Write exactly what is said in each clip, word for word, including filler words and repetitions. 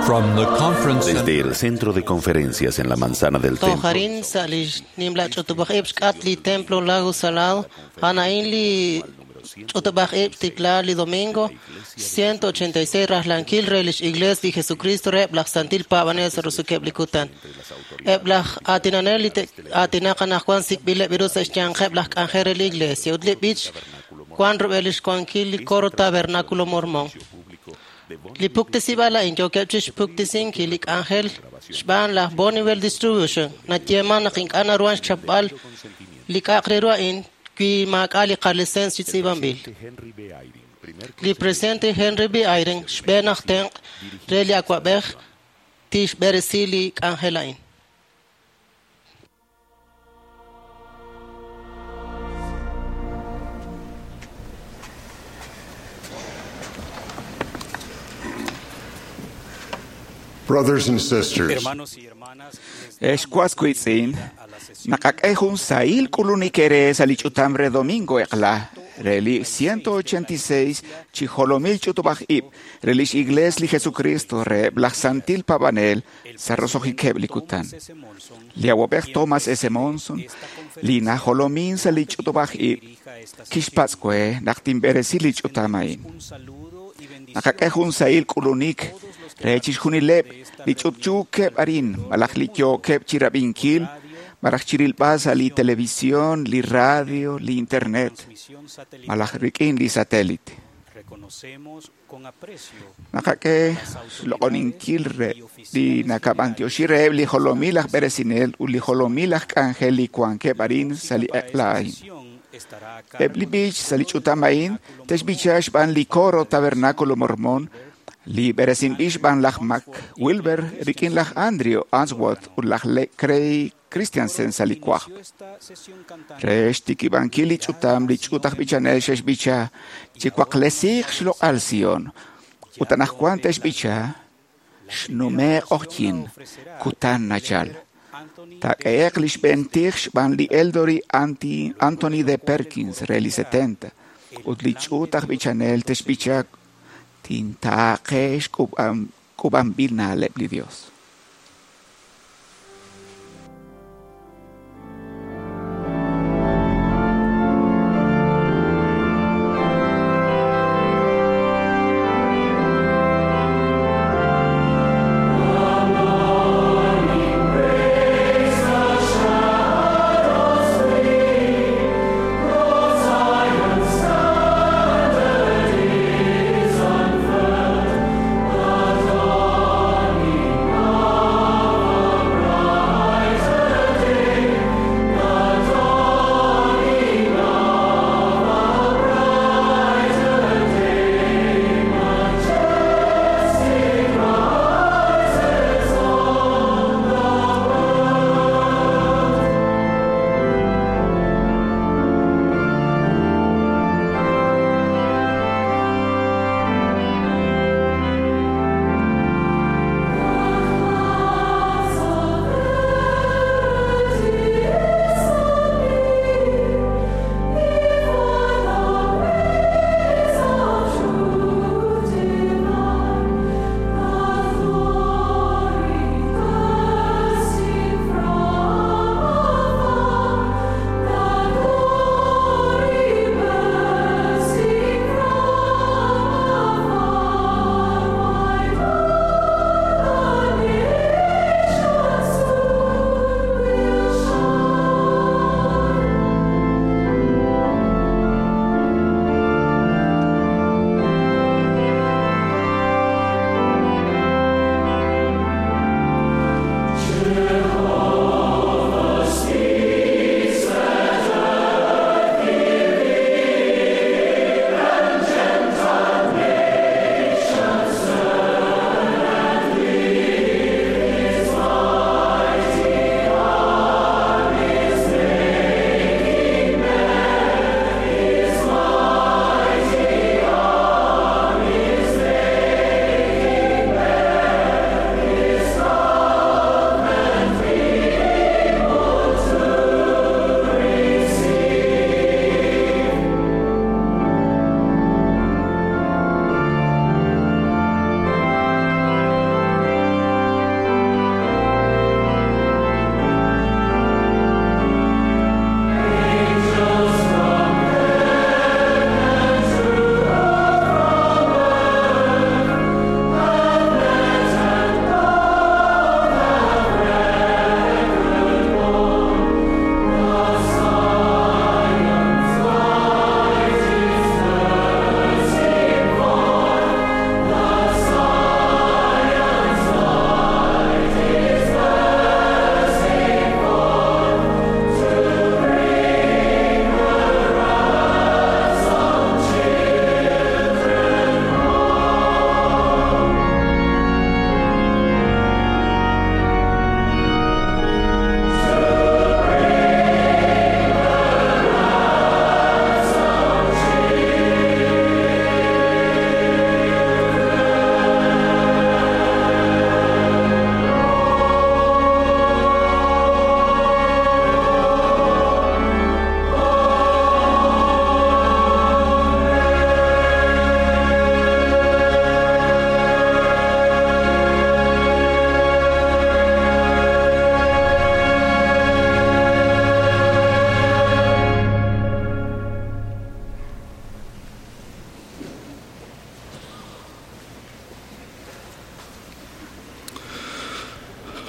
From the conference Desde el centro de conferencias en la manzana del templo, Tojarin sa li nimla ch'utub'aj ib' xk'at li templo Lago Salado a'an li ch'utub'aj ib' tikla li domingo ciento ochenta y seis rajlankil re lix iglesia li Jesucristo re laj santil paab'anel sa' rosukeb' li kutan. Eb' laj aatinanel li aatinaq anaqwan sik'b'ileb' iru sa' xyanqeb' laj k'anjel re li iglesia ut li b'ich wan rub'el lix wankil li coro Tabernáculo Mormón. Li puktesib'al a'in yookeb' chixpuktesinkil li k'anjel xb'aan laj Bonneville Distribution nayeeman naq ink'a' naruhan xchapb'al li k'a'aq re ru a'in wi maak'a' li qalicencia chi tz'iib'anb'il. Li presidente Henry B. Eyring xb'een aj tenq' re li awa'b'ej tixb'eresi li k'anjel a'in. Brothers and sisters, Hermanos y hermanas, Excuascuitzin, nakak'ejun sail k'ulunik ere sa li ch'utam re domingo eqla, reli ciento ochenta y seis chijolomil ch'utub'aj ib', relix igles li Jesucristo re laj santil pabanel sa rosojikeb' li kutan. Li awab'ej Thomas S. Monson, li najolomin sa li ch'utub'aj ib', kixpatz'kue naq tinb'eresi li ch'utam a'in. Nakak'ejun sail k'ulunik re chixjunileb' li ch'utch'uukeb' arin, malaj li yookeb' chirab'inkil, malaj chirilb'al sa li televisión, li radio, li internet, malaj rik'in li satélite. Nakak'e xloq'oninkil re li nakab'antioxi reheb' li jolomil aj b'eresinel ut li jolomil aj k'anjel li wankeb' arin sa li eq'la a'in. Eb' li b'ich sa li ch'utam a'in te'xb'icha xb'aan li coro Tabernáculo Mormón, li b'eresinb'il xb'aan laj Mac Wilber rik'in laj Andrew Answorth ut laj Craig Christiansen sa li kwajb'. Re xtikib'ankil li ch'utam li ch'ut aj b'ichanel xe'xb'icha chiwaqlesiiq xloq'al Sion ut anaqwan te'xb'icha xnume' q'oqyin kutan nachal. Tak'e'eq li xb'een tij xb'aan li Eldori Anthony de Perkins re li setenta ut li ch'ut aj b'ichanel te'xb'icha tintaaqe xk'ub'anb'il na'leb' li Dios. Unfurled, the dawning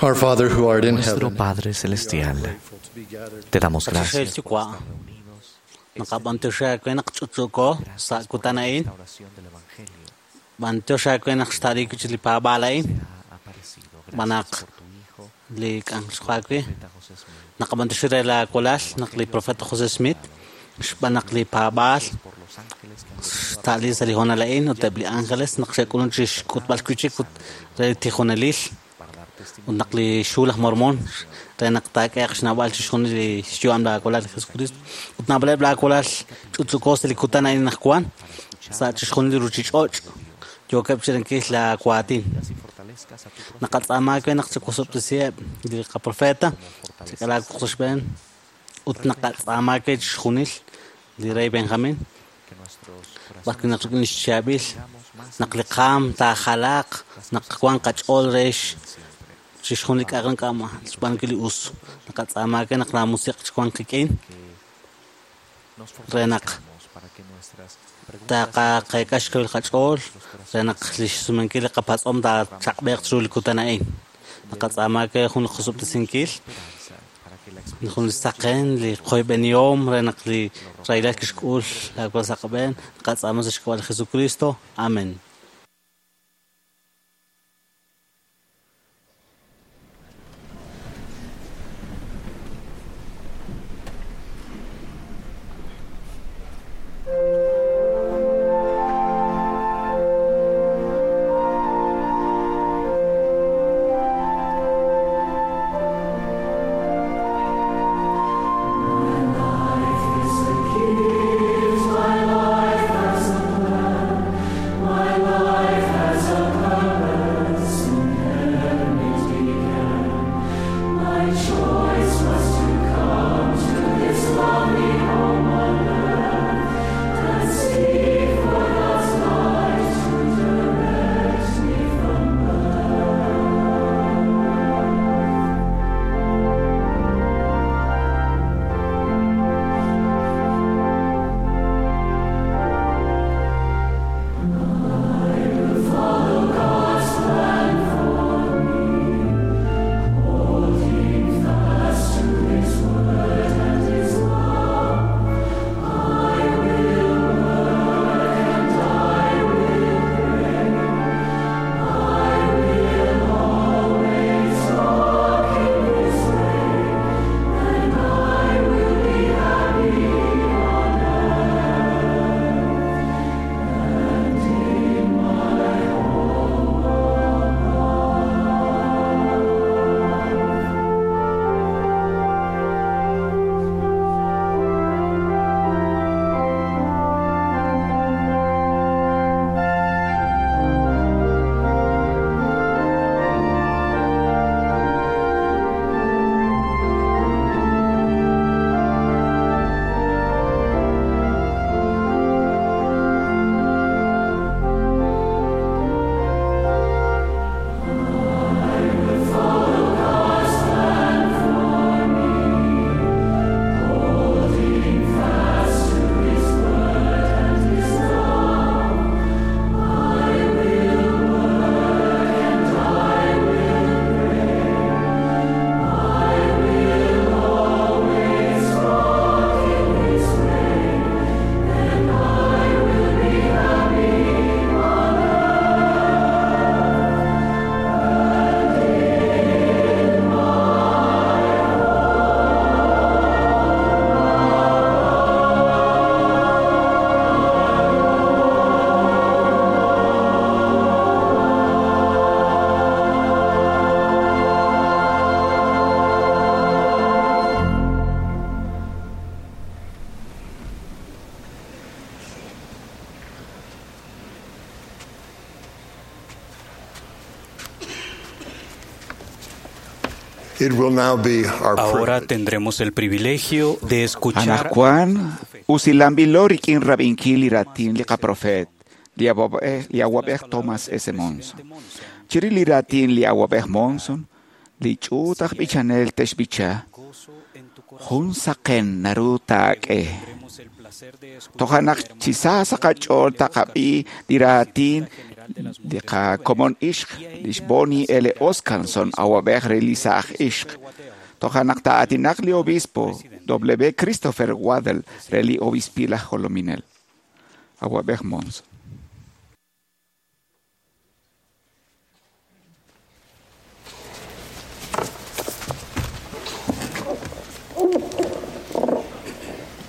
Our Father who art in Nuestro heaven, Padre Celestial, te damos Qachaxel gracias yuwa' naqab'antioxi naq ch'utch'uko sa' kutan a'in b'antioxi naq xta'riik chi li paab'aal a'in b'anaq li k'anjel wi naqab'antioxi re la walal naq li profeta José Smith xb'aan naq li paab'aal xta'li sa' li hoonal a'in ut eb' li ángeles naq xe'k'ulun chi xk'utb'al wi'chik ut re tijonelil ut naq li xhu laj Mormon re naq taak'ehaq xnawb'al chixjunil li xyu'am la walal Jesucristo ut naab'aleb' la walal ch'utch'uko sa' li kutan a'in naq wan sa' chixjunil li ruchich'och' yookeb' chirinkil la waatin naqatz'aama we naq chikusob'tisiheb' li qaprofeta chik'alaak sa' xb'een ut naqatz'aama we chixjunil li rey Benjamin b'arwi' naq rik'in xchaab'il naq li qaam taajalaaq naq wan qach'ool re chixjunil li k'a'aq k'a'ma xb'aanunkil li us naqatz'aama we naq la musiq' chiwanq qik'in re naq taqaqeek'a xkawil qach'ool re naq li xsumenkil li qapatz'om taachaq'b'eeq chiru li kutan a'in naqatz'aama we jun li qosob'tesinkil jun li saqen li qoyb'enihom re naq li rahilal kixk'ul laawal sa' qab'een naqatz'aama sa' xk'ab'a' li Jesucristo amen. My life has a plan. My life It will now be our Ahora tendremos el privilegio de escuchar Anaqwan usilanb'ilo rik'in rab'inkil li raatin li qaprofeet li awab'ej li awab'ej Thomas S. Monson. Chirix li raatin li awab'ej Monson, li ch'uut aj b'ichanel te'xb'icha jun saqen naru taak'e. Toja' naq chi sa sa' qach'ool taqab'i li raatin Li qakomon ixq, lix Bonnie L. Oscarson, awab'ej re li saaj ixq. Toja' naq taa'aatinaq li obispo W. Christopher Waddell re li obispil aj jolominel. Awab'ej Monson.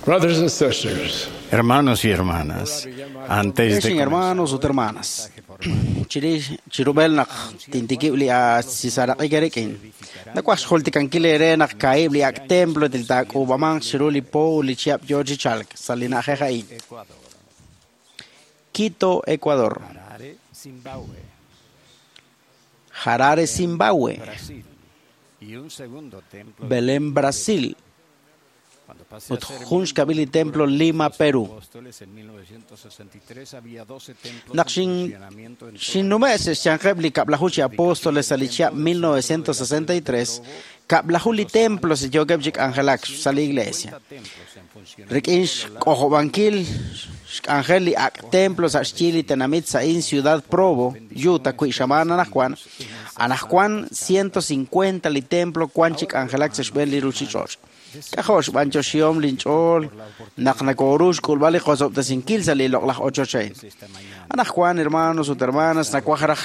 Brothers and sisters, Hermanos y hermanas, antes de Ex hermanos ut hermanas, chirix chirub'el naq tintikib' li asisaraq'ik eriq'in. Nakuaj xjultikankil ere naq kaib' li ak' templo til taak'uub'amanq chiru li po ut li chihab' yoo chi chalk sa' li na'ajej a'in. Quito, Ecuador. Harare, Zimbabue. Belén, Brasil. Ut jun xkab'il li templo Lima, Perú. Naq xin xinnume' xyanqeb' li kab'laju chi apóstoles sa' li chihab' mil novecientos sesenta y tres, kab'laju li templo si yookeb' chi k'anjelak sa' li iglesia. Rik'in xk'ojob'ankil xk'anjel li ak' templo sa' xyi li tenamit sa'in Ciudad Provo, Utah, wi xamaan anajwan, anajwan ciento cincuenta li templo wan chi k'anjelak sa' xb'een li ruchich'och'. K'ajo' xb'anyoxihom linch'ool naq nakoru xk'ulb'al li qosob'tesinkil sa' li loq'laj ochoch a'in. Anajwan, hermanos ut hermanas, nakuaj raj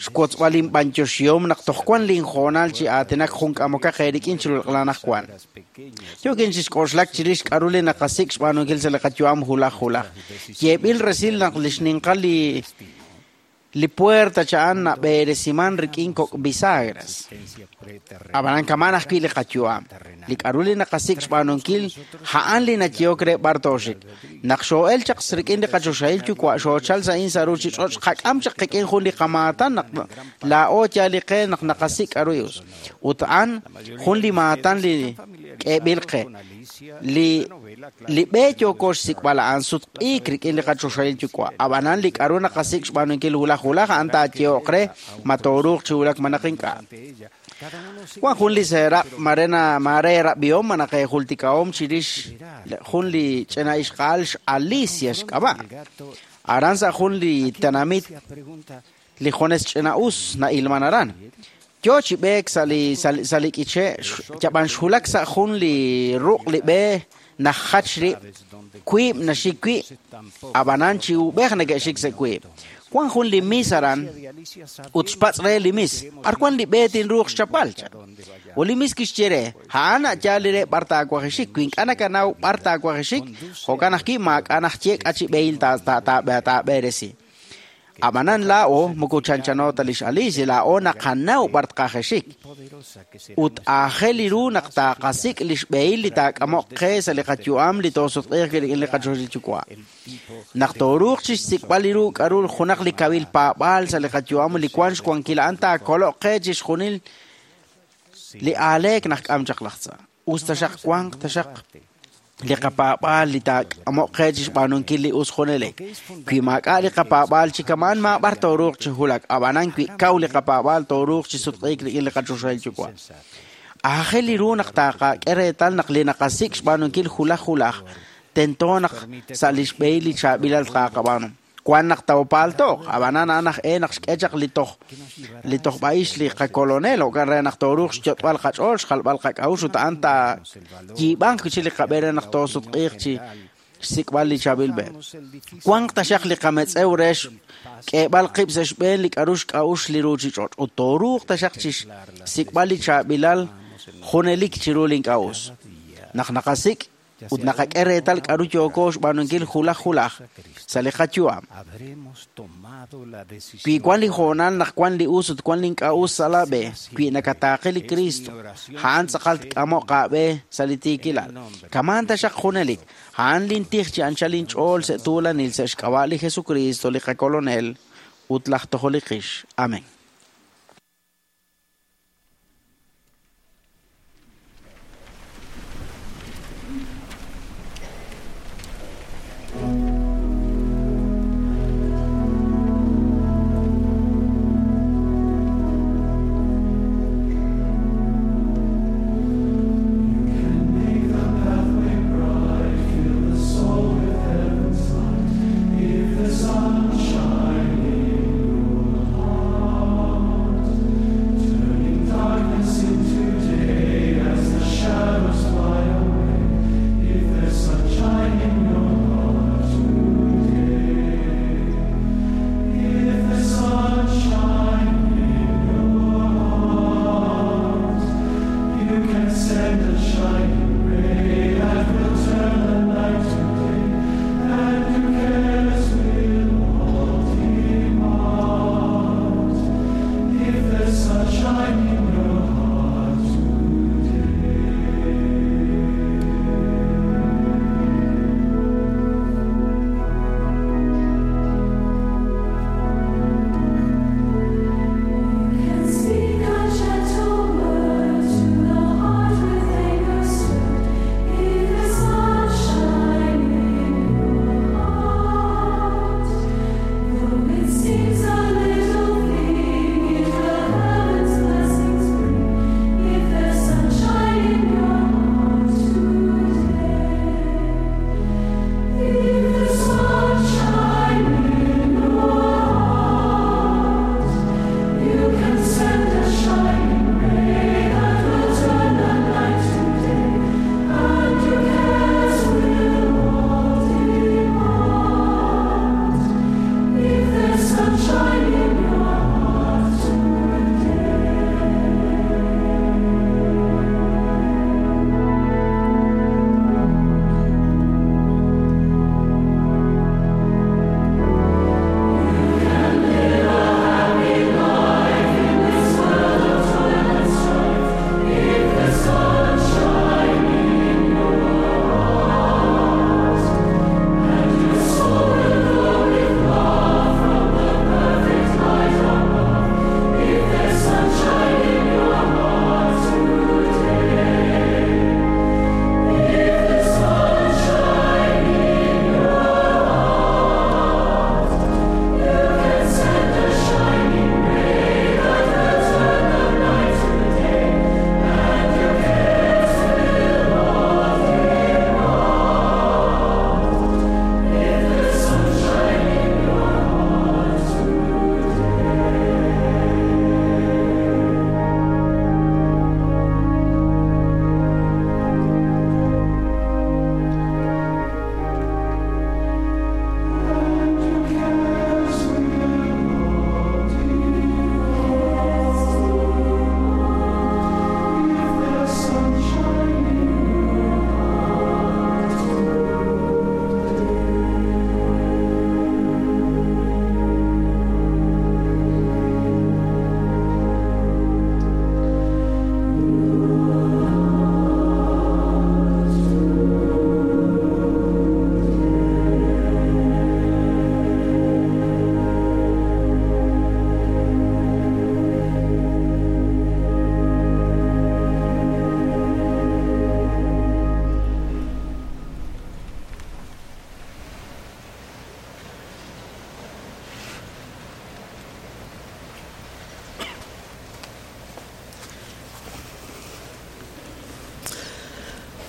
xwotzb'al linb'anyoxihom naq toj wan linjoonal chi aatinak jun k'amokaq eerik'in chiru li q'lan ajwan. Yookin chixk'oxlak chirix k'a'ru li naqasik' xb'aanunkil sa' li qayu'am hulaj hulaj. Yeeb'il resil naq li xninqal li li puerta cha'an nab'eresiman rik'in kok' bisagras. Ab'anan kaman ajwi' li qayu'am. Li k'a'ru li naqasik' xb'aanunkil a'an li nayehok re b'ar tooxik. Naq xoo'el chaq rik'in li qachoxahil yuwa' xoochal sa'in sa' ruchich'och' qak'am chaq qik'in jun li qamaatan naq laa'o yaal li qe naq naqasik' k'a'ru us. Ut a'an jun li maatan li k'eeb'il qe. Li li b'e yooko xsik'b'al a'an sutq'iik rik'in li qachoxahil yuwa'. Ab'anan li k'a'ru naqasik' xb'aanunkil hulaj hulaj a'an taayehoq re ma tooruuq chi wulak ma naq ink'a'. Wan jun li seeraq' marena mare rab'ihom ma naq ejultikahom chirix jun li ch'ina ixqa'al x'Alicia xk'ab'a'. Aran sa' jun li tenamit li junes ch'ina us na'ilman aran. Yo chi b'eek sa' li sa' li k'iche' yab'an xwulak sa' jun li ruq' li b'e najach rib' wiib' naxik wi' ab'anan chi ub'ej neke'xik sa' wiib'. Wan jun li mis aran ut xpatz' re li mis b'ar wan li b'e tinruuq xchapb'al cha. Ut li mis kixye re a'an a'yaal li re b'ar taawajixik wi ink'a' nakanaw b'ar taawajixik jo'kan ajwi' maak'a' najye k'a chi b'ehil taab'eresi. Ab'anan laa'o moko chanchano ta lix Alicia laa'o naqanaw b'ar tqajexik. Ut aajel li ru naq taaqasik' li xb'ehil li taak'amoq qe sa' li qayu'am li toosutq'iiq rik'in li qachoxil yuwa'. Naq tooruuq chixsik'b'al li ru k'a'ru junaq li kawil paab'aal sa' li qayu'am li wan xwankil a'an taakoloq qe chixjunil li aaleek naq k'am chaq laj tza. Us taxaq wanq taxaq li qapaab'aal li taak'amoq qe chixb'aanunkil li us junelik. Wi maak'a' li qapaab'aal chi kamaan maab'ar tooruuq chi wulak, ab'anan wi kaw li qapaab'aal tooruuq chi sutq'iik rik'in li qachoxahil yuwa'. Aajel li ru naq taaqak'e reetal naq li naqasik' xb'aanunkil hulaj hulaj tento naq sa' li xb'ehil li chaab'ilal tqaqab'aanu. Wan naq tawpaaltoq, ab'anan a'an aj e naq xk'e chaq li toj li tojb'a'ix li qakolonel jo'kan re naq tooruuq xyot'b'al qach'ool xjalb'al qak'a'uxl ut a'an taayiib'anq chi li qab'e re naq toosutq'iiq chi xsik'b'al li chaab'il b'e. Wanq taxaq li qametz'ew re xk'eeb'al qib' sa' xb'een li k'a'ru xk'a'uxl li ruchich'och' ut tooruuq taxaq chi xsik'b'al li chaab'ilal junelik chiru li ink'a' us. Naq naqasik' ut naqak'e reetal k'a'ru yooko xb'aanunkil hulaj hulaj sa' li qayu'am. Wi wan li hoonal naq wan li us ut wan li ink'a' us sa' la b'e, wi nakataaqe li Cristo, a'an tz'aqal tk'amoq aab'e sa' li tiikilal. Kamaan taxaq junelik, a'an lintij chi anchal inch'ool sa' tuulanil sa' xk'ab'a' li Jesucristo li qakolonel ut laj tojol li qix. Amén. Sunshine in your seems a little thing, it will heaven's blessings bring. If there's sunshine in your heart today, if there's sunshine in your heart, you can send a shining ray that will turn the night to day, and your cares will all depart. If there's sunshine in your heart today.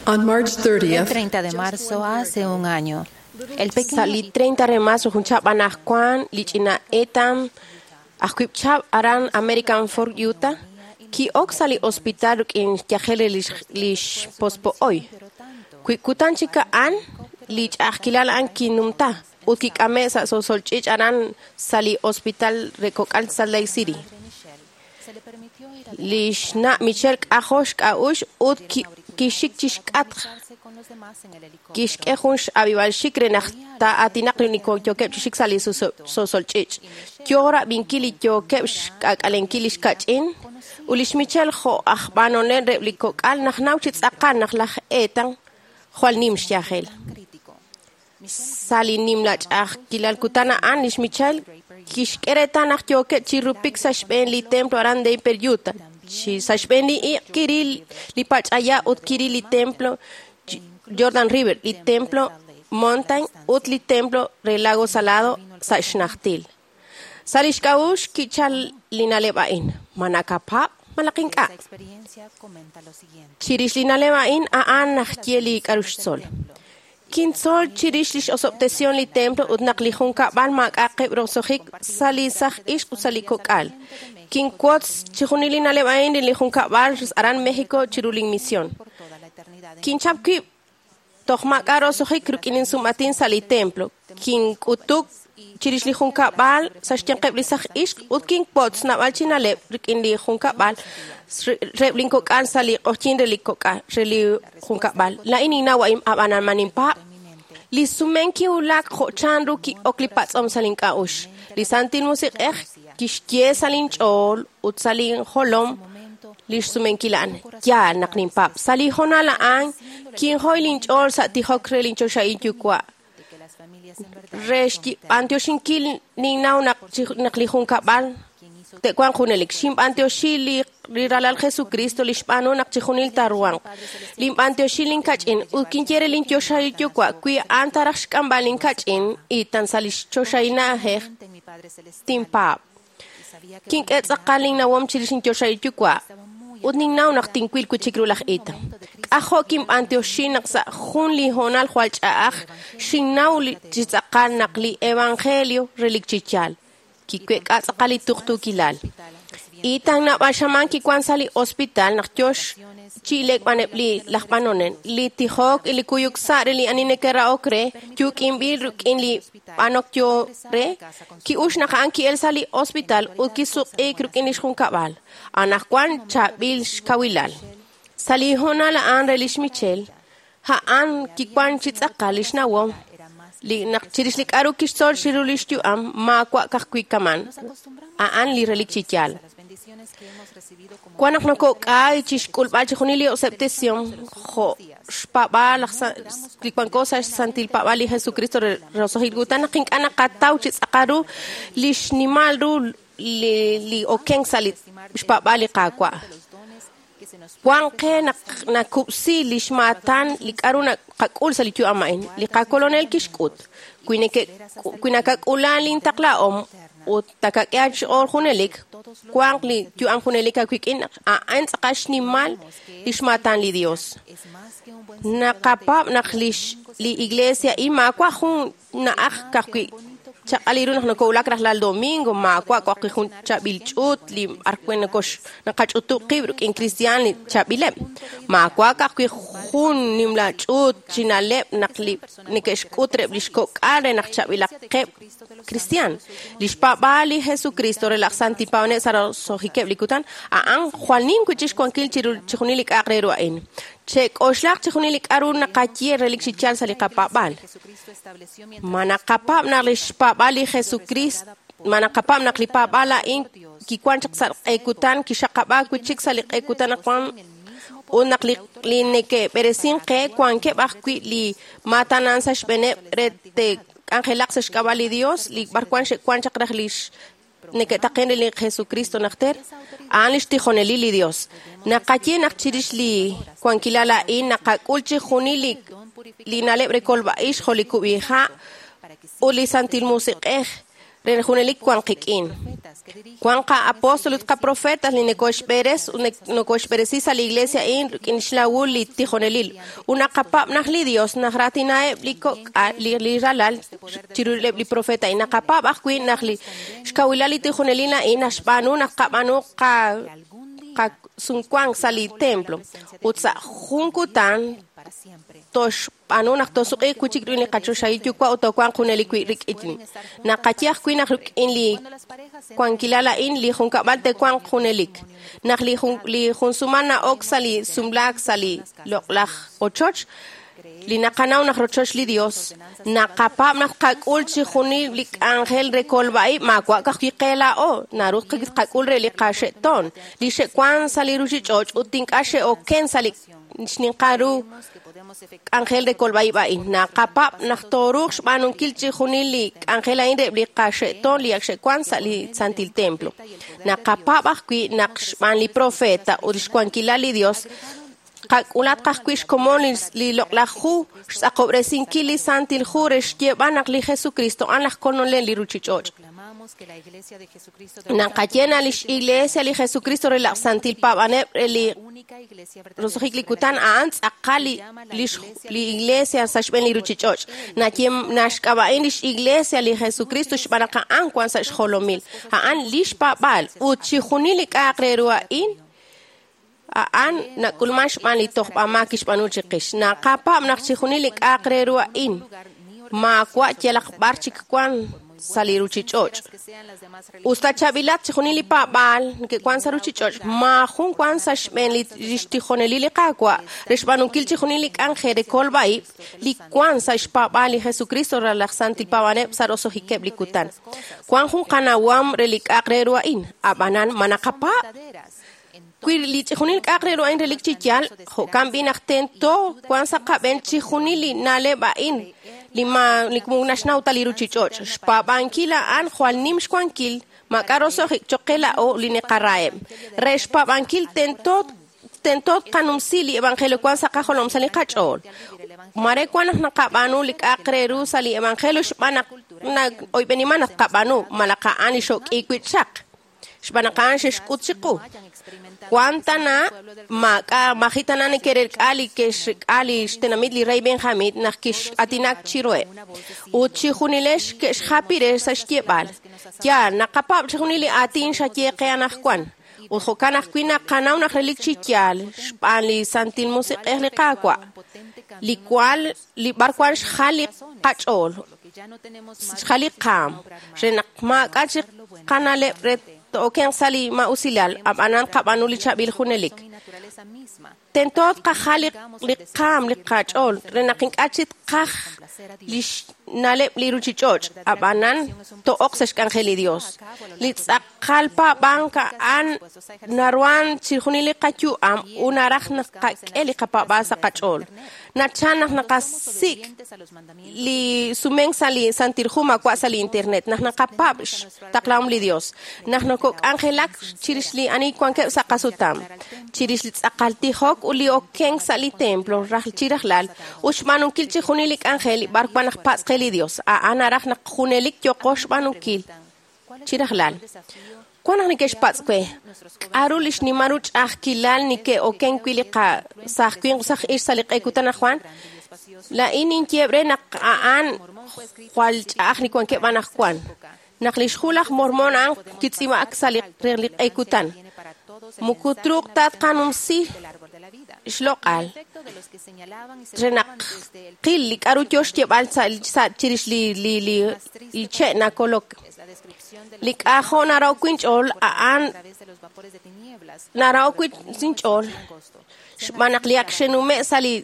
On March El thirtieth, treinta de marzo, hace un año, el pequeño Sa' li treinta de marzo junchab anajkuan lich'ina etam ajkuib'chab aran American Fork, Utah, ki'ok sa' li hospital rik'in yajel re lix lixpospo'oy. Kuikutan chik a'an li ch'a'ajkilal a'an kinumta ut kik'ame' sa' sosolch'ich' aran sa' li hospital re kok'al Salt Lake City. Lix na' Michelle k'ajol xk'a'ux ut ki- kixik chixk'atq kixk'e jun x'ab'ib'alxik re naq taa'aatinaq li yookeb' chixik sa' li soso- sosolch'ich'. Yoo rab'inkil li yookeb' xk'ak'alenkil lix kach'in ut lix Michelle jo' aj b'anonel reb' li kok'al naq naw chi tz'aqal naq laj Ethan jwal nim xyajel. Sa' li nimla ch'a'ajkilal kutan a'an lix Michelle kixk'e reetal naq yookeb' chi rupik sa' xb'een li templo aran Draper, Utah. Chi sa' xb'een li iq' kiril li pach'aya ut kiril li templo Jordan River, li templo Mountain ut li templo re Lago Salado sa' xnajtil. Sa' lix k'a'uxl kichal li na'leb' a'in, ma nakapab' malaq ink'a'. experiencia comenta lo siguiente. Chirix li na'leb' a'in a'an najye li k'a'ru xtzol. Kintzol chirix lix osob'tesión li templo ut naq li junkab'al maak'a'aqeb' roso'jik sa' li saj ixq ut sa' li kok'al. Kinwotz chijunil li na'leb' a'in li junkab'al aran México chiru lin misión. Kinchap wib' toj maak'a' roso'jik rik'in insum'atin sa' li templo. Kink'utuk chirix li junkab'al sa' xyanqeb' li saj ixq ut kinwotz naab'al chi na'leb' rik'in li junkab'al reb' lin kok'al sa' li q'ojyin re li kok'al re li junkab'al. Laa'in ninnaw a'in ab'anan ma ninpaab'. Li sumen kiwulak jo' chanru ki'ok li patz'om sa' lin k'a'uxl. Li Santil Musiq'ej kixye sa' linch'ool ut sa' linjolom lix sumenkil a'an. Yaal naq ninpaab'. Sa' li hoonal a'an kinjoy linch'ool sa' tijok re linchoxahil yuwa'. Re xb'antioxinkil ninnaw naq chi- naq li junkab'al te'wanq junelik. Xinb'antioxi li li ralal Jesucristo li xb'aanu naq chijunil taaruhanq. Linb'antioxi linkach'in ut kinye re linchoxahil yuwa' wi a'an taraj xk'amb'al linkach'in y tan sa' li choxahil na'ajej tinpaab'. Kink'e tz'aqal linnawom chirix inchoxahil yuwa' ut ninnaw naq tinwil wi' chik ru laj Ethan. K'ajo' kinb'antioxi naq sa' jun li hoonal jwal ch'a'aj xinnaw chi tz'aqal naq li evangelio relik chi yaal. Kiweek'a tz'aqal li tuqtuukilal. Ethan naab'al xamaan kiwan sa' li hospital naq yox chi'ilek b'aneb' li laj b'anonel. Li tijok y li kuyuk sa' re li ani neke'ra'ok re yuuk'inb'il rik'in li b'anok yo re ki'ux naq a'an ki'el sa' li hospital ut kisuq'iik rik'in lix junkab'al. Anaqwan chaab'il xkawilal. Sa' li hoonal a'an re lix Michelle, a'an kiwan chi tz'aqal lix nawom li naq chirix li k'a'ru kixtzol chiru lix yu'am maawa' ka'ajwi' kaman. A'an li relik chi yaal. Wan naq nokok'ay chixk'ulb'al chixjunil li osob'tesihom jo' xpaab'aal laj li wanko sa' xsantil paab'aal li Jesucristo re roso'jik kutan naq ink'a' naqataw chi tz'aqal ru li xnimal ru li li okenk sa' li xpaab'aal li Qaawa'. Wan qe naq nakub'si lix maatan li k'a'ru naqak'ul sa' li yu'am a'in. Li qakolonel kixk'ut. Wi neke wi nakak'ula lintaqlahom ut takak'e aach'ool junelik, wanq li yu'am junelik aawik'in a'an tz'aqal xnimal lix maatan li Dios. Naqapaab' naq lix li iglesia a'in maawa' jun na'aj ka'ajwi' chaq'al ru naq nokowulak rajlal domingo maawa' ka'ajwi' jun chaab'il ch'uut li b'arwi' nokox naqach'utub' qib' rik'in kristiaan li chaab'ileb'. Maawa' ka'ajwi' jun nimla ch'uut chi na'leb' naq li neke'xk'ut reb' lix kok'al re naq chaab'ilaqeb' kristiaan. Lix paab'aal li Jesucristo re laj santil paab'anel sa' roso'jikeb' li kutan a'an jwal nim wi' chik xwankil chiru chixjunil li k'a'aq re ru a'in. Chek'oxlaq chixjunil li k'a'ru naqaye relik chi yaal sa' li qapaab'aal. Ma naqapaab' naq lix paab'aal li Jesucristo, ma naqapaab' naq li paab'aal a'in kiwan chaq sa' q'e kutan kixaqab'aak wi' chik sa' li q'e kutan naq wan ut naq li li neke'b'eresink qe wankeb' ajwi' li maatanan sa' xb'eeneb' re te'k'anjelaq sa' xk'ab'a' li Dios li b'arwan xe'wan chaq raj lix neke'taqen re li Jesucristo najter, a'an lix tijonelil li Dios. Naqaye naq chirix li wankilal a'in naqak'ul chixjunil li li na'leb' re kolb'a'ix jo' li kub'iha' ut li Santil Musiq'ej re junelik wan qik'in. Wan qa-apóstol ut qa-profetas li nekoxb'eres ut nokoxb'eresi sa' li iglesia a'in rik'in xlawul li tijonelil. Ut naqapaab' naq li Dios naq raatinaheb' li kok'al li, li ralal chiruleb' li profeta a'in. Naqapaab' ajwi' naq li xkawilal li tijonelil a'in naxb'aanu naq qab'aanu qa qasunwank sa' li templo. Ut sa' jun kutan toxb'aanu naq tosuq'iiq wi' chik rik'in li qachoxahil yuwa' ut toowanq junelik wi' rik'in. Naqaye ajwi' naq rik'in li wankilal a'in li junkab'al te'wanq junelik. Naq li jun li jun sumal na'ok sa' li sumlaak sa' li loq'laj ochoch, li naqanaw naq rochoch li Dios, naqapaab' naq qak'ul chixjunil li k'anjel re kolb'a'ib' maawa' ka'ajwi' qe laa'o, naru qak'ul re li qaxe'toon, li xe'wan sa' li ruchich'och' ut ink'a' xe'oken sa' li xninqal ru k'anjel re kolb'a'ib' a'in. Naqapaab' naq tooruuq xb'aanunkil chixjunil li k'anjel a'in reb' li qaxe'toon li ak xe'wan sa' li Santil Templo. Naqapaab' ajwi' naq xb'aan li profeta ut xwankilal li Dios qak'ulat ka'ajwi' xkomon li loq'laj hu xtz'aqob'resinkil li Santil Hu re xyeeb'al naq li Jesucristo a'an laj kolonel li ruchich'och'. Naqaye naq lix Iglesia li Jesucristo re laj santil paab'anel re li roso'jik li kutan a'an tz'aqal li li Iglesia sa' xb'een li ruchich'och'. Naye naxk'ab'a'in lix Iglesia li Jesucristo xb'aan naq a'an wan sa' xjolomil. A'an lix paab'aal ut chixjunil li k'a'aq re ru a'in a'an nak'ulman xb'aan li tojb'amaak kixb'aanu chiqix. Naqapaab' naq chixjunil li k'a'aq re ru a'in maawa' yalaq b'ar chik wan sa' li ruchich'och'. Usta chaab'ilat chixjunil li paab'aal neke'wan sa' ruchich'och', maajun wan sa' xb'een li xtijonelil li Qaawa' re xb'aanunkil chixjunil li k'anjel re kolb'a'ib' li wan sa' xpaab'aal li Jesucristo re laj santil paab'anel sa' roso'jikeb' li kutan. Wan jun qanawam re li k'a'aq re ru a'in, ab'anan ma naqapaab'? Wi li chixjunil k'a'aq re ru a'in relik chi yaal, jo'kan b'i naq tento wan sa' qab'een chixjunil li na'leb' a'in li ma li naxnaw ta li ruchich'och'. Xpaab'ankil a'an jwal nim xwankil maak'a' roso'jik choq' qe laa'o li neqaraheb'. Re xpaab'ankil tento tento tqanumsi li evangelio wan sa' qajolom sa' li qach'ool. Mare wan naq naqab'aanu li k'a'aq re ru sa' li evangelio xb'aan naq oyb'eniman naq qab'aanu malaj a'an li xok'iik wi' chaq. Xb'aan naq a'an xexk'ut chiqu. Wan tana maak'a maji tana neke'relk'a li ke'xk'a li xtenamit li rey Benjamin naq kix'atinak chiruheb'. Ut chijunilex ke'xjapi re sa' xyeeb'al. Yaal, naqapaab' chijunil li aatin xaye qe anaqwan. Ut jo'kan ajwi' naqanaw naq relik chi yaal xb'aan li Santil Musiq'ej li Qaawa', li cual li b'arwan xjal li qach'ool, xjal li qaam, re naq maak'a chi qanaleb' re to'oken sa' li ma'usilal, ab'anan qab'aanu li chaab'il junelik. Tento tqajal li qaam li qach'ool, re naq ink'a' chi tqaj li xna'leb' li ruchich'och', ab'anan to'oq sa' xk'anjel li Dios. Li tz'aqal paab'ank a'an naruhan chijunil li qayu'am ut naraj naq qak'e li qapaab'aal sa' qach'ool. Nachal naq naqasik' li sumenk sa' li Santil Hu maawa' sa' li internet, naq naqapaab' xtaqlahom li Dios, naq nokok'anjelak chirix li ani wankeb' sa' qasutam, chirix li tz'aqal tijok ut li okenk sa' li templo raj chi rajlal ut xb'aanunkil chijunil li k'anjel b'ar wan naq patz' qe li Dios. A'an naraj naq junelik yoqo xb'aanunkil chi rajlal. Wan naq neke'xpatz' we, k'a'ru li xnimal ru ch'a'ajkilal neke'oken wi' li qasaj winq saj ix sa' li q'e kutan anaqwan? Laa'in ninyeeb' re naq a'an jwal ch'a'aj li wankeb' anaqwan. Naq li xhu laj Mormon a'an kitz'iib'ak sa' li li q'e kutan. Muku truuq ta tqanumsi xloq'al re naq qil li k'a'ru yo xyeeb'al sa' chirix li li li li che' nakolok. Li k'ajo' naraw wi' inch'ool a'an naraw wi' inch'ool xb'aan naq li ak xenume' sa' li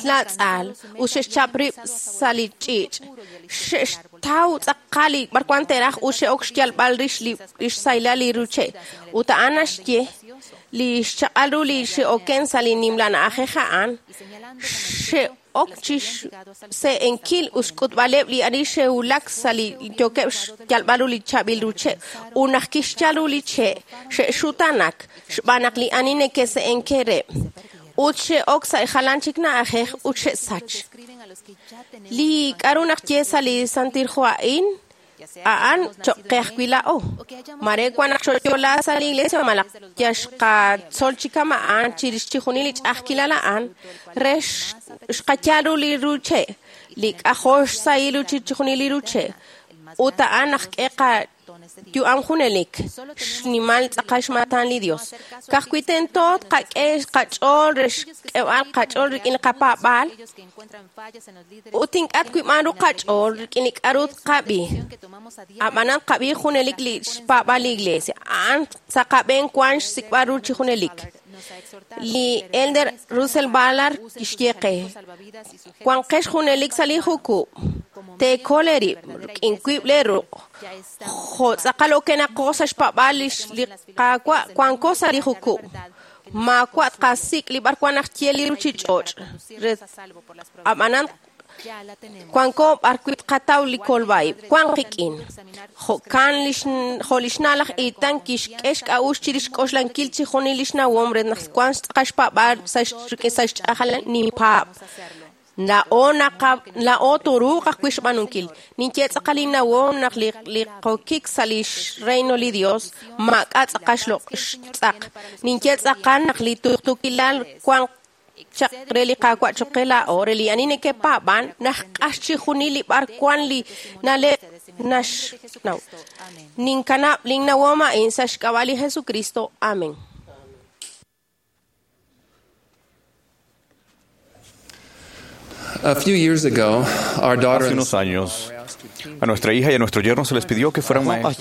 latz'al ut xe'xchap rib' sa' li ch'iich'. Xe'xtaw tz'aqal li b'arwan te'raj ut xe'ok xyalb'al rix li xsahilal li ruche'. Ut a'an naxye li xchaq'al ru li xe'oken sa' li nimla na'ajej a'an xe'ok chi xse'enkil ut xk'utb'aleb' li ani xe'wulak sa' li yookeb' xyalb'al ru li chaab'il ruche'. Ut naq kixyal ru li che' xe'xutanak xb'aan naq li ani neke'se'enke rib'. Ut xe'ok sa' jalan chik na'ajej ut xe'sach. Li k'a'ru naq ye sa' li Santil Hu a'in, a'an choq' qe ajwi' laa'o. Mare wan naq xo'yo'la sa' li iglesia malaj yaxqatzol chi kama'an chirix chijunil li ch'a'ajkilal a'an re xqayal ru li ruche', li k'ajo' xsahil ru chijunil li ruche'. Ut a'an naq k'e qayu'am junelik, xnimal tz'aqal xmaatan li Dios. Ka'ajwi' tento tqak'e qach'ool re xk'eb'al qach'ool rik'in li qapaab'aal ut ink'a' twib'an ru qach'ool rik'in li k'a'ru tqab'i. Ab'anan tqab'i junelik li xpaab'aal li iglesia. A'an sa' qab'een wan xsik'b'al ru chi junelik. Li Elder Russell Ballard kixye qe, wanqex junelik sa' li jukub', teekol eerib' rik'in wiib' lee ruq'. Jo' tz'aqal okenaqo sa' xpaab'aal li Qaawa' wanko sa' li jukub'. Maawa' tqasik' li b'arwan naq ye li ruchich'och'. Ab'anan wanko b'arwi' tqataw li kolb'a'ib', wan qik'in. Jo'kan jo' li xna' laj Itan kixk'e xk'a'uxl chirix xk'oxlankil chijunil li xnawom re naq wan tz'aqal xpaab'aal sa' xch'a'ajal ninpaab'. Laa'o naqa laa'o tooruuq ajwi' xb'aanunkil. Ninye tz'aqal innawom naq li li qokik sa' li xreino li Dios maak'a' tz'aqal xtz'aq. Ninye tz'aqal naq li tuqtuukilal wan chaq re li Qaawa' choq' qe laa'o, re li ani neke'paab'an, naq q'ax chijunil li b'ar wan li na'leb' naxnaw. Ninkanab' linnawom a'in sa' xk'ab'a' li Jesucristo. Amén. A few years ago, our daughter Hace unos años, a nuestra hija y a nuestro yerno se les pidió que fueran maestros.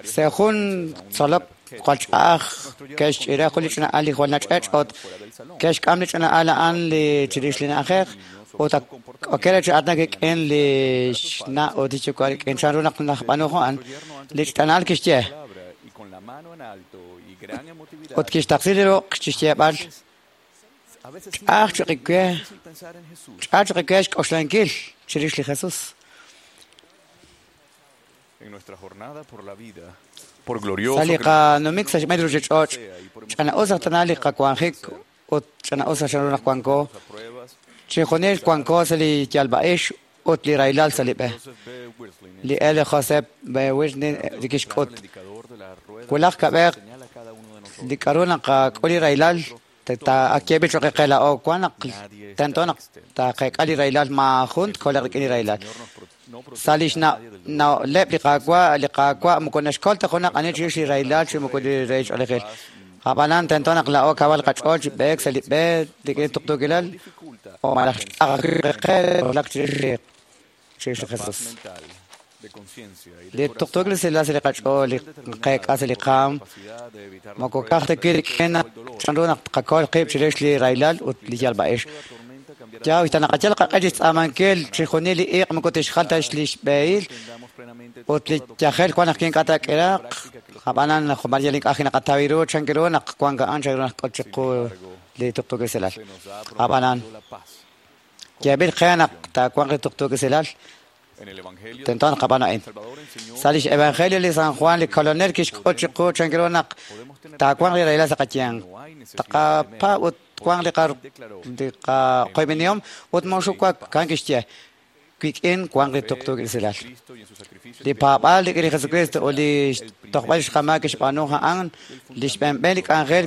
Según Solop Qualchaj, Kesh Irakulichna Ali Juanach Ot, Kesh Kamlichna Ala Anli Chirislina Ajer, Ota Okerach Atnakik en Lishna Otichukarik en Charunaknach Panujuan, Lichtanal Kishye. Ut kixtaqsi li ruq' chixyeeb'al ch'a'aj chiqikwe ch'a'aj chiqikwe xk'oxlankil chirix li Jesus. Sa' li qanumik sa' xb'een ruuchich'och' ch'ana'us aj tana li qawanjik ut ch'ana'us aj chanru naq wanko chixjunil wanko sa' li yalb'a'ix ut li rahilal sa' li b'e. Li L. Joseph B. Wirthlin li kixk'ut wulaj kab'ej li k'aru naqak'ul li rahilal ak yeeb'il cho'q qe laa'o wan naq tento naq taqeek'a li rahilal maajun tkoleq rik'in li rahilal. Sa' li xna'leb' li Qaawa' li Qaawa' moko naxkol ta junaq ani chirix li rahilal chi moko li rahil ch'oolejil. Ab'anan tento naq laa'o kawal qach'ool chi b'eek sa' li b'e rik'in tuqtuukilal o malaj ch'a'aj qe lak chirix li chirix li Jesus. Li tuqtuukil usilal sa' li qach'ool li qeek'a sa' li qaam moko ka'aj ta wi' rik'in chanru naq tqakol qib' chirix li rahilal ut li yalb'a'ix. Yaw tanaqayal qaq'e chixtz'aamankil chixjunil li iq' moko tixjal ta li xb'ehil ut li yajel wan naq ink'a' taak'iraq ab'anan jumalil ink'a' naqataw ru chanki ru naq wan a'an chanru naq k'ot chiqu li tuqtuukil usilal. Ab'anan yeeb'il qe naq taawanq li tuqtuukil usilal tento naq qab'aan a'in. Sa' lix Evangelio li San Juan li Kolonel kixk'ut chiqu chanki ru naq taawanq li rahilal sa' qayanq. Taqapaab' ut wanq li qaqoyb'enihom ut moxuwak kan kixye wik'in wanq li tuqtuukil usilal. Li paab'aal rik'in li Jesucristo ut li xtojb'al xqamaak kixb'aanu a'an li xb'enb'en li k'anjel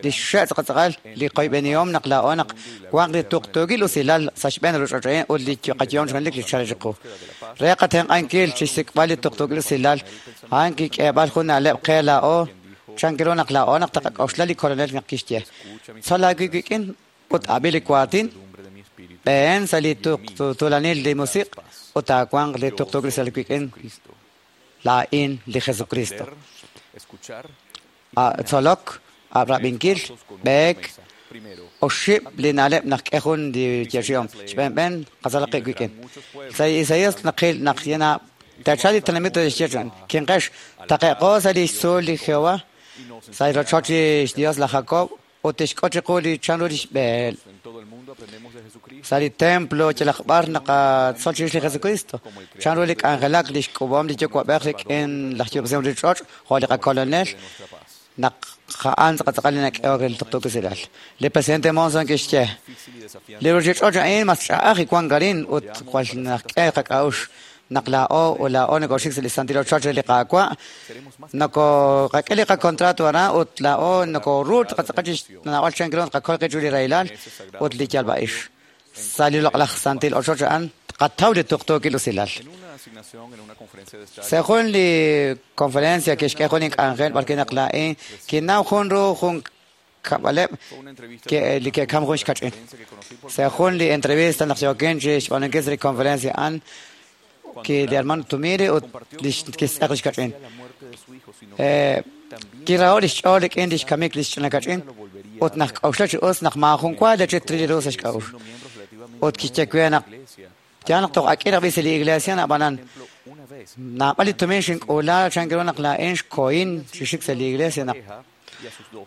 li xxe' tz'aqal li qoyb'enihom naq laa'o naq wanq li tuqtuukil usilal sa' xb'een ruuchich'och' ut li qayehom ch'oolej li chal chiqu. Re qatenq'ankil chixsik'b'al li tuqtuukil usilal a'an kik'eeb'al jun na'leb' qe laa'o chanki ru naq laa'o naq taqak'oxla li Kolonel naq kixye tzol aawi' wik'in ut ab'i li waatin b'een sa' li tuulanil li musiq' ut taawanq li tuqtuukil usilal wik'in laa'in li Jesucristo. Tzolok, ab'rab'inkil, b'eek, oxib' li na'leb' naq k'e jun li yeechi'om xb'een b'een qatzolaq qib' wik'in. Sa' Isaías naqil naq yana taachal li tenamit xyeechan kinqex taqe'qo sa' li xtzuul li Jehová sa' li rochoch li xDios laj Jacob ut tixk'ut chiqu li chanru li xb'eel. Sa' li templo yalaq b'ar naqatzol chirix li Jesucristo chanru li k'anjelak li xk'ub'om li yuwa'b'ej rik'in laj yob'tesihom li ch'och' jo' li qakolonel naq a'an tz'aqal li nak'ehok re li tuqtuukil usilal. Li presidente Monson kixye li ruuchich'och' a'in mas ch'a'aj wank arin ut jwal naqk'e qak'a'uxl naq laa'o ut laa'o nokoxik sa' li santil ochoch re li Qaawa' nokoqak'e li qakontrato aran ut laa'o nokoru tqatz'aqal chixnawal chanki ru tqakol qib' chiru li rahilal ut li yalb'a'ix. Sa' li loq'laj santil ochoch a'an tqataw li tuqtuukil usilal. Sa' jun li conferencia kixk'e jun ink'anjel b'arwi' naq laa'in kinnaw jun ru jun kab'aleb' li ke'kam jun xkach'in. Sa' jun li entrevista naq yookin chi xb'aanunkil sa' li conferencia a'an ki li hermano Tumiri ut kixtz'eq li xkach'in. Kiraho' li xch'ool rik'in li xkamik li xch'ina kach'in ut naq k'oxla chi us naq maajun wa lechit li ru sa' xk'a'uxl. Ut kixye we naq ya naq toj ak'il ajwi' sa' li iglesia ab'anan naab'al li tumin xink'uula chanki ru naq laa'in xkohin chi xik sa' li iglesia naq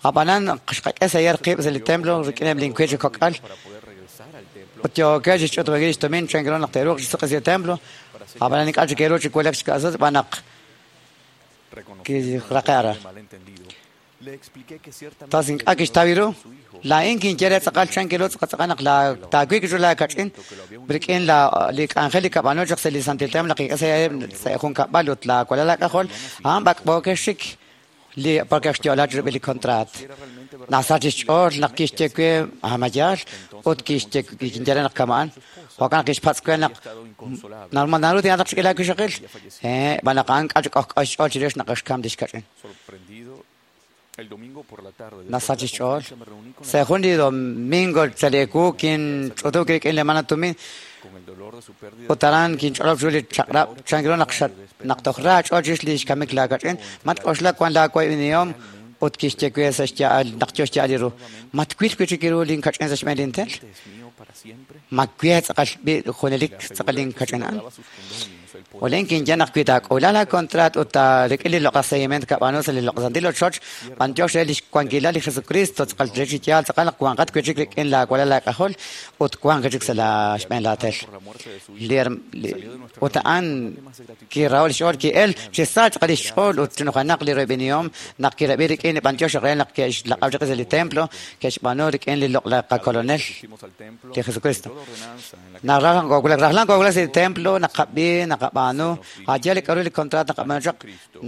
ab'anan xqak'e sa' yar qib' sa' li templo rik'ineb' linkuy chi kok'al ut yookeb' chi xch'utub'ankil li xtumin chanki ru naq te'ruuq chi suq'i sa' li templo ab'anan ink'a' chik ke'ru chi wulak chi ka'sut xb'aan naq kiraqe' aran. Tos ink'a' kixtaw ru laa'in kinye re tz'aqal chanki ru tz'aqal naq taawik chiru laakach'in rik'in li k'anjel li kab'aanu chaq sa' li santil templo naq kik'e sa' jun kab'al ut laawalal laak'ajol a'an b'ak'b'ookeb' xik li porque xyo'la chirub'il li contrat. Nasach xch'ool naq kixye we amayaal ut kixye kinye re naq kama'an jo'kan naq kixpatz' we naq normal naru tinataq chik'il aawixaqil eh b'an naq a'an k'a' k'ojk'o xch'ool chirix naq xkam li xkach'in. Nasach xch'ool sa' jun li domingo sa' li ewu kinch'utuk rik'in li hermana Tumin ut aran kinch'olob' chiru li chaq'rab' chanki ru naq naq toj ra ch'ool chirix li xkamik laakach'in matk'oxla wan laawayb'enihom ut kixye we sa' xya'al naq yo xya'al li ru matwil wi' chik ru linkach'in sa' xb'een lintel ma we tz'aqal b'i' junelik tz'aqal linkach'in a'an. Ulen kinye naq wi taak'ula la contrat ut rik'in li loq'laj seguimiento kab'aanu sa' li loq'laj santil ochoch, b'antiox re lix wankilal li Jesucristo tz'aqal re chi yaal tz'aqal naq wanqat wi' chik rik'in laawalal laak'ajol ut wanq chik sa' la xb'een laatel. Li ut a'an kirahol xch'ool ki'el chi sa tz'aqal lix ch'ool ut chinujanaq li royb'enihom naq kirab'i rik'in li b'antiox re naq ke'xlaq'aw chaq sa' li templo ke'xb'aanu rik'in li loq'laj qakolonel li Jesucristo. Naq rajlan koowulak sa' li templo naqab'i naqab'aanu aye li k'aru li contrato naqab'aanu chaq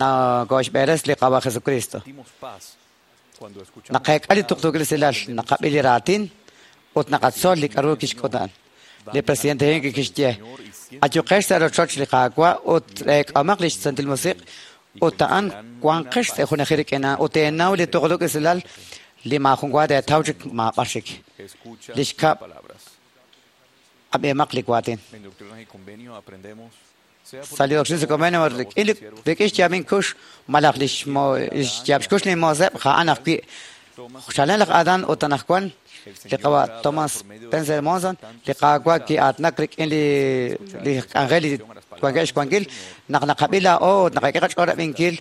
nakoxb'eres li Qawa Jesucristo. Naqeek'a li tuqtuukil usilal naqab'i li raatin ut naqatzol li k'aru kixk'ut a'an. Li presidente Hinckley kixye ayuqex sa' rochoch li Qaawa' ut reek'amaq li xsantil musiq' ut a'an wanqex sa' junajil rik'in a'an ut teenaw li tuqtuukil usilal li maajun wa teetaw chik maab'ar chik. Li xkab' ab'emaq li waatin. Sa' li doctrina y convenio rik'in xyaab'in kux malaj li xyaab' xkux li mooseb' ja'an ajwi' xchalen laj Adán ut anaqwan li qawa' Thomas Spencer Monson li Qaawa' ki'aatnak rik'in li li k'anjel li wankeb' xwankil naq naqab'i laa'o ut naqak'e qach'ool rab'inkil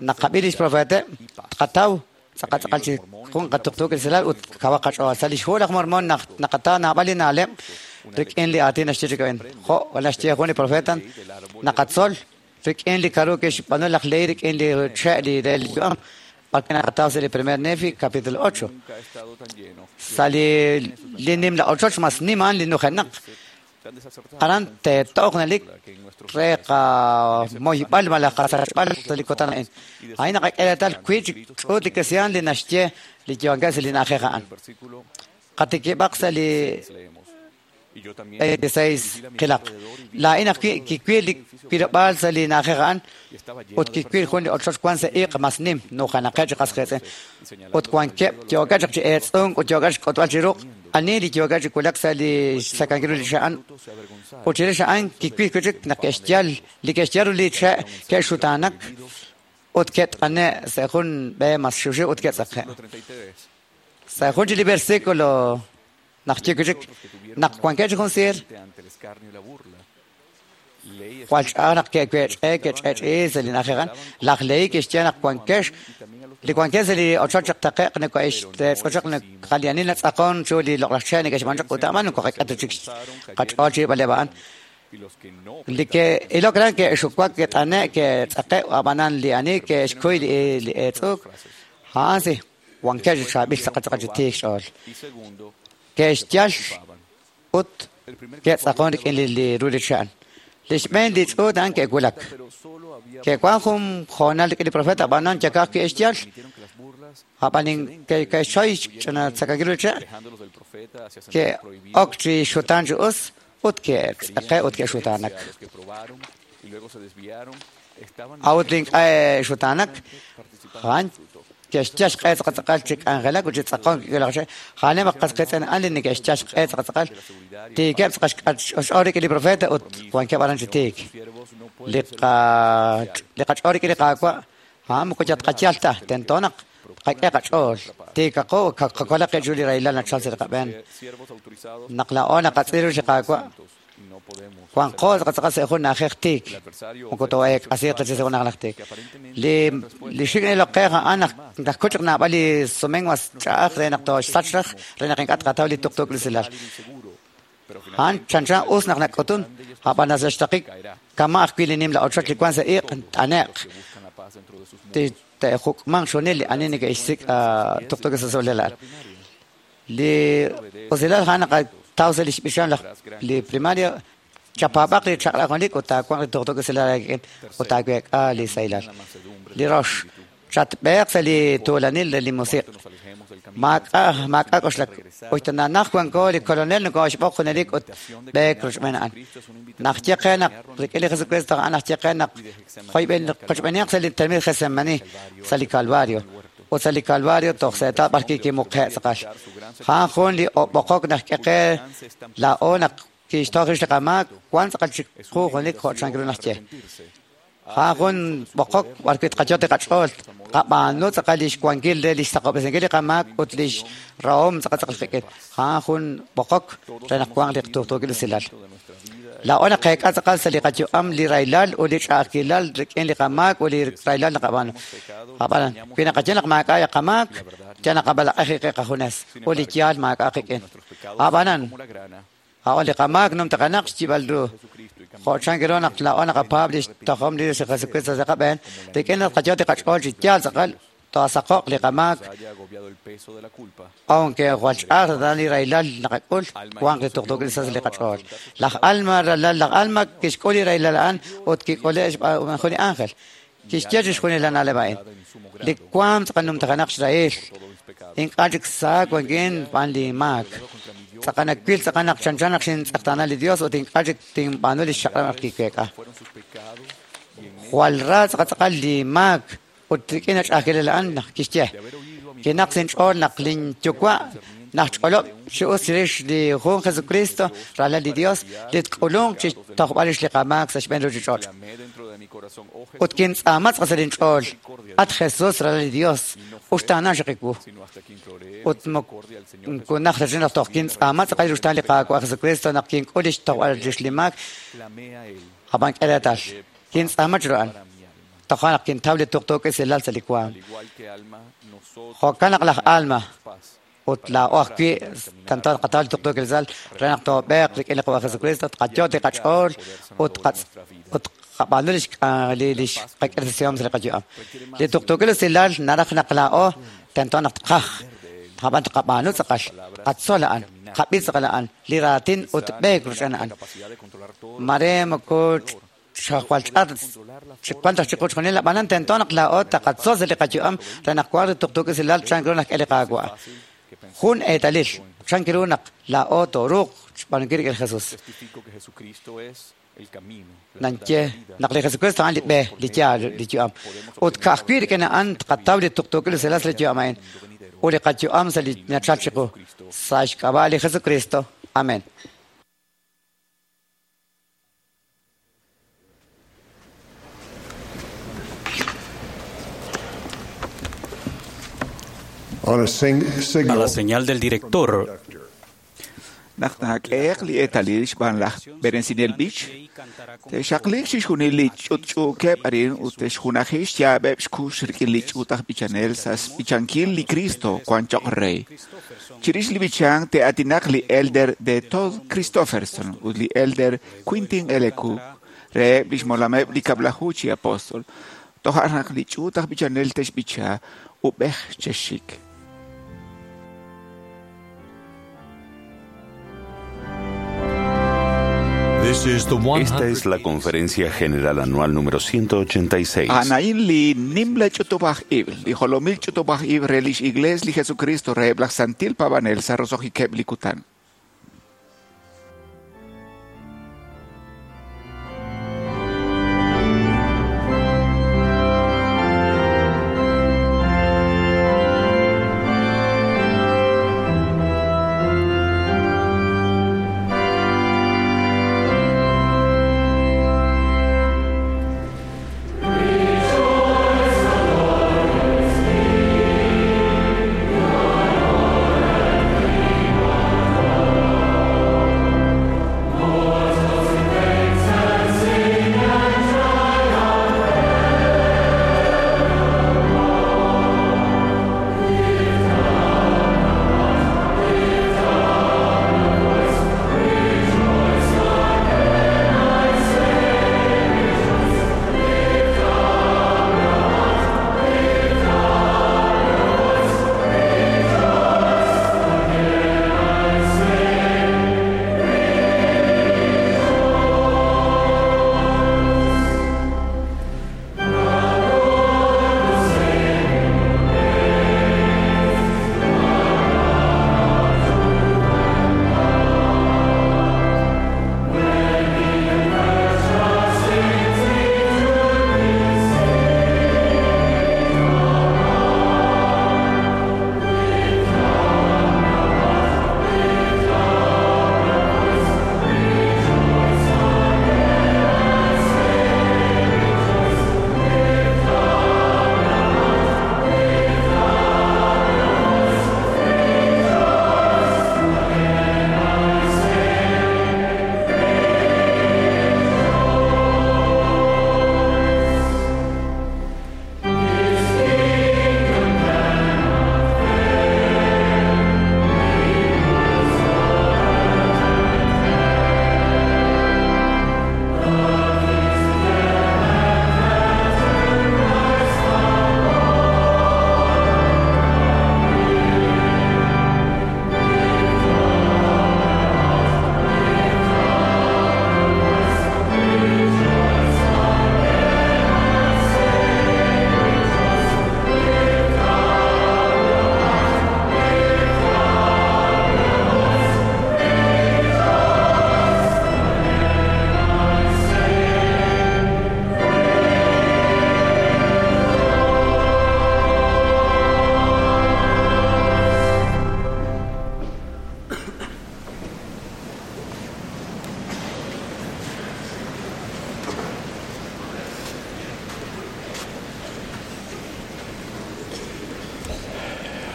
naqab'i lix profeeteb' tqataw tz'aqal tz'aqal chi jun qatuqtuukil usilal ut kawaq qach'ool. Sa' li xhu laj Mormon naq naqataw naab'al li na'leb' rik'in li aatin naxye chik a'in. Jo' naxye jun li profeta naqatzol rik'in li k'aru kixb'aanu laj Lehi rik'in li che' li re li yu'am b'arwi' naqataw sa' li primer Nefi capítulo ocho. Sa' li li nimla ochoch mas nim a'an li nujenaq. Aran teetoq nalik re qamoyb'al malaj qasachb'al sa' li kutan a'in. A'in naqak'e reetal wi' chik ch'uut li kristiaan li naxye li yo'ankeb' sa' li na'ajej a'an. Qatikib'aq sa' li veintiséis qilaq. Laa'in ajwi' kiwil li wilob'aal sa' li na'ajej a'an ut kiwil jun li ochoch wan sa' iq' mas nim nujanaqeb' chi qasqiitz'in. Ut wankeb' yookeb' chaq chi eetz'unk ut yookeb' xk'utb'al chi ruq' ani li yookeb' chi wulak sa' li xsakankil ru li che' a'an. Ut chirix a'an kiwil wi' chik naq ke'xyal li ke'xyal ru li che' ke'xutaanak ut ke't'ane' sa' jun b'e mas xiwxiw ut ke'tz'aqe'. Sa' jun chi li versículo naq ye wi' chik naq wankeb' chi jun siir jwal ch'a'aj naq ke'wech'e ke'ch'ech'i sa' li na'ajej a'an. Laj Lehi kixye naq wankex li wankeb' sa' li ochoch chaq taqe'q nako'extz'ochoq naqalianil natz'aqon chu li loq'laj che' neke'xb'aanu chaq ut a'an moko qak'e ta chik qach'ool chi b'aleb' a'an. Li ke'ilok ran ke'xuwak ke't'ane' ke'tz'aqe' ab'anan li ani ke'xkuy li eetz'uuk a'an si wankeb' chi chaab'il tz'aqal tz'aqal chi tiik xch'ool. Ke'xyal ut ke'tz'aqon rik'in li ru li che' a'an. Li xb'een li ch'uut a'an ke'wulak. Ke'wan jun hoonal rik'in li profeta ab'anan yakaj ke'xyal ab'an ke'xchoy ch'ina tzakankil ru li che' ke'ok chi xutaan chi us ut ke'tz'aqe' ut ke'xutaanak. A'ut li ink'a' xutaanak a'an ke'xyal xq'e tz'aqal tz'aqal chi k'anjelak ut chi tz'aqon kik'ulaj che' ja'anem qasqiitz'in a'an li neke'xyal xq'e tz'aqal tz'aqal tiikeb' tz'aqal xch'ool rik'in li profeta ut wankeb' aran chi tiik. Li li qach'ool rik'in li Qaawa' a'an moko yal tqayal ta tento naq qak'e qach'ool tiikaqo qakolaq qib' chiru li rahilal nachal sa' li qab'een. Naq laa'o naqatz'il ru li Qaawa' wanqo tz'aqal tz'aqal sa' jun na'ajej tiik moko too'eek'asiiq ta chi sa' jun na'ajej tiik. Li li xik' niloqej a'an naq najkuch chaq naab'al li sumen mas ch'a'aj re naq tooxsach raj re naq ink'a' tqataw li tuqtuukil usilal. A'an chanchan us naq nak'utun ab'an sa' xtaqik kama' ajwi' li nimla ochoch li wan sa' iq' t'ane'q te'juk'manq xunil li ani neke'xsik' tuqtuukil usilal a'an. Li usilal a'an naqataw sa' li xb'ixam laj li primario chapaab'aq li chaq'rab' junelik ut taawanq li tuqtuukil usilal aak'in ut taaweek'a li sahilal. Li rox chatb'eeq sa' li tuulanil re li musiq'. Maak'a' maak'a' k'oxlak ut nanaj wanko li kolonel nokoxb'oq junelik ut b'eek rochb'een a'an. Naq ye qe naq rik'in li Jesucristo a'an naq ye qe naq joyb'en qochb'eeniq sa' li termin Getsemani sa' li Calvario. Ut sa' li Calvario toj seetal b'ar kikimuqe' tz'aqal. A'an jun li ob'oqok naq k'e qe laa'o naq kixtoj rix li qamaak wan tz'aqal chik qu junelik jo' chan ru naq ye. A'an jun b'oqok b'ar wi' tqayot li qach'ool qab'aanu tz'aqal li xwankil re li xsaqob'resinkil li qamaak ut li xrahom tz'aqal tz'aqal qik'in. A'an jun b'oqok re naq wanq li tuqtuukil usilal. Laa'o naqeek'a tz'aqal sa' li qayu'am li rahilal ut li ch'a'ajkilal rik'in li qamaak ut li rahilal naqab'aanu. Ab'anan, wi naqaye naq maak'a' qamaak, yal naqab'alaq'ej qi qajunes ut li yaal maak'a' qik'in. Ab'anan, a'an li qamaak numtaqanaq xyib'al ru. Jo' chan kiru naq laa'o naqapaab' li xtojom li Jesucristo sa' qab'een, rik'in naq qayot li qach'ool chi yaal tz'aqal toasaqoq li qamaak, aunque jwal ch'a'aj ta li rahilal naqak'ul, wanq li tuqtuukil sa' li qach'ool. Laj Alma ralal laj Alma kixk'ul li rahilal a'an ut kik'ule' xb'aan jun li ángel. Kixye chixjunil li na'leb' a'in. Li waam tz'aqal numtajanaq xrahil. Ink'a' chik sa wankin b'aan li maak. Tz'aqal nawil tz'aqal naq chanchan naq xintz'eqtaana li Dios ut ink'a' chik tinb'aanu li xchaq'rab' naq kiweek'a. Jwal ra tz'aqal tz'aqal li maak ut rik'in ach'a'ajkilal a'an naq kixye. Kinaq sinch'ool naq linyuwa' naq ch'olob' chi us chirix li jun Jesucristo ralal li Dios li tk'ulunq chi tojb'al rix li qamaak sa' xb'een ruuchich'och'. Ut kintz'aama tz'aqal sa' linch'ool, at Jesus ralal li Dios, uxtaana xiqiwu. Ut moko naj ta naq toj kintz'aama tz'aqal ruxtaan li Qaawa' Jesucristo naq kink'ul li xtojb'al rix li maak, ab'an k'e reetal. Kintz'aama chiru a'an. Toja' naq kintaw li tuqtuukil silal sa' li waam. Jo'kan naq laj Alma ut laa'o ajwi' tento tqataw li tuqtuukil silal re naq toob'eeq rik'in li Qaawa' Jesucristo, tqayot li qach'ool ut ut qab'aanu li li xqak'irtasihom sa' li qayu'am. Li tuqtuukil silal naraj naq laa'o tento naq tqaj, ab'an tqab'aanu tz'aqal, tqatzol a'an, tqab'i tz'aqal a'an, li raatin ut b'eek ruch'an a'an. Mare moko xajwal ch'at chiwantaj chiqu chjunil ab'anan tento naq laa'o taqatzol sa' li qayu'am re naq wanq li tuqtuukil silal chan kiru naq k'e li Qaawa'. Jun eetalil chan kiru naq laa'o tooruuq xb'aanunkil rik'in Jesus. Nanye naq li Jesucristo a'an li b'e, li yaal, li yu'am. Ut ka'ajwi' rik'in a'an tqataw li tuqtuukil silal sa' li yu'am a'in ut li qayu'am sa' li nachal chiqu. Sa' xk'ab'a' li Jesucristo. Amén. A la señal del director, Naq nak'eeq li eetalil xb'aan laj Berensinel Beach, te'xaqliq chixjunil li ch'utch'uukeb' arin ut te'xjunaji xyaab'eb' xkux rik'in li ch'uut aj b'ichanel sa' xb'ichankil li Cristo wan choq' rey. Chirix li b'ichank te'aatinaq li Elder de Todd Christofferson ut li Elder Quintin L. Cook reheb' li xmolameb' li kab'laju chi apóstol. Toja' naq li ch'uut aj b'ichanel te'xb'icha ub'ej chexik. Esta es la Conferencia General Anual número ciento ochenta y seis. Anain li nimla ch'utub'aj ib', li jolomil ch'utub'aj ib' re lix Iglees li Jesucristo reheb' laj Santil Paab'anel sa' roso'jikeb' li kutan. Rejoice, the Lord is here.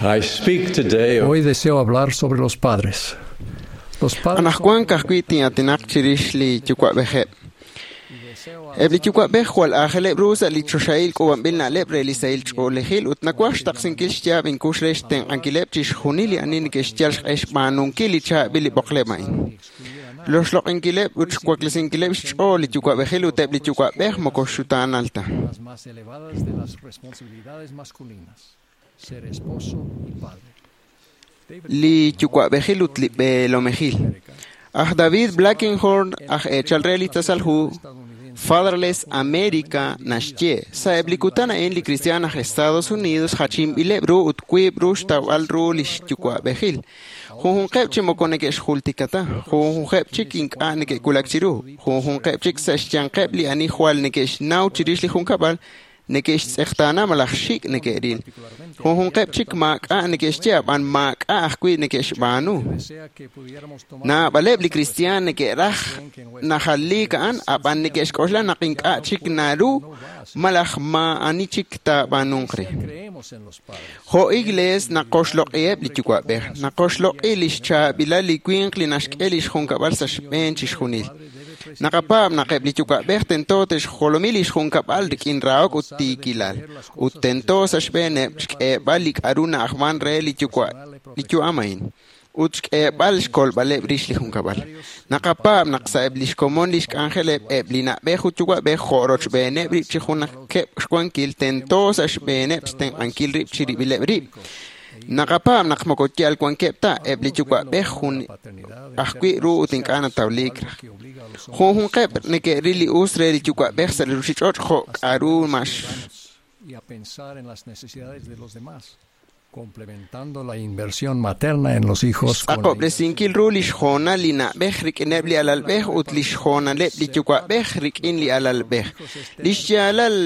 I speak today Hoy deseo hablar sobre los padres. Los padres Anaqwan ka'ajwi' tin'aatinaq chirix li yuwa'b'ejeb'. Eb' li yuwa'b'ej jwal aajeleb' ru sa' li choxahil k'uub'anb'il na'leb' re li sahil ch'oolejil ut nawaj xtaqsinkil xyaab' inkux re xtenq'ankileb' chixjunil li ani neke'xyal xq'e xb'aanunkil li chaab'il li b'oqleb' a'in. Loxloq'inkileb' ut xwaklesinkileb' xch'ool li yuwa'b'ejil ut eb' li yuwa'b'ej moko xutaanal ta. las más elevadas de las responsabilidades masculinas, ser esposo y padre. Li yuwa'b'ejil ut li b'eelomejil. Aj David Blackenhorn, aj eechal re li tasal hu Fatherless America naxye, sa'eb' li kutan a'in li kristiaan aj Estados Unidos jachinb'ileb' ru ut wiib' ru xtawb'al ru lix yuwa'b'ejil. Junjunqeb' chi moko neke'xjultika ta, junjunqeb' chik ink'a' neke'wulak chiru, junjunqeb' chik sa' xyanqeb' li ani jwal neke'xnaw chirix li junkab'al neke'xtz'eqtaana malaj xik' neke'ril. Junjunqeb' chik maak'a' neke'xye ab'an maak'a' ajwi' neke'xb'aanu. Naab'aleb' li kristiaan neke'raj najaliik a'an ab'an neke'xk'oxla naq ink'a' chik naru malaj maa'ani chik taab'aanunq re. Creemos en los padres. Jo' iglees naqoxloq'iheb' li yuwa'b'ej, naqoxloq'i li xchaab'ilal li winq li naxk'e li xjunkab'al sa' xb'een chixjunil. Naqapaab' naq eb' li yuwa'b'ej tento te'xjolomi li xjunkab'al rik'in rahok ut tiikilal, ut tento sa' xb'eeneb' xk'eeb'al li k'a'ru na'ajman re li yuwa' li yu'am a'in, ut xk'eeb'al xkolb'aleb' rix li junkab'al. Naqapaab' naq sa'eb' li xkomon li xk'anjeleb' eb' li na'b'ej ut yuwa'b'ej jo' rochb'eeneb' rib' chi junaqeb' xwankil tento sa' xb'eeneb' xtenq'ankil rib' chirib'ileb' rib'. Naqapaab' naq moko yal wankeb' ta eb' li yuwa'b'ej jun ajwi' ru ut ink'a' natawliik raj. Junjunqeb' neke'ril li us re li yuwa'b'ej sa' li ruuchich'och' jo' k'a'ru max Y a pensar en las necesidades de los demás, complementando la inversión materna en los hijos con la Tz'aqob'resinkil ru li xjoonal li na'b'ej rik'ineb' li alalb'ej ut li xjoonaleb' li yuwa'b'ej rik'in li alalb'ej. Li xyaalal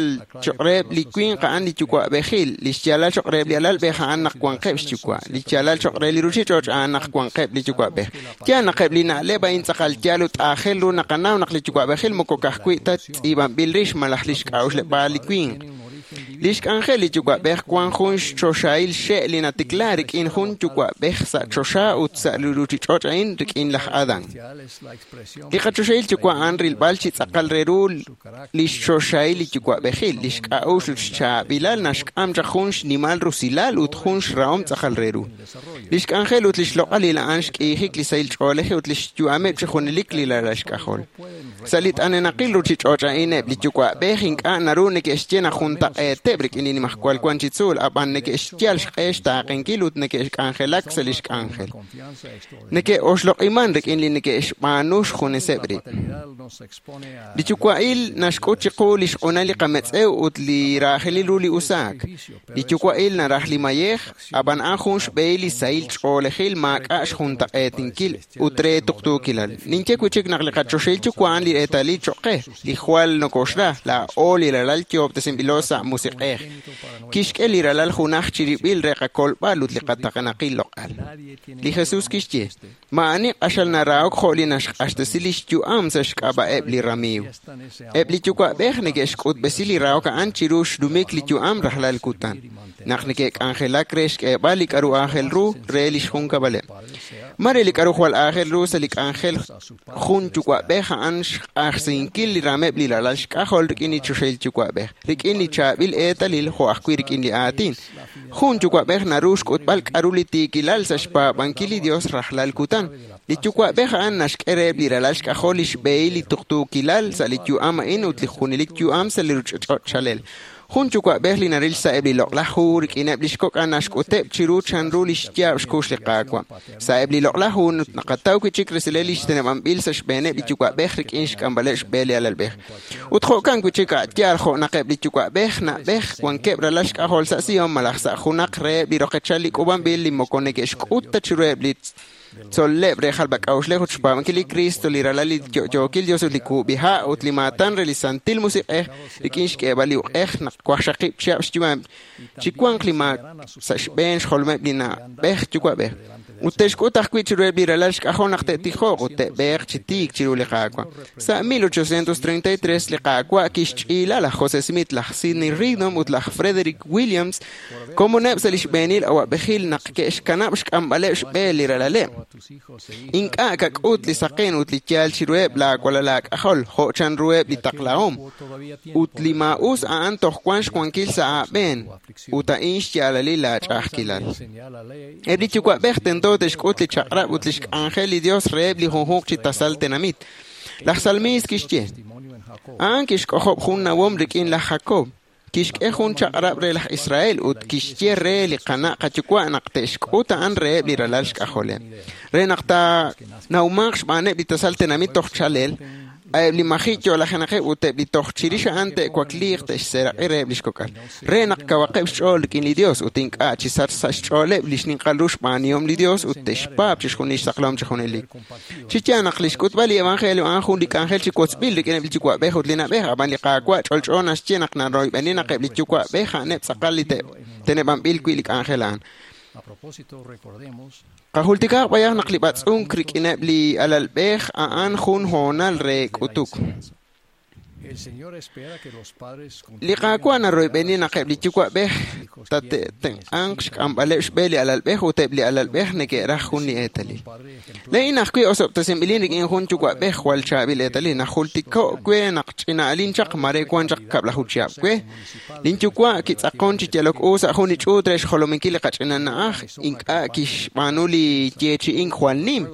choq' reheb' li winq a'an li yuwa'b'ejil, li xyaalal choq' reheb' li alalb'ej a'an naq wanqeb' xyuwa', li xyaalal choq' re li ruuchich'och' a'an naq wanqeb' li yuwa'b'ej. Yaal naq eb' li na'leb' a'in tz'aqal yaal ut aajel ru naqanaw naq li yuwa'b'ejil moko ka'ajwi' ta tz'iib'anb'il rix malaj li xk'a'uxleb'aal li winq. Li xk'anjel li yuwa'b'ej wan jun xchoxahil xe' li natikla rik'in jun yuwa'b'ej sa' choxa ut sa' li ruuchich'och' a'in rik'in laj Adán. Li qachoxahil yuwa' a'an rilb'al chi tz'aqal re ru li xchoxahil li yuwa'b'ejil, li xk'a'uxl ut xchaab'ilal naxk'am chaq jun xnimal rusilal ut jun xrahom tz'aqal re ru. Li xk'anjel ut li xloq'alil a'an xk'iijik li sahil ch'oolej ut li xyu'ameb' chi junelik li ralal xk'ajol. Sa' li t'anenaqil ruuchich'och' a'in eb' li yuwa'b'ej ink'a' naru neke'xye naq juntaq'eeteb' rik'in li nimajwal wan chi tzuul, ab'an neke'xyal xq'e xtaaqenkil ut neke'xk'anjelak sa' li xk'anjel. Neke'oxloq'iman rik'in li neke'xb'aanu xjuneseb' rib'. Li yuwa'il naxk'ut chiqu li xq'unal li qametz'ew ut li raajelil ru li usaak. Li yuwa'il naraj li mayej, ab'an a'an jun xb'ehil li sahil ch'oolejil maak'a' xjuntaq'eetinkil ut re tuqtuukilal. Ninye wi' chik naq li qachoxahil yuwa' a'an li eetalil choq' qe, li jwal nokoxra, laa'o li ralal yoob'tesinb'ilo sa' musiq'ej. Kixk'e li ralal junaj chirib'il re qakolb'al ut li qataqenaqil loq'al. Li Jesús kixye, maa'ani q'axal narahok jo' li naxq'axtesi li xyu'am sa' xk'ab'a'eb' li ramiiw. Eb' li yuwa'b'ej neke'xk'utb'esi li rahok a'an chiru xnumik li yu'am rajlal kutan, naq neke'k'anjelak re xk'eeb'al li k'a'ru aajel ru re li xjunkab'aleb'. Mare li k'a'ru jwal aajel ru sa' li k'anjel jun yuwa'b'ej a'an xq'ajsinkil li rameb' li ralal xk'ajol rik'in li choxahil yuwa'b'ej, rik'in li chaab'il eetalil jo' ajwi' rik'in li aatin. Jun yuwa'b'ej naru xk'utb'al k'a'ru li tiikilal sa' xpaab'ankil li Dios rajlal kutan. Li yuwa'b'ej a'an naxk'e reheb' li ralal xk'ajol li xb'ehil li tuqtuukilal sa' li yu'am a'in ut li junelik yu'am sa' li ruuchich'och' chalel. Jun yuwa'b'ej li naril sa'eb' li loq'laj hu rik'ineb' li xkok'an naxk'uteb' chiru chanru li xyaab' xkux li Qaawa'. Sa'eb' li loq'laj hu naqataw wi' chik resilal li xteneb'anb'il sa' xb'eeneb' li yuwa'b'ej rik'in xk'amb'aleb' xb'e li alalb'ej. Ut jo'kan wi' chik a'yaal jo' naq eb' li yuwa'b'ej na'b'ej wankeb' ralal xk'ajol sa' Sion malaj sa' junaq reheb' li roqechal li k'uub'anb'il li moko neke'xk'ut ta chiruheb' li tzol'leb' re jalb'ak'a'uxlej ut xpaab'ankil li Cristo, li ralal li yo'yookil Dios ut li kub'iha' ut li maatan re li Santil Musiq'ej rik'in xk'eeb'al li uq'ej naq waqxaqib' chihab' xyu'am chi wanq li maak sa' xb'een xjolomeb' li na'b'ej yuwa'b'ej. Ut te'xk'ut ajwi' chiruheb' li ralal xk'ajol naq te'tijoq ut te'b'eeq chi tiik chiru li Qaawa'. Sa' mil ochocientos treinta y tres li Qaawa' kixch'iila laj José Smith, laj Sidney Rigdon ut laj Frederick Williams komoneb' sa' li xb'eenil awa'b'ejil naq ke'xkanab' xk'amb'aleb' xb'e li ralaleb'. Ink'a' kak'ut li saqen ut li yaal chiruheb' laawalal aak'ajol jo' chanruheb' li taqlahom. Ut li maa'us a'an toj wan xwankil sa' aab'een ut a'in xyaalalil laach'a'ajkilal. Eb' li yuwa'b'ej tento te'xk'ut li chaq'rab' ut li xk'anjel li Dios reheb' li junjunq chi tasal tenamit. Laj Salmiis kixye, a'an kixk'ojob' jun nawom rik'in laj Jacob, kixk'e jun chaq'rab' re laj Israel ut kixye re li qana' qayuwa' naq te'xk'ut a'an reheb' li ralal xk'ajoleb'. Re naq taanawmanq xb'aaneb' li tasal tenamit toj chalel, eb' li maji' yo'lajenaqeb' ut eb' li toj chirix a'an te'wakliiq te'xseeraq'i reheb' li xkok'al. Re naq kawaqeb' xch'ool rik'in li Dios ut ink'a' chi sach sa' xch'ooleb' li xninqal ru xb'aanihom li Dios ut te'xpaab' chixjunil xsaqlahom chi junelik. Chi yaal naq li xk'utb'al li evangelio a'an jun li k'anjel chi wotzb'il rik'ineb' li yuwa'b'ej ut li na'b'ej, ab'an li Qaawa' ch'olch'o naxye naq naroyb'eni naq eb' li yuwa'b'ej a'aneb' tz'aqal li teneb'anb'il wi' li k'anjel a'an. Qajultikaaq b'ayaq naq li b'atz'unk rik'ineb' li alalb'ej a'an jun hoonal re k'utuk. Li Qaawa' naroyb'eni naq eb' li yuwa'b'ej tate'tenq'anq xk'amb'aleb' xb'e li alalb'ej ut eb' li alalb'ej neke'raj jun li eetalil. Laa'in ajwi' osob'tesinb'ilin rik'in jun yuwa'b'ej jwal chaab'il eetalil. Najultiko' we naq ch'ina'alin chaq mare wan chaq kab'laju chihab' we. Lin yuwa' kitz'aqon chi yalok u sa' jun li ch'uut re xjolominkil li qach'ina na'aj, ink'a' kixb'aanu li yeechi'ink jwal nim.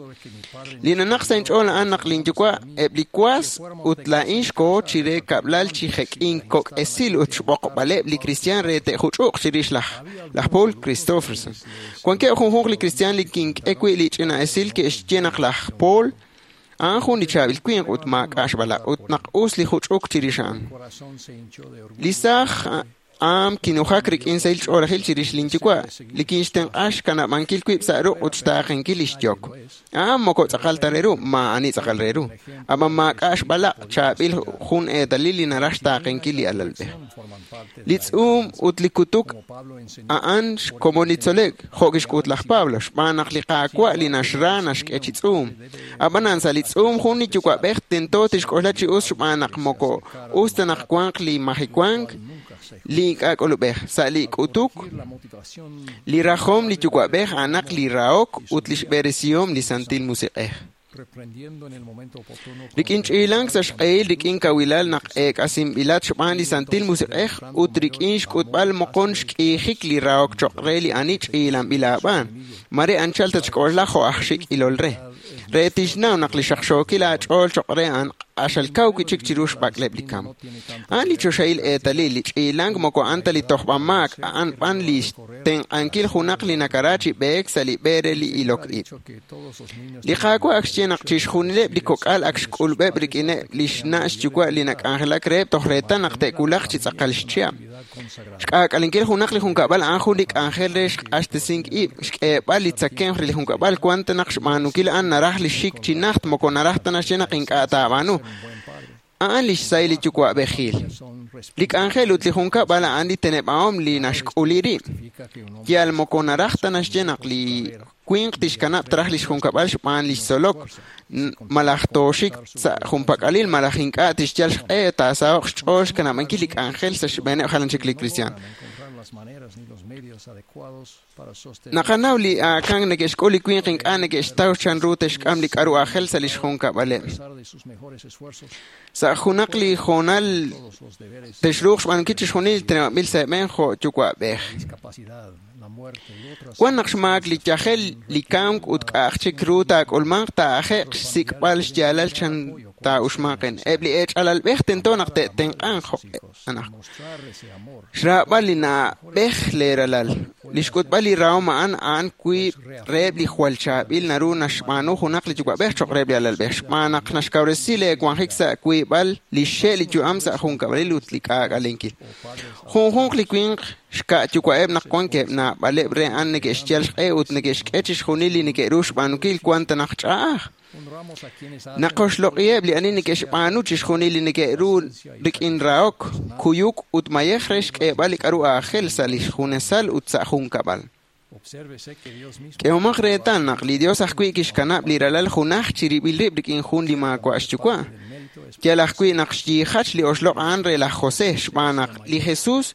Li nanaq sa' inch'ool a'an naq lin yuwa' eb' li was ut laa'in xkoho chire kab'lal chi jek'in kok' esil ut xb'oqb'aleb' li kristiaan re te'juch'uq chirix laj laj Paul Christofferson. Wankeb' junjunq li kristiaan li kink'e wi' li ch'ina esil ke'xye naq laj Paul a'an jun li chaab'il winq ut maak'a' xb'alaq' ut naq us li juch'uk chirix a'an. Li saaj am kinujak rik'in sahil ch'oolejil chirix lin yuwa', li kinxtenq'a xkanab'ankil wib' sa' ruq' ut xtaaqenkil li xyok. A'an moko tz'aqal ta re ru, maa'ani tz'aqal re ru. Ab'an maak'a' xb'alaq' chaab'il jun eetalil li naraj xtaaqenkil li alalb'ej. Li tz'uum ut li kutuk a'an xkomon li tzolek, jo' kixk'ut laj Pablo, xb'aan naq li Qaawa' li naxra naxk'e chi tz'uum. Ab'anan sa' li tz'uum jun li yuwa'b'ej tento tixk'oxla chi us xb'aan naq moko us ta naq wanq li majiwank, li ink'a' k'ulub'ej. Sa' li k'utuk, li rajom li yuwa'b'ej a'anaq li rahok ut li xb'eresihom li Santil Musiq'ej. Rik'in ch'iilank sa' xq'ehil rik'in kawilal naq eek'asinb'ilat xb'aan li Santil Musiq'ej ut rik'in xk'utb'al moqon xk'iijik li rahok choq' re li ani ch'iilanb'il aab'aan. Mare anchal tatxk'oxla jo' aj xik' ilol re. Re tixnaw naq li xaqxookil aach'ool choq' re a'an q'axal kaw wi' chik chiru xb'ak'leb' li kam. A'an li choxahil eetalil, li ch'iilank moko a'an ta li tojb'amaak, a'an b'an li xtenq'ankil junaq li nakara chi b'eek sa' li b'e re li ilok ib'. Li Qaawa' ak xye naq chixjunileb' li kok'al ak xk'ulub'eb' rik'ineb' li xna' xyuwa' li nak'anjelak reheb' toj reetal naq te'wulaq chi tz'aqal xchihab'. Xk'aak'alenkil junaq li junkab'al a'an jun li k'anjel re xq'axtesink ib', xk'eeb'al li tzakemq re li junkab'al wan ta naq xb'aanunkil a'an naraj li xik chi najt moko naraj ta naxye naq ink'a' taab'aanu. A'an li xsahil li yuwa'b'ejil. Li k'anjel ut li junkab'al a'an li teneb'ahom li naxk'uli rib'. Yal moko naraj ta naxye naq li winq tixkanab' traj li xjunkab'al xb'aan li xtzolok, malaj tooxik sa' junpak'alil malaj ink'a' tixyal xq'e taasaho'q xch'ool xkanab'ankil li k'anjel sa' xb'eeneb' jalan chik li kristiaan. Naqanaw li aakan neke'xk'ul li winq ink'a' neke'xtaw chanru te'xk'am li k'aru aajel sa' li xjunkab'aleb'. Sa' junaq li hoonal texruuq xb'aanunkil chixjunil li teneb'anb'il sa' eeb'en jo' yuwa'b'ej. Wan naq xmaak li yajel, li kamk ut k'a'aj chik ru taak'ulmanq taa'aje'q xsik'b'al xyaalal chan taa'uxmanqen. Eb' li eech'alalb'ej tento naq te'tenq'anq anaqwan. Xraab'al li na'b'ej leeralal. Li xk'utb'al li rahom a'an a'an wiib' reheb' li jwal chaab'il naru naxb'aanu junaq li yuwa'b'ej cho'q reheb' li alalb'ej. Xb'aan naq naxkawresi leewanjik sa' wiib'al li xxe' li yu'am sa' junkab'alil ut li k'aak'alenkil. Junjunq li winq xka' yuwa'eb' naq wankeb' naab'aleb' re a'an neke'xyal xq'e ut neke'xk'e chixjunil li neke'ru xb'aanunkil wan ta naq ch'a'aj. Naqoxloq'iheb' li ani neke'xb'aanu chixjunil li neke'ru rik'in rahok, kuyuk ut mayej re xk'eeb'al li k'aru aajel sa' li xjunesal ut sa' junkab'al. K'ehomaq reetal naq li Dios ajwi' kixkanab' li ralal junaj chirib'il rib' rik'in jun li maawa' xyuwa'. Yal ajwi' naq xyiijach li oxloq' a'an re laj José xb'aan naq li Jesús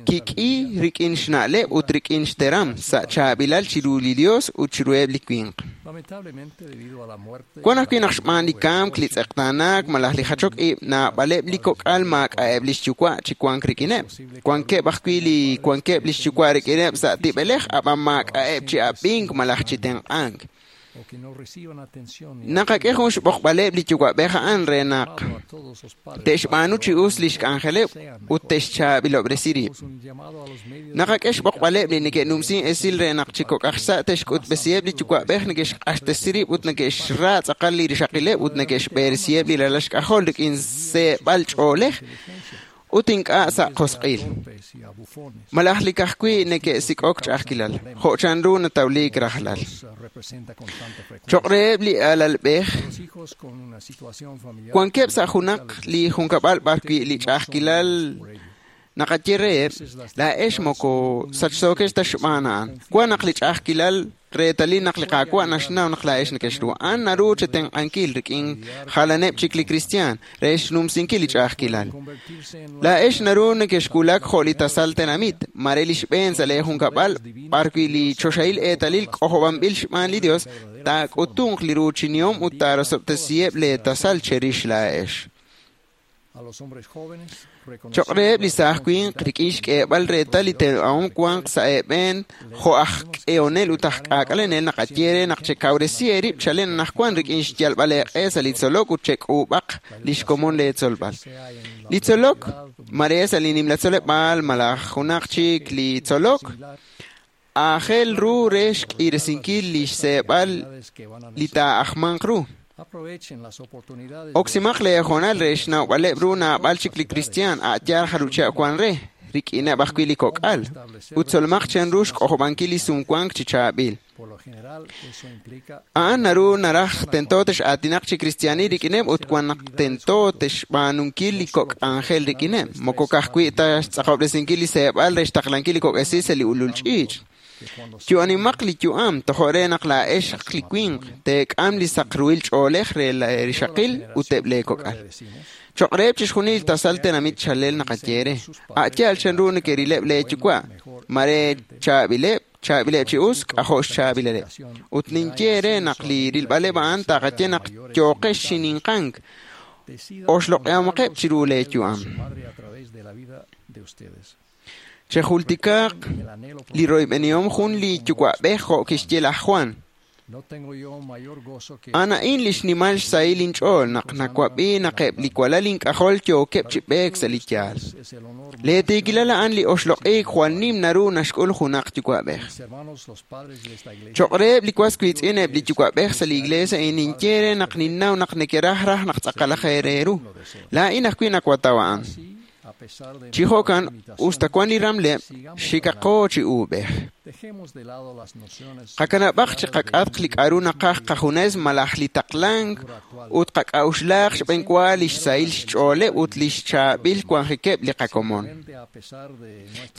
kik'i rik'in xna'leb' ut rik'in xteram sa' chaab'ilal chiru li Dios ut chiruheb' li winq. Wan ajwi' naq xb'aan li kamk, li tz'eqtaanaak malaj li jachok ib', naab'aleb' li kok'al maak'a'eb' li xyuwa' chi wank rik'ineb'. Wankeb' ajwi' li wankeb' li xyuwa' rik'ineb' sa' tib'elej, ab'an maak'a'eb' chi ab'ink malaj chi tenq'ank. Naqak'e jun xb'oqb'aleb' li yuwa'b'ej a'an re naq te'xb'aanu chi us li xk'anjeleb' ut te'xchaab'ilob'resi rib'. Naqak'e xb'oqb'aleb' li neke'numsin esil re naq chi kok'aj xsa' te'xk'utb'esiheb' li yuwa'b'ej neke'xq'axtesi rib' ut neke'xra tz'aqal li rixaqileb' ut neke'xb'eresiheb' li ralal xk'ajol rik'in seeb'al ch'oolej ut ink'a' sa' qosq'il. Malaj li kajwi' neke'sik'ok ch'a'ajkilal, jo' chanru natawliik rajlal. Choq' reheb' li alalb'ej, wankeb' sa' junaq li junkab'al b'arwi' li ch'a'ajkilal naqaye reheb', laa'ex moko sachsookex ta xb'aan a'an. Wan naq li ch'a'ajkilal reetalil naq li Qaawa' naxnaw naq laa'ex neke'xru. A'an naru chetenq'ankil rik'in jalaneb' chik li kristiaan re xnumsinkil li ch'a'ajkilal. Laa'ex naru neke'xwulak jo' li tasal tenamit, mare li xb'een sa' lee junkab'al b'arwi' li choxahil eetalil k'ojob'anb'il xb'aan li Dios taak'utunq li ruuchinihom ut taarosob'tesiheb' lee tasal cherix laa'ex. Choq' reheb' li saaj winq rik'in xk'eeb'al reetal li tenq'ahom wanq sa' eeb'een jo' aj k'ehonel ut aj k'aak'alenel naqaye re naq chekawresi eerib' chalen anaqwan rik'in xyalb'al eeq'e sa' li tzolok ut chek'uub'aq li xkomon lee tzolb'al. Li tzolok mare sa' li nimla tzoleb'aal malaj junaq chik li tzolok aajel ru re xk'iresinkil li xseeb'al li taa'ajmanq ru. Oksimaq lee hoonal re xnawb'aleb' ru naab'al chik li kristiaan a'yaal jalucheb' wan re, rik'ineb' ajwi' li kok'al, ut tzolmaq chanru xk'ojob'ankil li sumwank chi chaab'il. A'an naru naraj tento tex'aatinaq chi kristiaanil rik'ineb' ut wan naq tento texb'aanunkil li kok' k'anjel rik'ineb', moko ka'ajwi' ta xtz'aqob'resinkil li seeb'al re xtaqlankil li kok' esil sa' li ulul ch'iich'. Yu'animaq li yu'am tojo' re naq laa'ex li winq teek'am li saqruhil ch'oolej re rixaqil ut eb' lee kok'al. Choq' reheb' chixjunil tasal tenamit chalel naqaye re, a'yaal chanru neke'rileb' lee yuwa', mare chaab'ileb', chaab'ileb' chi us, k'ajo' xchaab'ilaleb'. Ut ninye re naq li rilb'aleb' a'an taqaye naq yooqex xininqank, oxloq'ehomaqeb' chiru lee yu'am. Chejultikaq li royb'enihom jun li yuwa'b'ej jo' kixye laj Juan. A'an li xnimal xsahil inch'ool naq nawab'i naq eb' li walal ink'ajol yookeb' chi b'eek sa' li yaal. Lee tiikilal a'an li oxloq'iik jwal nim naru naxk'ul junaq yuwa'b'ej. Choq' reheb' li was wiitz'in eb' li yuwa'b'ej sa' li iglesia a'in ninye re naq ninnaw naq nekeraj raj naq tz'aqalaj eere ru. Laa'in ajwi' nawataw a'an. Chi jo'kan usta wan li ramleb', xikaqo chi uub'ej. Qakanab'aq chi qak'atq li k'aru naqaj qajunes malaj li taqlank ut qak'a'uxlaaq xb'eenwa li xsahil xch'ooleb' ut li xchaab'il wanjikeb' li qakomon.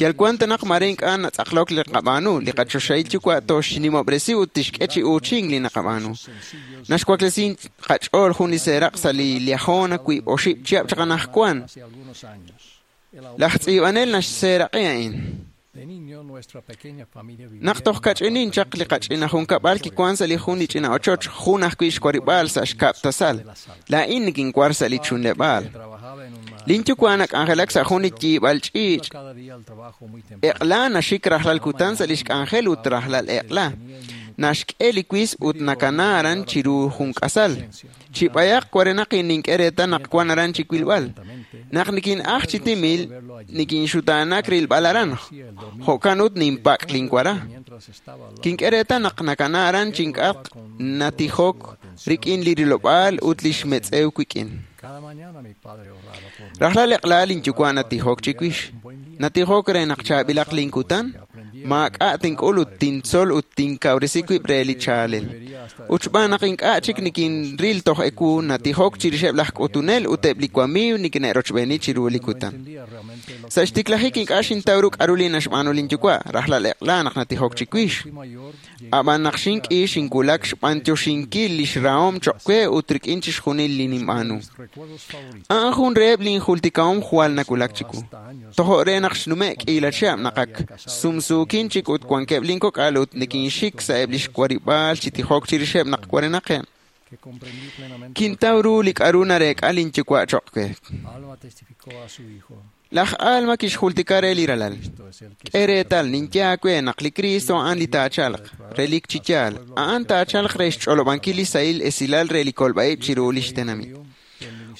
Yal wan ta naq mare ink'a' natz'aqlok li qab'aanu, li qachoxahil yuwa' toxnimob'resi ut tixk'e chi uuchink li naqab'aanu. Naxwaklesi qach'ool jun li seeraq' sa' li Liahona wiib' oxib' chihab' chaq anaqwan. Laj tz'iib'anel naxseeraq'i a'in. Naq toj kach'inin chaq li qach'ina junkab'al kiwan sa' li jun li ch'ina ochoch, jun ajwi' xwarib'aal sa' xkab' tasal. Laa'in nikinwar sa' li chunleb'aal. Linyuwa' nak'anjelak sa' jun li yiib'al ch'iich'. Eq'la naxik rajlal kutan sa' li xk'anjel ut rajlal eq'la. Naxk'e li wis ut nakana aran chiru jun k'asal. Chi b'ayaq warenaq nink'e reetal naq wan aran chi wilb'al. Naq nikin'aj chi timil, nikinxutaanak rilb'al aran. Jo'kan ut ninpak' linwara. Kink'e reetal naq nakana aran chink'atq natijok rik'in li rilob'aal ut li xmetz'ew wik'in. Rajlal eq'la linyuwa' natijok chiwix. Natijok re naq chaab'ilaq linkutan, maak'a' tink'ul ut tintzol ut tinkawresi wib' re li chaalel. Ut xb'aan naq ink'a' chik nikinril toj ewu, natijok chirixeb' laj k'utunel ut eb' li wamiiw nikine'rochb'eeni chiru li kutan. Sa' xtiklajik ink'a' xintaw ru k'aru li naxb'aanu linyuwa', rajlal eq'la naq natijok chiwix. Ab'an naq xink'i xinwulak xb'antioxinkil li xrahom choq' we ut rik'in chixjunil li ninb'aanu. A'an jun reheb' linjultikahom jwal nawulak chiwu. Tojo' re naq xnume' k'iila chihab' naq ak sumsuukin chik ut wankeb' linkok'al ut nikinxik sa'eb' li xwarib'aal chi tijok chirixeb' naq warenaqeb'. Kintaw ru li k'aru nareek'a linyuwa' choq' we. Laj Alma kixjultika re li ralal. K'e reetal ninye aawe naq li Cristo a'an li taachalq, relik chi yaal, a'an taachalq re xch'olob'ankil li sahil esilal re li kolb'a'ib' chiru li xtenamit.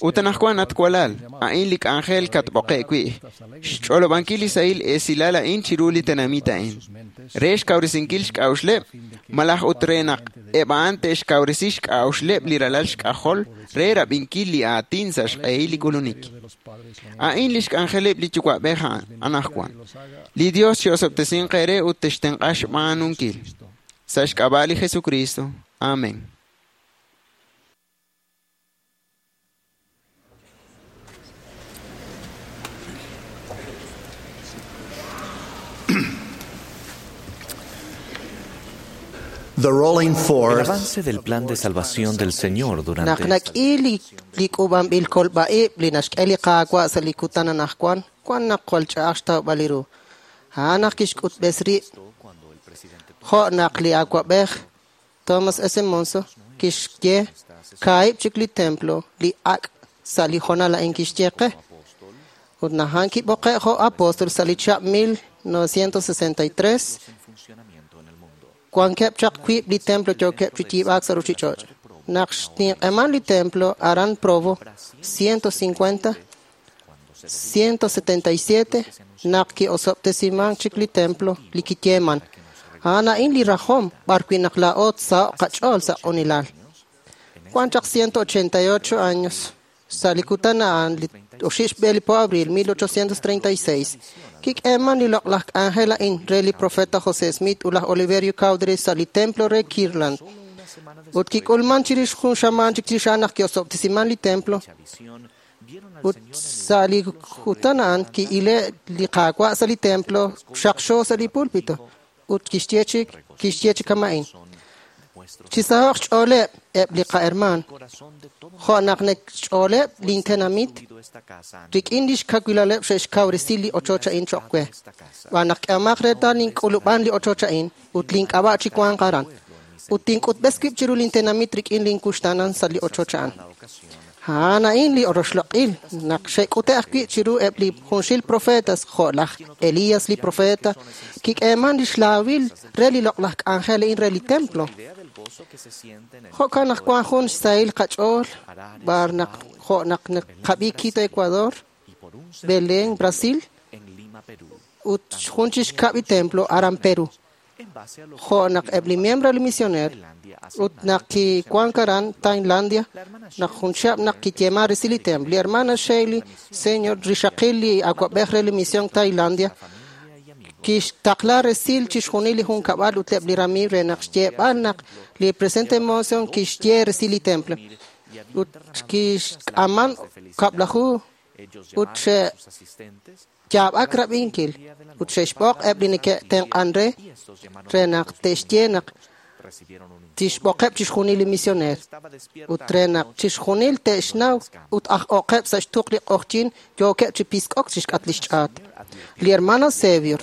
Ut anaqwan at walal, a'in li k'anjel katb'oqe' wi', xch'olob'ankil li sahil esilal a'in chiru li tenamit a'in, re xkawresinkil xk'a'uxleb', malaj ut re naq eb' a'an te'xkawresi xk'a'uxleb' li ralal xk'ajol re rab'inkil li aatin sa' xq'ehil li k'ulunik. A'in li xk'anjeleb' li yuwa'b'ej a'an anaqwan. Li Dios chi'osob'tesinq eere ut textenq'a xb'aanunkil. Sa' xk'ab'a' li Jesucristo. Amén. The rolling El forth avance del plan de salvación del Señor Naq durante nak'i li li k'uub'anb'il kolb'a'ib' li naxk'e li Qaawa' sa' li kutan anaqwan, wan naq jwal ch'a'aj xtawb'al li ru. A'an naq kixk'utb'es rib' jo' naq li awa'b'ej Thomas S. Monson kixye kaahib' chik li templo li ak' sa' li hoonal a'in kixye qe. Ut naq a'an kib'oqe' jo' apóstol sa' li chihab' mil novecientos sesenta y tres, wankeb' chaq wiib' li templo yookeb' chi yiib'aak sa' ruuchich'och'. Naq xninq'eman li templo aran Provo, ciento cincuenta, ciento setenta y siete, naq ki'osob'tesiman chik li templo li kiyeeman. A'an a'in li rajom b'arwi' naq laa'o tsaho'q qach'ool sa' q'unilal. Wan chaq ciento ochenta y ocho años sa' li kutan a'an li oxib' xb'e li po abril mil ochocientos treinta y seis, kik'eeman li loq'laj k'anjel a'in re li profeta José Smith ut laj Oliverio Cowdery sa' li templo re Kirtland. Ut kik'ulman chirix jun xamaan chik chirix a'an naq ki'osob'tesiman li templo. Ut sa' li kutan a'an ki'ile' li Qaawa' sa' li templo xaqxo sa' li púlpito. Ut kixye chik kixye chik kama'in. Chisaho'q xch'ooleb' eb' li qahermaan, jo' naq nekxch'ooleb' lintenamit rik'in li xkawilaleb' xe'xkawresi li ochoch a'in choq' we. Xb'aan naq k'ehomaq reetal nink'ulub'an li ochoch a'in ut link'ab'a' chi wanq aran. Ut tink'utb'es wib' chiru lintenamit rik'in linkuxtaanan sa' li ochoch a'an. A'an a'in li roxloq'il naq xe'k'ute' ajwi' chiru eb' li junxil profetas jo' laj Elías li profeta, kik'eeman li xlaawil re li loq'laj k'anjel a'in re li templo. Jo'kan naq wan jun xsahil qach'ool b'ar naq jo' naq naqab'i Quito, Ecuador, Belén, Brasil, ut jun chi xkab' li templo aran Perú. Jo' naq eb' li miembro li misioneer ut naq kiwank aran Tailandia, naq jun chihab' naq kiyeeman resil li templo. Li hermana Shelley, señor rixaqil li awa'b'ej re li misión Tailandia, kixtaqla resil chixjunil li junkab'al ut eb' li ramiiw re naq xyeeb'al naq li presidente Monson kixye resil li templo. Ut kixk'aman kab'laju ut xe'yaab'ak rab'inkil ut xe'xb'oq eb' li neke'tenq'an re re naq te'xye naq tixb'oqeb' chixjunil li misioneer ut re naq chixjunil te'xnaw ut aj'oqeb' sa' xtuq li q'oqyink yookeb' chi pisk'ok chixk'at li xch'aat. Li hermano Xavier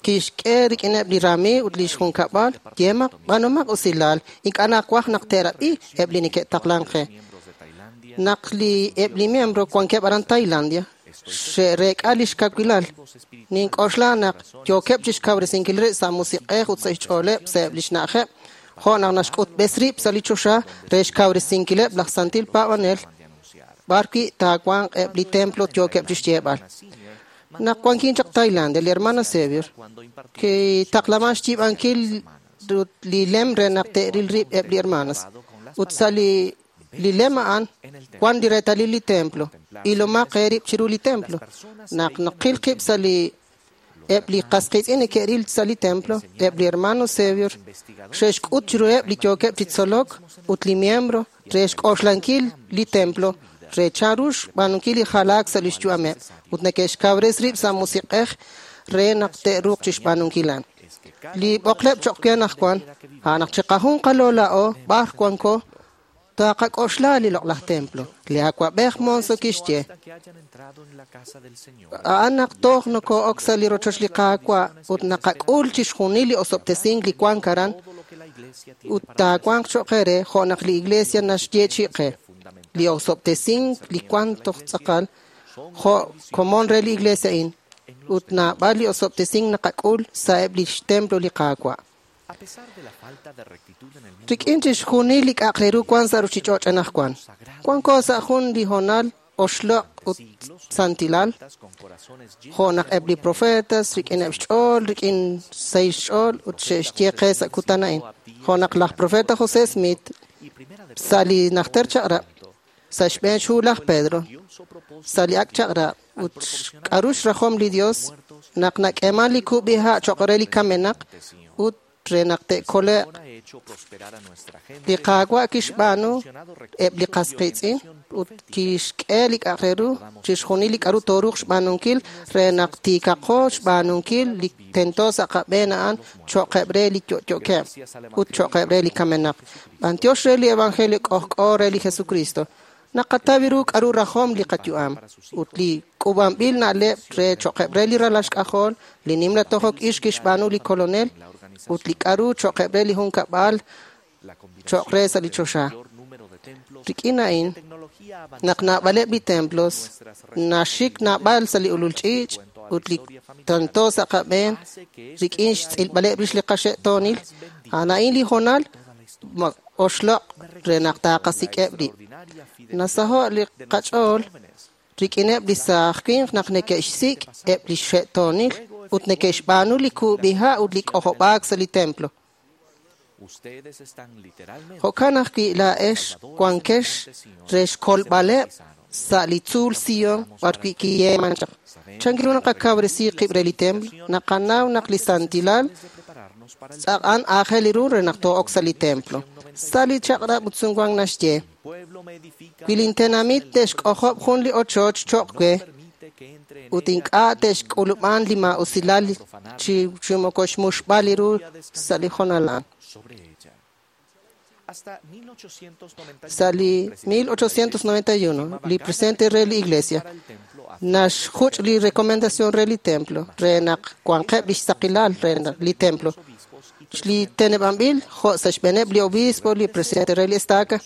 kixk'e rik'ineb' li ramiiw ut li xjunkab'al yeemaq b'anomaq usilal ink'a' nawaj naq te'rab'i eb' li neke'taqlank qe. Naq li eb' li miembro wankeb' aran Tailandia xe'reek'a li xkawilal. Nink'oxla naq yookeb' chixkawresinkil rib' sa' musiq'ej ut sa' xch'ooleb' sa'eb' li xna'ajeb' jo' naq naxk'utb'es rib' sa' li choxa re xkawresinkileb' laj santil paab'anel b'arwi' taawanq eb' li templo yookeb' chixyeeb'al. Naq wankin chaq Tailandia, li hermana Xavier kitaqlaman xyiib'ankil li lem re naq te'ril rib' eb' li hermanas. Ut sa' li Li lem a'an wan li reetalil li templo. Ilomaq eerib' chiru li templo. Naq naqil qib' sa' li eb' li qasqiitz'in neke'ril sa' li templo, eb' li hermano Sevior xe'xk'ut chiruheb' li yookeb' chi tzolok ut li miembro re xk'oxlankil li templo re chanru xb'aanunkil li jalaak sa' lix yu'ameb' ut neke'xkawres rib' sa' musiq'ej re naq te'ruuq chixb'aanunkil a'an. Li b'oqleb' choq' we anaqwan, a'an naq chiqajunqalo laa'o b'ar wanko taqak'oxla li loq'laj templo. Li awa'b'ej Monson kixye, a'an naq toj noko'ok sa' li rochoch li Qaawa' ut naqak'ul chixjunil li osob'tesink li wank aran ut taawanq choq' qe jo' naq li iglesia naxyeechi'i qe. Li osob'tesink li wank toj tz'aqal jo' komon re li iglesia a'in ut naab'al li osob'tesink naqak'ul sa'eb' lix templo li Qaawa'. Rik'in chixjunil li k'a'aq re ru wan sa' ruchich'och' anaqwan. Wanko sa' jun li hoonal oxloq' ut santilal, jo' naq eb' li profetas rik'ineb' xch'ool, rik'in sahil xch'ool ut xe'xye qe sa' kutan a'in. Jo' naq laj profeta José Smith sa' li najter chaq'rab', sa' xb'een xhu laj Pedro, sa' li ak' chaq'rab' ut k'a'ru xrajom li Dios naq nak'eeman li kub'iha' choq' re li kamenaq ut re naq te'kole'q. Li Qaawa' kixb'aanu eb' li qasqiitz'in ut kixk'e li k'a'aq re ru chixjunil li k'a'ru tooruuq xb'aanunkil re naq tiikaqo xb'aanunkil li tento sa' qab'een a'an cho'qeb' re li yo'yo'keb' ut cho'qeb' re li kamenaq. B'antiox re li Evangelio k'ojk'o re li Jesucristo. Naqataw ru k'a'ru rajom li qayu'am ut li k'uub'anb'il na'leb' re cho'qeb' re li ralal xk'ajol, li nimla tojok ix kixb'aanu li Kolonel ut li k'a'ru cho'qeb' re li junkab'al cho'q re sa' li choxa. Rik'in a'in, naq naab'aleb' li templos naxik naab'al sa' li ulul ch'iich' ut li tento sa' qab'een rik'in xtz'ilb'aleb' rix li qaxe'toonil, a'an a'in li hoonal oxloq' re naq taqasik'eb' rib'. Nasaho' li qach'ool rik'ineb' li saaj winq naq neke'xsik' eb' li xe'toonil ut neke'xb'aanu li kub'iha' ut li k'ojob'aak sa' li templo. Jo'kan ajwi' laa'ex wankex re xkolb'aleb' sa' li tzuul Sion b'arwi' kiyeeman chaq. Chan ru naqakawresi qib' re li templo? Naqanaw naq li santilal tz'aq'an aajel ru re naq too'ok sa' li templo. Sa' li chaq'rab' ut sumwank naxye, wi lintenamit te'xk'ojob' jun li ochoch choq' we ut ink'a' te'xk'ulub'an li maa'usilal chi chi moko xmuxb'al li ru sa' li hoonal a'an. Sa' li mil ochocientos noventa y uno, li presidente re li iglesia naxjuch' li recomendación re li templo re naq wanqeb' lix saqilal re li templo. Li teneb'anb'il jo' sa' xb'eeneb' li obispo, li presidente re li estaca.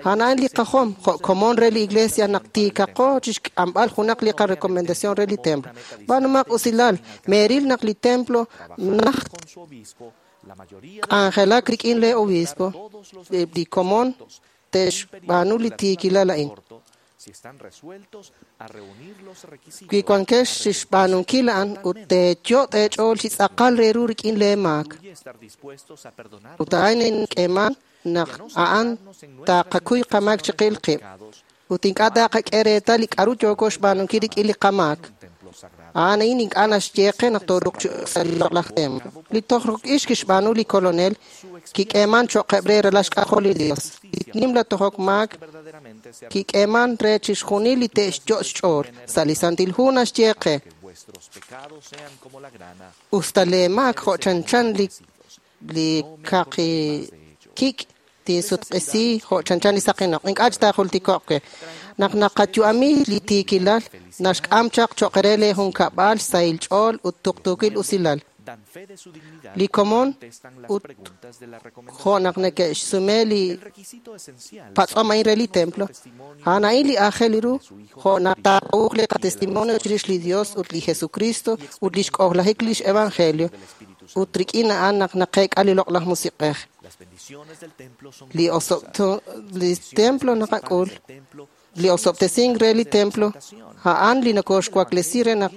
A'an a'in li qajom jo' komon re li iglesia naq tiikaqo chixk'amb'al junaq li qarecomendación re li templo. B'aanumaq usilal, meeril naq li templo najt k'anjelak rik'in le obispo, li komon te'xb'aanu li tiikilal a'in. Wi wankex chixb'aanunkil a'an ut teeyo' teech'ool chi tz'aqal re ru rik'in lee maak. Ut a'in ink'eeman naq a'an taqakuy qamaak chiqil qib' ut ink'a' taqak'e reetal li k'a'ru yooko xb'aanunkil rik'in li qamaak. A'an a'in ink'a' naxye qe naq tooruuq chi sa' li loq'laj templo. Li tojok ix kixb'aanu li Kolonel kik'eeman cho'qeb' re ralal xk'ajol li Dios. Li nimla tojok maak kik'eeman re chixjunil li te'xyo' xch'ool. Sa' li Santil Hu naxye qe, usta lee maak jo' chanchan li li kaqi kik' tinsutq'isi jo' chanchan li saqinoq. Ink'a' chi taajultiko'q we. Naq naqayu'ami li tiikilal naxk'am chaq cho'q re lee junkab'al sahil ch'ool ut tuqtuukil usilal. Li komon ut jo' naq neke'xsume li patz'om a'in re li templo, a'an a'in li aajel ru jo' naq taa'uuq li qatestimonio chirix li Dios ut li Jesucristo ut lix k'ojlajik lix evangelio ut rik'in a'an naq naqeek'a li loq'laj musiq'ej. Li li templo naqak'ul, li osob'tesink re li templo, a'an li nokoxwaklesi re naq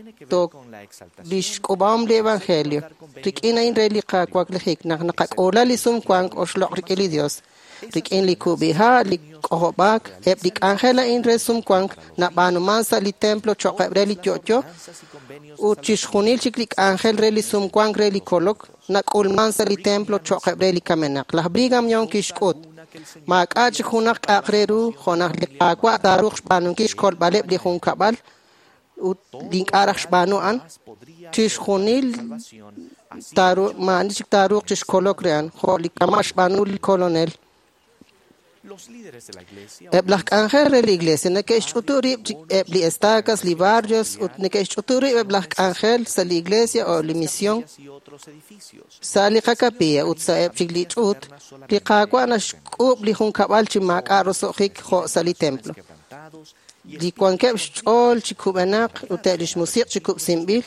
lix k'ub'ahom li evangelio. Rik'in a'in re li qawaklejik naq naqak'uula li sumwank oxloq' rik'in li Dios. Rik'in li kub'iha', li k'ojob'aak, eb' li k'anjel a'in re sumwank nab'aanuman sa' li templo cho'q re li yo'yo ut chixjunil chik li k'anjel re li sumwank re li kolok nak'ulman sa' li templo cho'q re li kamenaq. Laj Brigham Young kixk'ut maak'a' chik junaq k'a'aq re ru jo' naq li Qaawa' taaruuq xb'aanunkil xkolb'aleb' li junkab'al ut li ink'a' raj xb'aanu a'an chixjunil taaru maa'ani chik taaruuq chixkolok re a'an jo' li kama' xb'aanu li kolonel. Eb' laj k'anjel re li iglesia neke'xch'utu rib' eb' li estacas, li barrios ut neke'xch'utu rib' eb' laj k'anjel sa' li iglesia o li misión sa' li qakapilla ut sa' eb' chik li ch'uut. Li Qaawa' naxk'uub' li junkab'al chi maak'a' roso'jik jo' sa' li templo. Li wankeb' xch'ool chi kub'enaq ut eb' lix musiq' chi kub'sinb'il,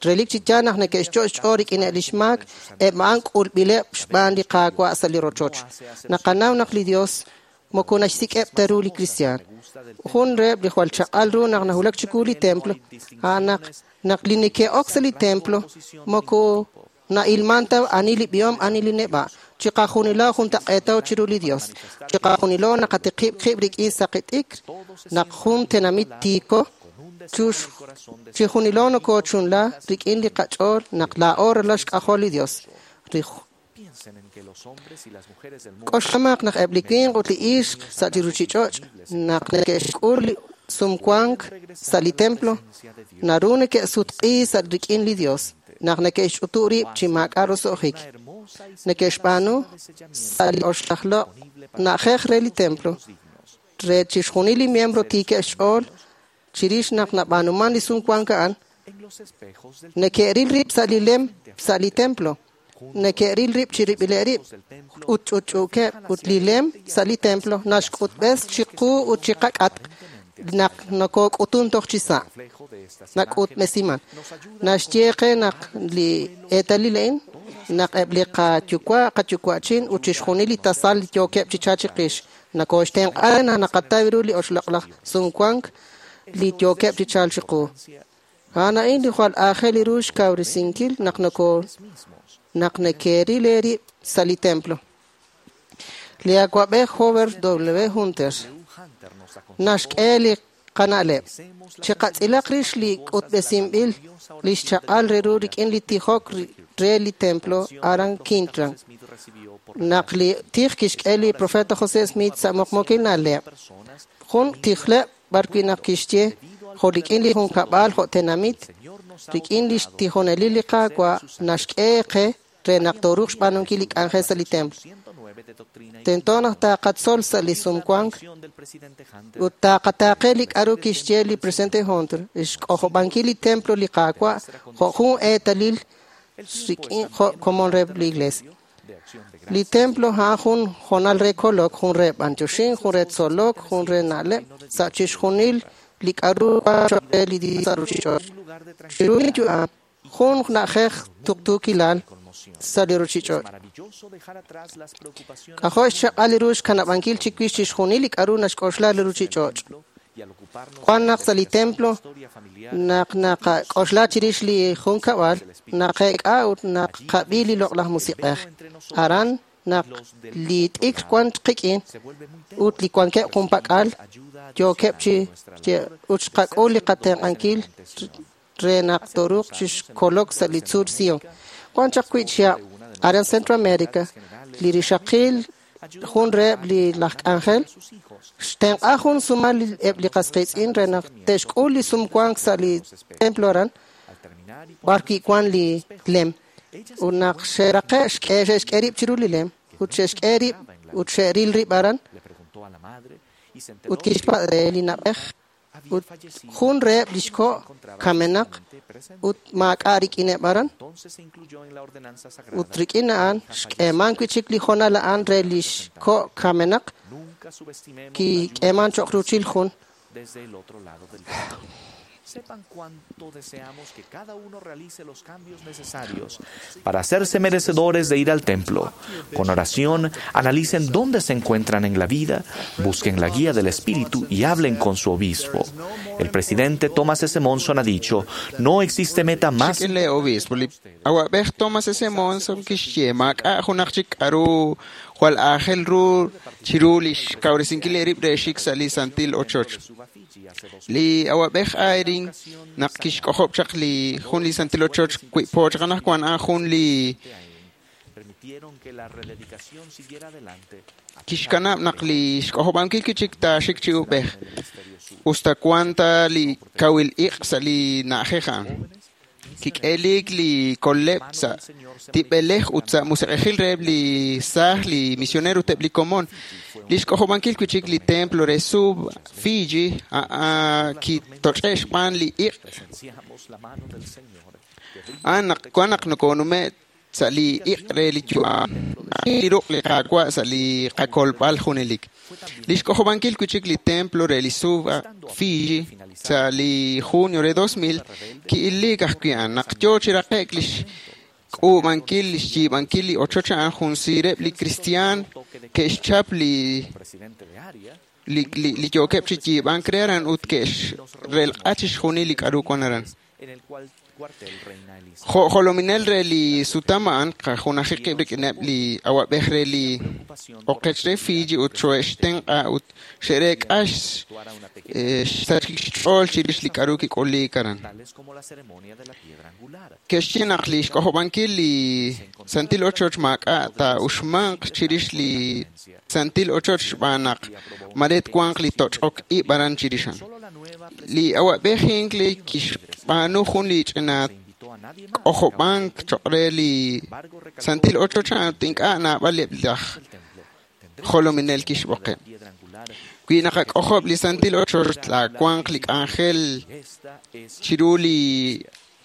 relik chi yaal naq neke'xcho' xch'ool rik'in eb' lix maak, eb' a'an k'ulb'ileb' xb'aan li Qaawa' sa' li rochoch. Naqanaw naq li Dios moko naxsik'eb' ta ru li kristiaan. Jun reheb' li jwal chaq'al ru naq nawulak chiwu li templo, a'an naq naq li neke'ok sa' li templo moko na'ilman ta ani li b'ihom ani li neb'a'. Chiqajunilo juntaq'eetaw chiru li Dios. Chiqajunilo naqatiqib' qib' rik'in saqi t'ikr naq jun tenamit tiiko chijunilo nokochunla rik'in li qach'ool naq laa'o ralal xk'ajol li Dios. K'oxlamaq naq eb' li winq ut li ixq sa' li ruchich'och' naq neke'xk'ul li sumwank sa' li templo naru neke'sutq'i sa' rik'in li Dios naq neke'xch'utu rib' chi maak'a' roso'jik. Neke'xb'aanu sa' li oxlajlo' na'ajej re li templo re chixjunil li miembro tiikeb' xch'ool chirix naq nab'aanuman li sumwank a'an neke'ril rib' sa' li lem sa' li templo neke'ril rib' chirib'ileb' rib' ut ch'utch'uukeb' ut li lem sa' li templo naxk'utb'es chiqu ut chiqak'atq naq nokok'utun toj chi sa' nak'utb'esiman. Naxye qe naq li eetalil a'in naq eb' li qayuwa' qayuwa'chin ut chixjunil li tasal li yookeb' chi chalk chiqix nokoxtenq'a naq naqataw ru li oxloq'laj sumwank li yookeb' chi chalk chiqu. A'an a'in li jwal aajel ru xkawresinkil naq noko naq neke'ril eerib' sa' li templo. Li awa'b'ej Howard W. Hunter naxk'e li qana'leb'. Chiqatz'ilaq rix li k'utb'esinb'il li xchaq'al re ru rik'in li tijok re li templo aran Kirtland. Naq li tij kixk'e li profeta José Smith sa' muqmuqil na'leb'. Jun tijleb' b'arwi' naq kixye jo' rik'in li junkab'al jo' tenamit rik'in li xtijonelil li Qaawa' naxk'e qe re naq tooruuq xb'aanunkil li k'anjel sa' li templo. Tento naq taqatzol sa' li sumwank ut taqataaqe li k'a'ru kixye li presidente Hunter xk'ojob'ankil li templo li Qaawa' jo' jun eetalil rik'in jo' komon re li iglesia. Li templo a'an jun hoonal re kolok, jun re b'antioxink, jun re tzolok, jun re na'leb' sa' chixjunil li k'a'ru cho'q re li Dios sa' ruchich'och'. Chiru li yu'am, jun na'ajej tuqtuukilal sa' li ruchich'och'. K'ajo' xchaq'al li ru xkanab'ankil chiwix chixjunil li k'a'ru naxk'oxla li ruchich'och'. Wan naq sa' li templo naq naqak'oxla chirix li junkab'al, naqeek'a ut naqab'i li loq'laj musiq'ej. Aran naq li t'ikr wan qik'in ut li wankeb' junpak'al yookeb' chi ut xqak'ul li qatenq'ankil re naq tooruuq chixkolok sa' li tzuul Sion. Wan chaq wi' chihab' aran Centroamérica li rixaqil jun reheb' li laj k'anjel xtenq'a jun sumal eb' li qas qiitz'in re naq te'xk'ul li sumwank sa' li templo aran b'arwi' wan li lem ut naq xe'raqe' xk'e xe'xk'e rib' chiru li lem ut xe'xk'e rib' ut xe'ril rib' aran ut kixpatz' re li na'b'ej ut jun reheb' li xko' kamenaq ut maak'a' rik'ineb' aran ut rik'in a'an xk'eeman wi' chik li hoonal a'an re li xko' kamenaq kik'eeman cho'q ruuchil jun. Sepan cuánto deseamos que cada uno realice los cambios necesarios para hacerse merecedores de ir al templo. Con oración, analicen dónde se encuentran en la vida, busquen la guía del Espíritu y hablen con su obispo. El presidente Thomas S. Monson ha dicho, no existe meta más... Obispo, Thomas S. Monson Jwal aajel ru chiru li xkawresinkil eerib' re xik sa' li santil ochoch. Li awab'ej Eyring naq kixk'ojob' chaq li jun li santil ochoch wi po chaq anaqwan a'an jun li kixkanab' naq li xk'ojob'ankil kichik taaxik chi ub'ej usta wan ta li kawil iq' sa' li na'ajej a'an. Kik'elik li koleb' sa' tib'elej ut sa' musiq'ejil reheb' li saaj li misionero ut eb' li komon. Li xk'ojob'ankil wi'chik li templo re Suva Fiji kitoch'e' xb'aan li iq'. A'an naq wan naq nokonume' sa' li iq' re li yu'am li ruq' li Qaawa' sa' li qakolb'al junelik. Li xk'ojob'ankil wi'chik li templo re li Suva Fiji sa' li junio re dos mil ki'iliik ajwi' a'an naq yoo chi raqe'k li xk'uub'ankil li xyiib'ankil li ochoch a'an jun siireb' li kristiaan ke'xchap li li li yookeb' chi yiib'ank re aran ut ke'xrelq'a chixjunil li k'a'ru wan aran. Jo' jolominel re li sutam a'an qajunaji qib' rik'ineb' li awab'ej re li oqech re Fiji ut xo'extenq'a ut xe'reek'a xsachik xch'ool chirix li k'a'ru kik'uliik aran. Ke'xye naq li xk'ojob'ankil li santil ochoch maak'a' taa'uxmanq chirix li santil ochoch xb'aan naq mare twanq li toch'ok ib' aran chirix a'an. Li awab'ej Hinckley kixb'aanu jun li ch'ina k'ojob'ank choq' re li santil ochoch a'an ut ink'a' naab'al eb' laj jolominel kixb'oqeb'. Wi naqak'ojob' li santil ochoch taawanq li k'anjel chiru li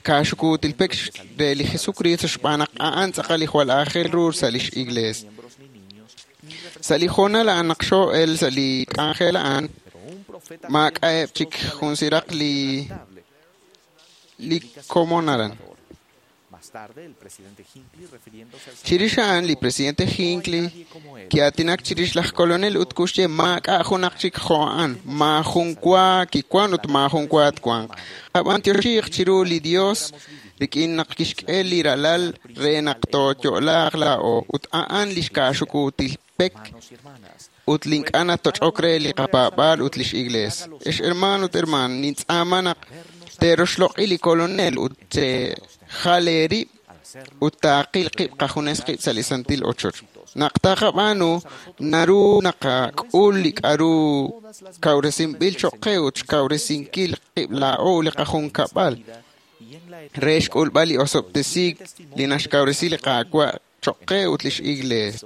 kaaxukuutil pek re li Jesucristo xb'aan naq a'an tz'aqal li jwal aajel ru sa' lix iglees. Sa' li hoonal a'an naq xoo'el sa' li k'anjel a'an maak'a'eb' chik jun siraq li li komon aran. Chirix a'an li presidente Hinckley ki'aatinak chirix laj kolonel ut kuxye maak'a' junaq chik jo' a'an, maajun wa kiwan ut maajun wa twanq. Qab'antioxiiq chiru li Dios rik'in naq kixk'e li ralal re naq tooyo'laaq laa'o ut a'an li xkaaxukuutil pek ut li ink'a' natoch'ok re li qapaab'aal ut lix iglees. Ex hermano ut hermana, nintz'aama naq te'roxloq'i li kolonel ut te'jal eerib' ut taaqil qib' qajunes qib' sa' li santil ochoch. Naq taqab'aanu, naru naqak'ul li k'a'ru kawresinb'il choq' qe ut xkawresinkil qib' laa'o li qajunkab'al re xk'ulb'al li osob'tesiik li naxkawresi li Qaawa' choq' qe ut lix iglees.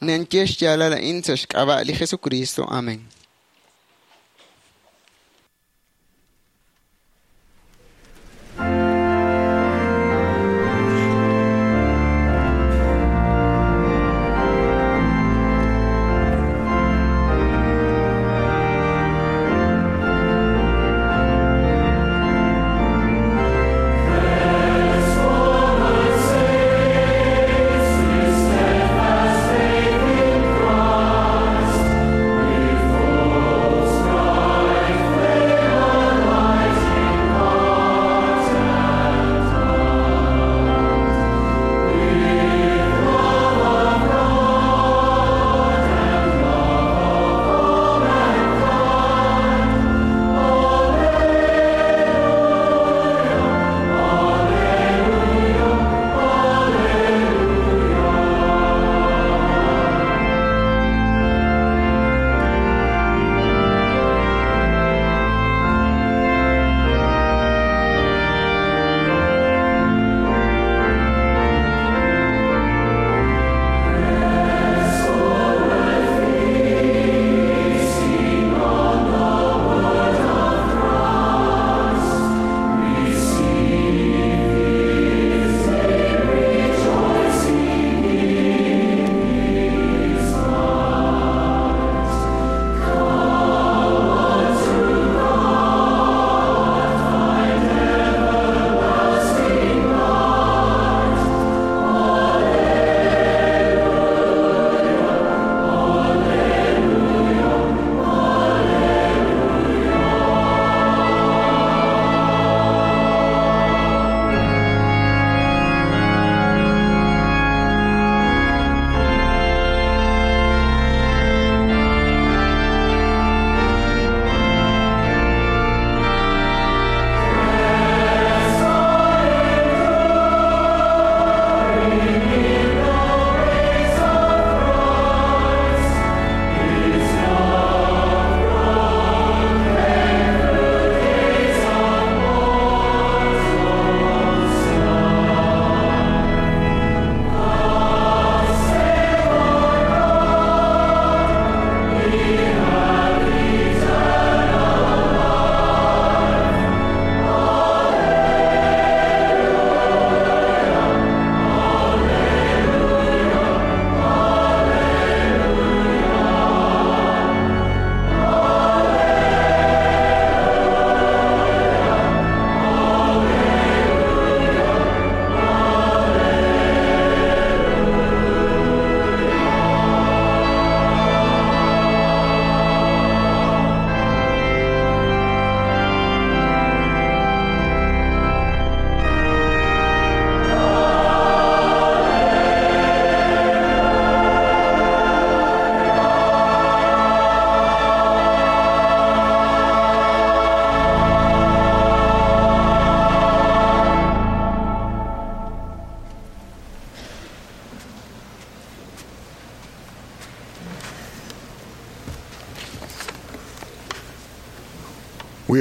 Ninye xyaalal a'in sa' xk'ab'a' li Jesucristo. Amén. Christ, before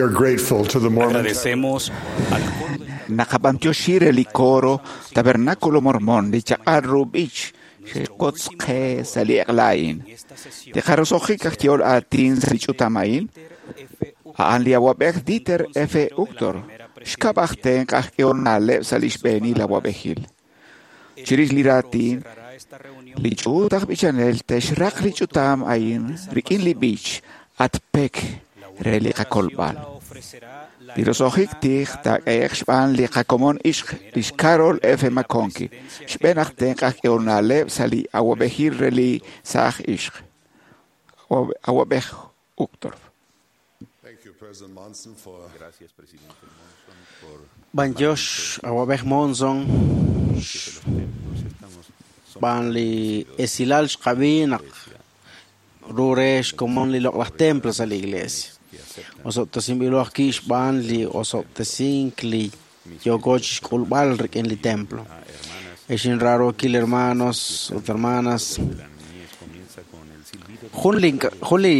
We are grateful to the Mormon Agradecemos al Naqab'antioxi li coro Tabernáculo Mormón li chaq'al b'ich xe'kotzqe sa' li eq'la'in. Li qarosojik aj yehol aatin sa' li ch'utam a'in, a'an li awab'ej Dieter F. Uchtdorf, xkab' aj tenq' aj k'ehol na'leb' sa' li xb'eenil awab'ejil. Chirix li raatin, li ch'uut aj b'ichanel te'xraq li ch'utam a'in rik'in li b'ich at pek re li qakolb'al. Li roso'jik tij taak'ehe'q xb'aan li qakomon ixq lix Carol F. McConkie, xb'een aj tenq' aj k'ehol na'leb' sa' li awab'ejil re li saaj ixq. Awab'ej Uchtdorf. B'antiox awab'ej Monson b'an li esilal xqab'i naq ru re xkomon li loq'laj templo sa' li iglesia. Osob'tesinb'ilo ajwi' xb'aan li osob'tesink li yooko chixk'ulb'al rik'in li templo. Ex inraarookil hermanos ut hermanas, jun li jun li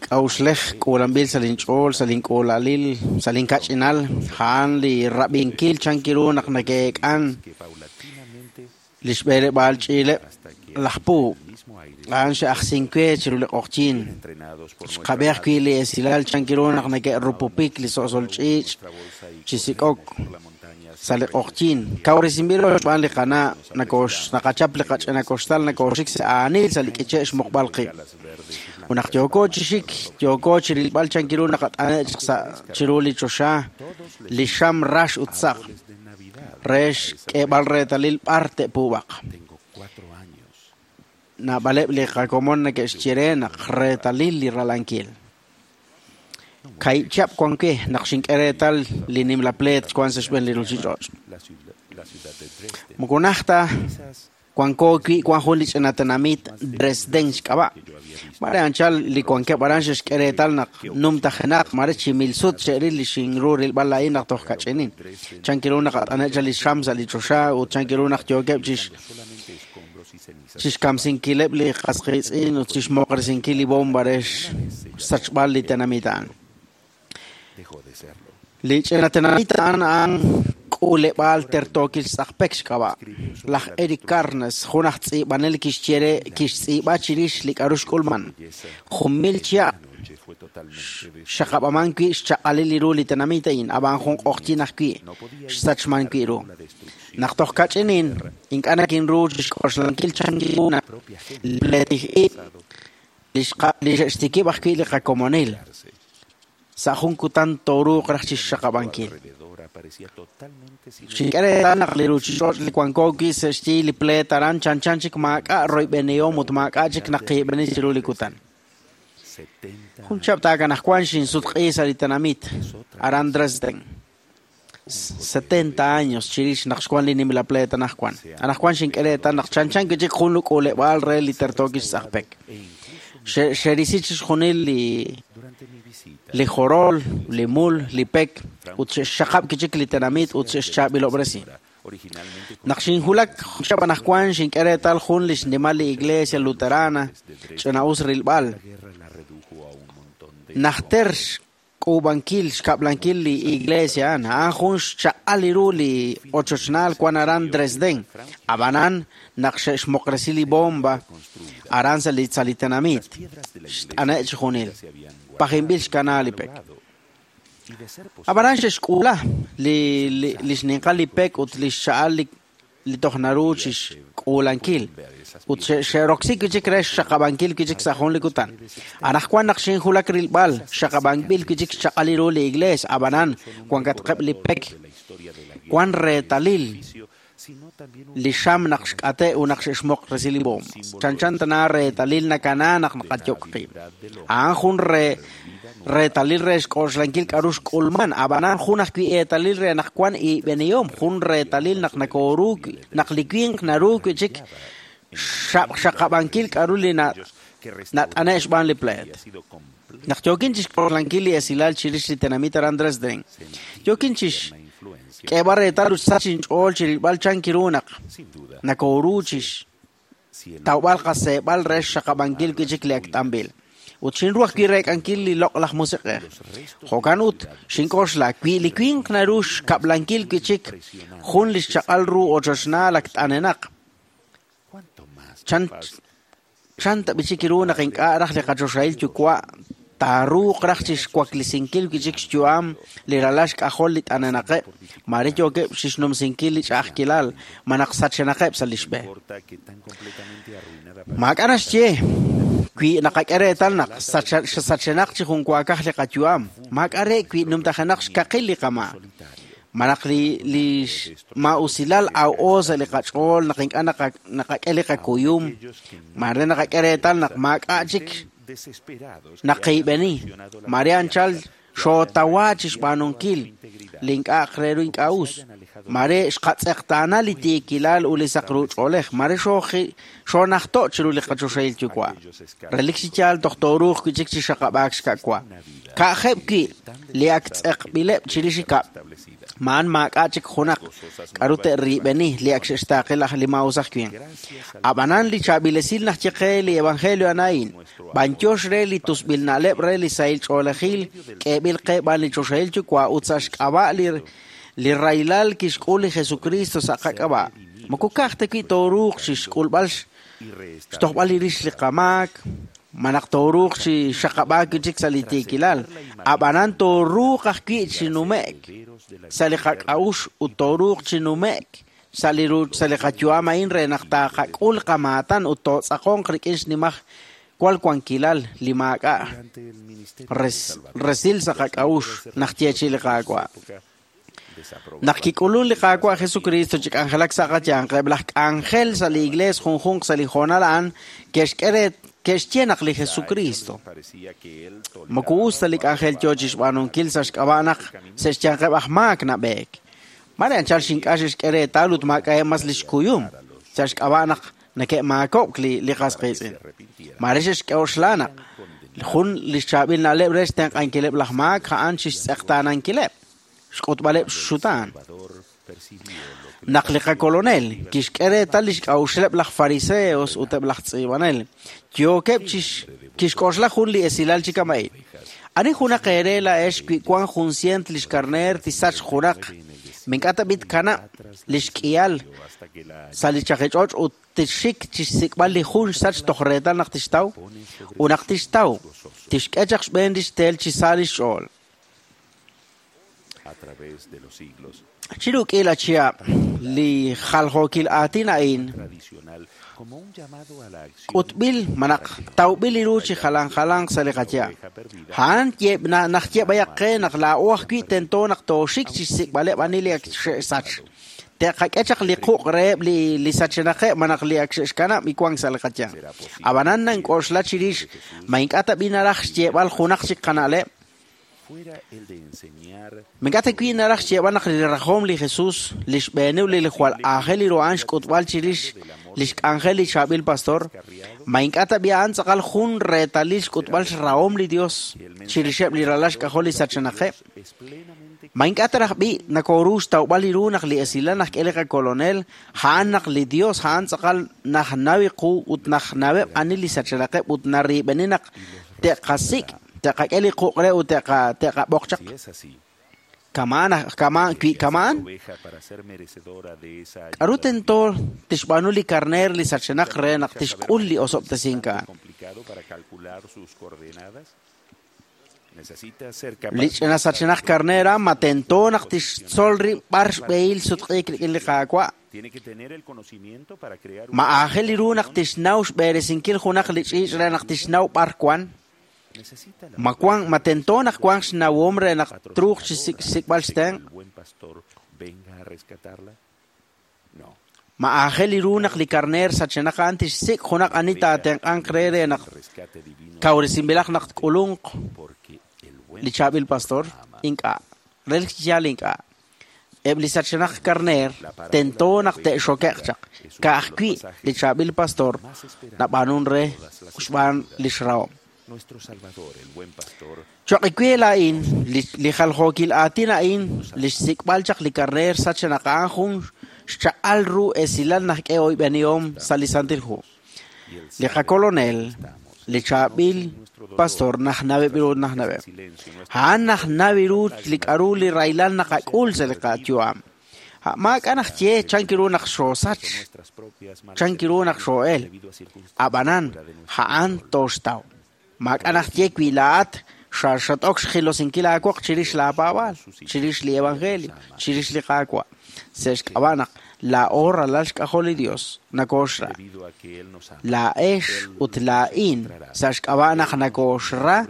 k'a'uxlej k'uulanb'il sa' linch'ool, sa' link'uulalil, sa' linkach'inal, a'an li rab'inkil chankiru naq nake'eek'an li xb'eleb'aal ch'iileb' laj puub'. A'an xe'ajsinkwe chiru li q'oqyin. Xqab'i ajwi' li esilal chankiru naq nake'rupupik li so'sol ch'iich' chi sik'ok sa' li q'oqyin. Kawresinb'ilo xb'aan li qana' nakox naqachap li qach'ina koxtal nakooxik sa' aanil sa' li k'iche' xmuqb'al qib'. Ut naq yooko chi xik, yooko chi rilb'al chankiru naqat'ane' chaq sa' chiru li choxa, li xam rax ut saq, re xk'eeb'al reetalil b'ar te'puub'aq. Naab'aleb' li qakomon neke'xye re naq reetalil li ralankil. Kaahib' chihab' wan we naq xink'e reetal li nimla pleet wan sa' xb'een li ruuchich'och'. Moko najt ta wanko wi' wan jun li ch'ina tenamit Dresden xk'ab'a'. Mare anchal li wankeb' aran xe'xk'e reetal naq numtajenaq mare chi mil sut xe'ril li xinru rilb'al laa'in naq toj kach'inin. Chankiru naq at'ane' chal li xam sa' li choxa ut chankiru naq yookeb' chix chixkamsinkileb' li qasqiitz'in ut chixmoqresinkil li bomba re xsachb'al li tenamit a'an. Li ch'ina tenamit a'an a'an k'uuleb'aal tertookil tz'aqpek xk'ab'a'. Laj Eric Carnes, jun aj tz'iib'anel kixye re kixtz'iib'a chirix li k'a'ru xk'ulman. Jun mil chihab' xaqab'aman wi' xchaq'alil li ru li tenamit a'in, ab'an jun q'oqyin ajwi' xsachman wi' ru. Naq toj kach'inin, ink'a' nakinru chixk'oxlankil chankiru naq li pleetij ib' li xqa- li xe'xtikib' ajwi' li qakomonil. Sa' jun kutan tooruuq raj chixxaqab'ankil. Xink'e reetal naq li ruuchich'och' li wanko wi' sa' xyi li pleet aran chanchan chik maak'a' royb'enihom ut maak'a' chik naqiib'eni chiru li kutan. Jun chihab' taakanajwan xinsutq'i sa' li tenamit aran Dresden. setenta años chirix naq xwan li nimla pleet anajwan. Anajwan xink'e reetal naq chanchan wi' chik jun luk'uuleb'aal re li tertookil xtz'aqpek. Xe- xerisi chixjunil li li jorol, li mul, li pek, ut xe'xxaqab' wi' chik li tenamit ut xe'xchaab'ilob'resi. Naq xinjulak chihab' anajwan xink'e reetal jun li xnimal li iglesia luterana ch'ina'us rilb'al. Najter xk'uub'ankil xkab'lankil li iglesia a'an, a'an jun xchaq'al li ru li ochochnaal wan aran Dresden. Ab'anan naq xe'xmoqresi li bomba aran sa' li sa' li tenamit, xt'ane' chixjunil. Pajinb'il xkana li pek. Ab'anan xe'xk'uula li li li xninqal li pek ut li xcha'al li li toj naru chixk'uulankil. Ut xe'roksi wi' chik re xxaqab'ankil wi' chik sa' jun li kutan. Anajwan naq xinjulak rilb'al, xaqab'anb'il wi' chik xchaq'al ru li iglees, ab'anan wankatqeb' li pek wan reetalil li xam naq xk'ate' ut naq xe'xmoqresi li bomba. Chanchan tana reetalil nakana naq naqayok qib'. A'an jun re reetalil re xk'oxlankil k'a'ru xk'ulman, ab'anan jun ajwi' eetalil re naq wan ib'enihom, jun reetalil naq nakooru naq li winq naru wi' chik xaqab'ankil k'a'ru li na nat'ane' xb'aan li pleet. Naq yookin chixk'oxlankil li esilal chirix li tenamit aran Dresden, yookin chixk'eeb'al reetal ut xsach inch'ool chirilb'al chankiru naq nakooru chix tawb'al qaseeb'al re xxaqab'ankil wi' chik li ak t'anb'il. Ut xinru ajwi' reek'ankil li loq'laj musiq'ej. Jo'kan ut xink'oxla wi li winq naru xkab'lankil wi' chik jun li xchaq'al ru ochochnaal ak t'anenaq. Chan chan tab'i chik ru naq ink'a' raj li qachoxahil yuwa' taaruuq raj chixwaklisinkil wi' chik xyu'am li ralal xk'ajol li t'anenaqeb', mare yookeb' chixnumsinkil li ch'a'ajkilal ma naq sachenaqeb' sa' li xb'e. Maak'a' naxye wi naqak'e reetal naq sachenaq chi junwaakaj li qayu'am, maak'a' re wi numtajenaq xkaqil li qama'. Malaq li li ma'usilal aw'o sa' li qach'ool naq ink'a' naqak'e li qakuyum, mare naqak'e reetal naq maak'a' chik naqiib'eni, mare anchal xootawa chixb'aanunkil li ink'a' re ru ink'a' us, mare xqatz'eqtaana li tiikilal ut li saq ru ch'oolej, mare xoonajto' chiru li qachoxahil yuwa'. Relik chi yaal toj tooruuq wi' chik chi xaqab'aak xka'wa. Ka'jeb' wi' li ak tz'eqb'ileb' chirix ikab', ma'an maak'a' chik junaq k'aru te'riib'eni li ak xe'xtaaqe laj li maa'us aj winq. Ab'anan li chaab'ilesil naj ye qe li evangelio a'in, b'anyox re li tusb'il na'leb' re li sahil ch'oolejil k'eeb'il qe b'an li choxahil yuwa' ut sa' xk'ab'a' li li rahilal kixk'ul li Jesucristo sa' qak'ab'a'. Moko ka'aj ta wi' tooruuq chixk'ulb'al xtojb'al li rix li qamaak, malaq tooruuq chi xaqab'aak wi' chik sa' li tiikilal, ab'anan tooruuq ajwi' chi nume'k sa' li qak'a'ux ut tooruuq chi nume'k sa' li ru sa' li qayu'am a'in re naq taaqak'ul qamaatan ut tootz'aqonq rik'in xnimaj wal wankilal li maak'a' resil sa' qak'a'ux naq yeechi li Qaawa'. Naq kik'ulun li Qaawa' Jesucristo chi k'anjelak sa' qayanq, eb' laj k'anjel sa' li iglees junjunq sa' li hoonal a'an ke'xk'e re ke'xye naq li Jesucristo moko us ta li k'anjel yoo chixb'aanunkil sa' xk'ab'a' naq sa' xyanqeb' aj maak nab'eek. Mare anchal xink'a' xe'xk'e reetal ut maak'a'eb' mas li xkuyum sa' xk'ab'a' naq nake'maakob'k li li qas qiitz'in. Mare xe'xk'oxla naq jun li xchaab'il na'leb' re xtenq'ankileb' laj maak a'an chixtz'eqtaanankileb', xk'utb'aleb' xxutaan. Naq li qakolonel kixk'e reetal li xk'a'uxleb' laj fariseos ut eb' laj tz'iib'anel, yookeb' kixk'oxla jun li esilal chi kama'in. Ani junaq eere laa'ex wi wank jun sient li xkarneer tisach junaq, mink'a' ta b'it kanab' li xk'ihal sa' li chaqich'och' ut tixxik chixsik'b'al li jun xsach toj reetal naq tixtaw, ut naq tixtaw, tixk'e chaq xb'een li xtel chi sa' li xch'ool. Chiru k'iila chihab' li jaljookil aatin a'in k'utb'il malaq tawb'il li ru chi jalan jalanq sa' li qayaab'. A'an naj yeb'ayaq qe naq laa'o ajwi' tento naq tooxik chixsik'b'aleb' ani li ak xe'sach. Te'qak'e chaq li quq' reheb' li li sachenaqeb' malaq li ak xe'xkanab' iwank sa' li qayaab'. Ab'anan nank'oxla chirix ma ink'a' ta b'i naraj xyeeb'al junaq chik qana'leb'. Mink'a' ta wi' naraj xyeeb'al naq li rajom li Jesús, li xb'eeniw li jwal aajel li ru a'an xk'utb'al chirix li xk'anjel li chaab'il pastor, ma ink'a' ta b'i a'an tz'aqal jun reetalil xk'utb'al xrahom li Dios chirixeb' li ralal xk'ajol li sachenaqeb'. Ma ink'a' ta raj b'i nakooru xtawb'al li ru naq li esilal naj k'e li qakolonel, a'an naq li Dios a'an tz'aqal najnawi qu ut najnaweb' ani li sachenaqeb' ut nariib'eni naq te'qasik' te'qak'e li quq' re ut te'qab'oq chaq. Kamaan kamaan wi kamaan k'aru tento tixb'aanu li karneer li sachenaq re naq tixk'ul li osob'tesink a'an. Li ch'ina sachenaq karneer ma tento naq tixtzol rib' b'ar xb'ehil sutq'iik rik'in li Qaawa'. Ma aajel li ru naq tixnaw xb'eresinkil junaq li ch'iich' re naq tixnaw b'ar wan. Ma wank ma tento naq wank xnawom re naq truuq chi xsik'b'al xtenq'. Ma aajel li ru naq li karneer sachenaq a'an tixsik' junaq ani taatenq'anq re re naq kawresinb'ilaq naq tk'ulunq li chaab'il pastor. Ink'a', relik chi yaal ink'a'. Eb' li sachenaq karneer tento naq te'xoke'q chaq. Ka'ajwi' li chaab'il pastor nab'aanun re xb'aan li xrahom. Choq' wi laa'in li jaljookil aatin a'in li xsik'b'al chaq li karneer sachenaq a'an jun xchaq'al ru esilal naj k'e oyb'enihom sa' li Santil Hu. Li qakolonel Li chaab'il pastor najnaweb' ru najnaweb'. A'an najnaw ru li k'aru li rahilal naqak'ul sa' li qayu'am. Maak'a' naq ye chanki ru naq xoosach, chanki ru naq xoo'el. Ab'anan a'an tooxtaw. Maak'a' naq ye wi laa'at xaxat'ok xjilosinkil aawoq chirix laapaab'aal, chirix li evangelio, chirix li Qaawa'. Sa' xk'ab'a' naq laa'o ralal xk'ajol li Dios nakooxra. Laa'ex ut laa'in sa' xk'ab'a' naq nakooxra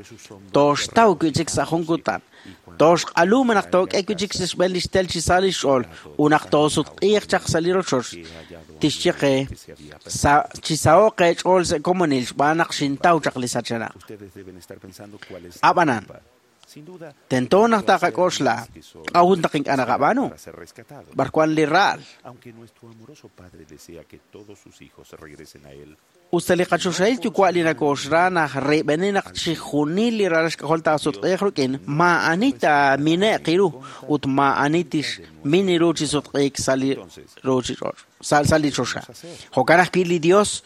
tooxtaw wi' chik sa' jun kutan. Tooxq'alu naq took'e wi' chik sa' xb'een li xtel chi sa' li xch'ool ut naq toosutq'iiq chaq sa' li rochoch. Tixye qe chi saho'q eech'ool sa' komonil xb'aan naq xintaw chaq li sachenaq. Ab'anan tento naq taqak'oxla k'a'ut naq ink'a' naqab'aanu b'arwan li ra'al. Usta li qachoxahil yuwa' li nakooxra naq reib'eni naq chixjunil li ralal xk'ajol taasutq'iiq rik'in maa'ani taamine'q ru ut maa'ani tixmin ru chi sutq'iik sa' li ruuchich'och' sa' li choxa. Jo'kan ajwi' li Dios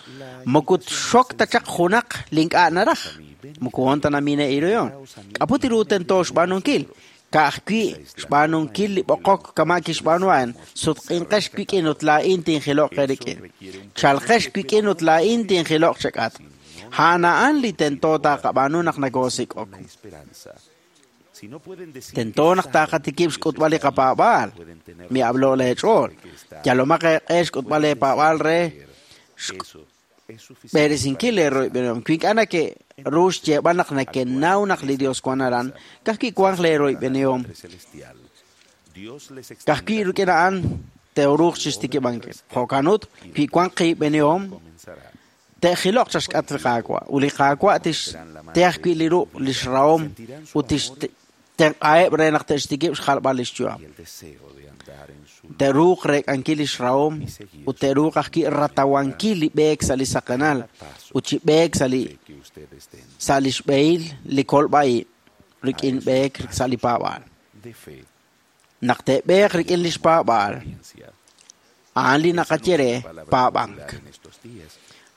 moko txok ta chaq junaq li ink'a' naraj moko wan ta namine' iruyon. K'aput ru tento xb'aanunkil ka'ajwi' xb'aanunkil li b'oqok kama' kixb'aanuhan sutq'inqex wik'in ut laa'in tinjilo'q eerik'in. Chalqex wik'in ut laa'in tinjilo'q chak'at. A'an a'an li tento taqab'aanu naq nakoosik'ok. Tento naq taqatikib' xk'utb'al li qapaab'aal. Mi'ablo' leech'ool. Yalomaq eeq'e xk'utb'al leepaab'aal re b'eresinkil leeroyb'enihom. Wi ink'a' nake'ru xyeeb'al naq nake'naw naq li Dios wan aran, ka'ajwi' wanq leeroyb'enihom. Ka'ajwi' rik'in a'an te'ruuq chixtikib'ankil. Jo'kan ut, wi wanq qiib'enihom, te'jilo'q chaq xk'atq li Qaawa' ut li Qaawa' tixte ajwi' li ruq' li xrahom ut tixtenq'aheb' re naq te'xtikib' xjalb'al li xyu'am. Te'ruuq reek'ankil li xrahom ut te'ruuq ajwi' ratawankil li b'eek sa' li saqenal ut chi b'eek sa' li sa' li xb'ehil li kolb'a'ib' rik'in b'eek sa' li paab'aal. Naq te'b'eeq rik'in li xpaab'aal, a'an li naqaye re paab'ank.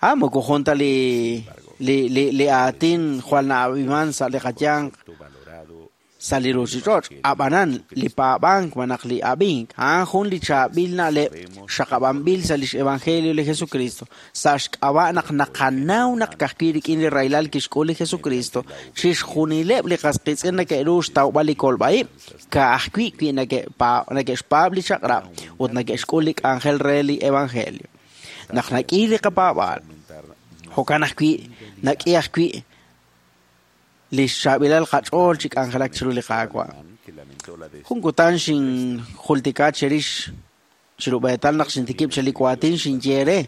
Ah, moko jun ta li li li li aatin jwal na'ab'iman sa' li qayanq sa' li ruuchich'och'. Ab'anan li paab'ank malaj li ab'ink a'an jun li chaab'il na'leb' xaqab'anb'il sa' lix evangelio li Jesucristo. Sa' xk'ab'a' naq naqanaw naq ka'ajwi' rik'in li rahilal kixk'ul li Jesucristo, chixjunileb' li qas qiitz'in nake'ru xtawb'al li kolb'a'ib' ka'ajwi' wi nake'xpaab' li chaq'rab' ut nake'xk'ul li k'anjel re li evangelio. Naq nak'i li qapaab'aal, jo'kan ajwi' nak'i ajwi' li xchaab'ilal qach'ool chi k'anjelak chiru li Qaawa'. Jun kutan xinjultika chirix chirub'eetal naq xintikib' chali waatin xinye re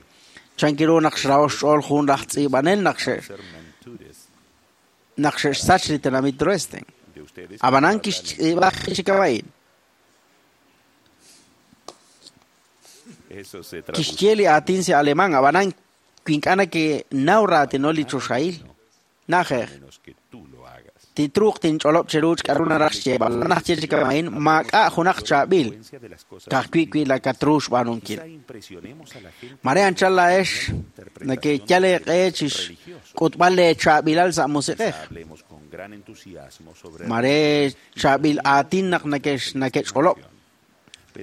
chanki ru naq xraho xch'ool jun laj tz'iib'anel naq xe naq xe'xsach li tenamit Dresden. Ab'anan kixtz'iib'a chikab'a'in. Kixye li aatin sa' alemán ab'anan wi ink'a' nake'naw raatino li choxahil. Na'ajej. Titruuq tinch'olob' chiru k'aru naraj xyeeb'al. Naj ye chikab'a'in maak'a' junaq chaab'il ka'ajwi' wi lakatru xb'aanunkil. Mare anchal laa'ex nake'yal eeq'e chi xk'utb'al leechaab'ilal sa' musiq'ej. Mare chaab'il aatin naq nake'ch'olob'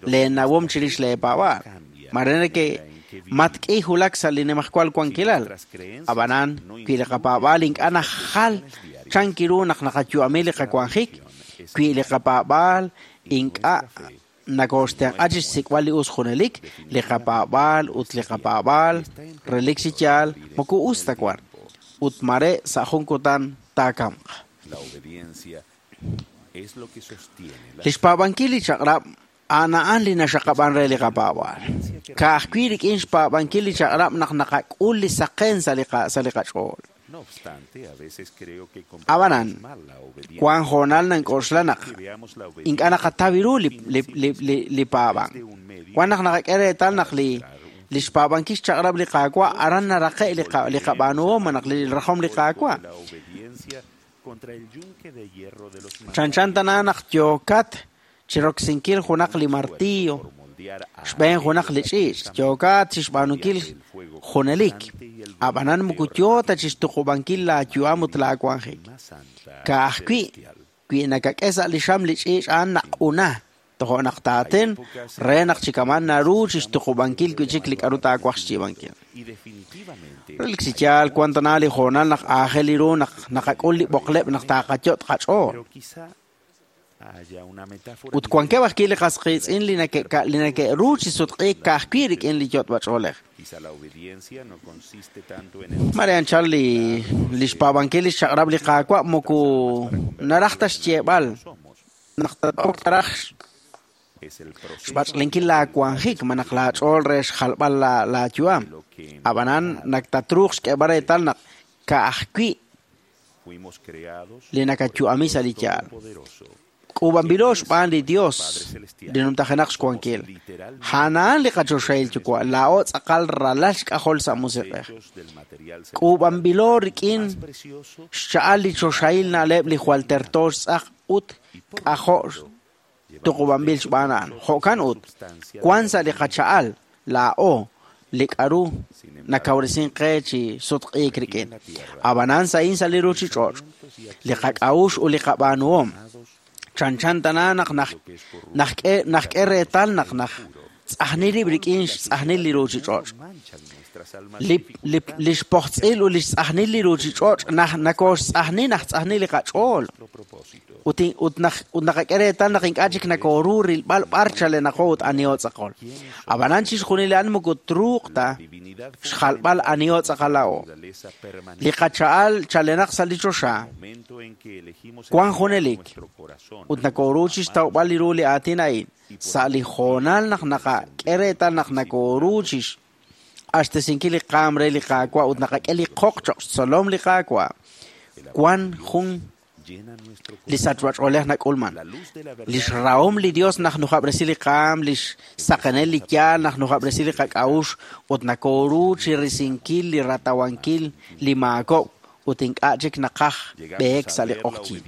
leenawom chirix leepaab'aal. Mare nake' matk'i hulak sa' li nimajwal wankilal. Ab'anan wi li qapaab'aal ink'a' najal chanki ru naq naqayu'ami li qawanjik, wi li qapaab'aal ink'a' nakooxtenq'a chi xsik'b'al li us junelik, li qapaab'aal ut li qapaab'aal relik chi yaal moko us ta wan ut mare sa' jun kutan taakamq. Li xpaab'ankil li chaq'rab' a'an a'an li naxaqab'an re li qapaab'aal. Ka'ajwi' rik'in xpaab'ankil li chaq'rab' naq naqak'ul li saqen sa' li sa' li qach'ool. Ab'anan, wan hoonal nank'oxla naq ink'a' naqataw ru li li li li paab'ank. Wan naq naqak'e reetal naq li li xpaab'ankil xchaq'rab' li Qaawa' aran naraqe' li li qab'aanuhom naq li rajom li Qaawa'. Chanchan tana naq yookat chiroksinkil junaq li martillo, xb'een junaq li ch'iich', yookat chixb'aanunkil junelik. Ab'anan moko yo ta chixtuqub'ankil laayu'am ut laawanjik. Ka'ajwi' wi nakak'e sa' li xam li ch'iich' a'an naq'una, tojo' naq taaten re naq chikaman naru chixtuqub'ankil wi' chik li k'aru taawaj xyiib'ankil. Relik chi yaal wan tana li hoonal naq aajel ru naq naqak'ul li b'oqleb' naq taaqayot' qach'ool. Ut wankeb' ajwi' li qas qiitz'in li nake'ka- li nake'ru chi sutq'iik ka'ajwi' rik'in li yot'b'ach'oolej. Mare anchal li li xpaab'ankil li xchaq'rab' li Qaawa' moko naraj ta xyeeb'al naq tat'ok taraj xb'ach'lenkil laawanjik ma naq laach'ool re xjalb'al la- laayu'am. Ab'anan naq tatruuq xk'eeb'al reetal naq ka'ajwi' li nakayu'ami sa' li yaal. K'uub'anb'ilo xb'aan li Dios li numtajenaq xwankil. A'an li qachoxahil yuwa' laa'o tz'aqal ralal xk'ajol sa' musiq'ej. K'uub'anb'ilo rik'in xcha'al li choxahil na'leb' li jwal terto xtz'aq ut k'ajo' tuqub'anb'il xb'aan a'an. Jo'kan ut, wan sa' li qacha'al laa'o li k'aru nakawresin qe chi sutq'iik rik'in. Ab'anan sa'in sa' li ruchich'och', li qak'a'uxl ut li qab'aanuhom chanchan tana naq naj najk'e najk'e reetal naq naj tz'ajnil rib' rik'in xtz'ajnil li ruchich'och'. Li li li xpojtz'il ut li xtz'ajnil li ruchich'och' naj nakooxtz'ajni naj tz'ajni li qach'ool. Ut in- ut naj ut naqak'e reetal naq ink'a' chik nakooru rilb'al b'ar chalenaqo ut aniho tz'aqol. Ab'anan chixjunil a'an moko truuq ta xjalb'al aniho tz'aqal laa'o. Li qacha'al chalenaq sa' li choxa wan junelik ut nakooru chixtawb'al li ru li aatin a'in sa' li hoonal naq naqak'e reetal naq nakooru chixq'axtesinkil li qaam re li Qaawa' ut naqak'e li qoq cho'q xtzolom li Qaawa'. Wan jun li sachb'ach'oolej nak'ulman. Li xrahom li Dios naq nujab'resi li qaam, li xsaqenel li yaal naq nujab'resi li qak'a'uxl ut nakooru chirisinkil li ratawankil li maakob' ut ink'a' chik naqaj b'eek sa' li q'oqyink.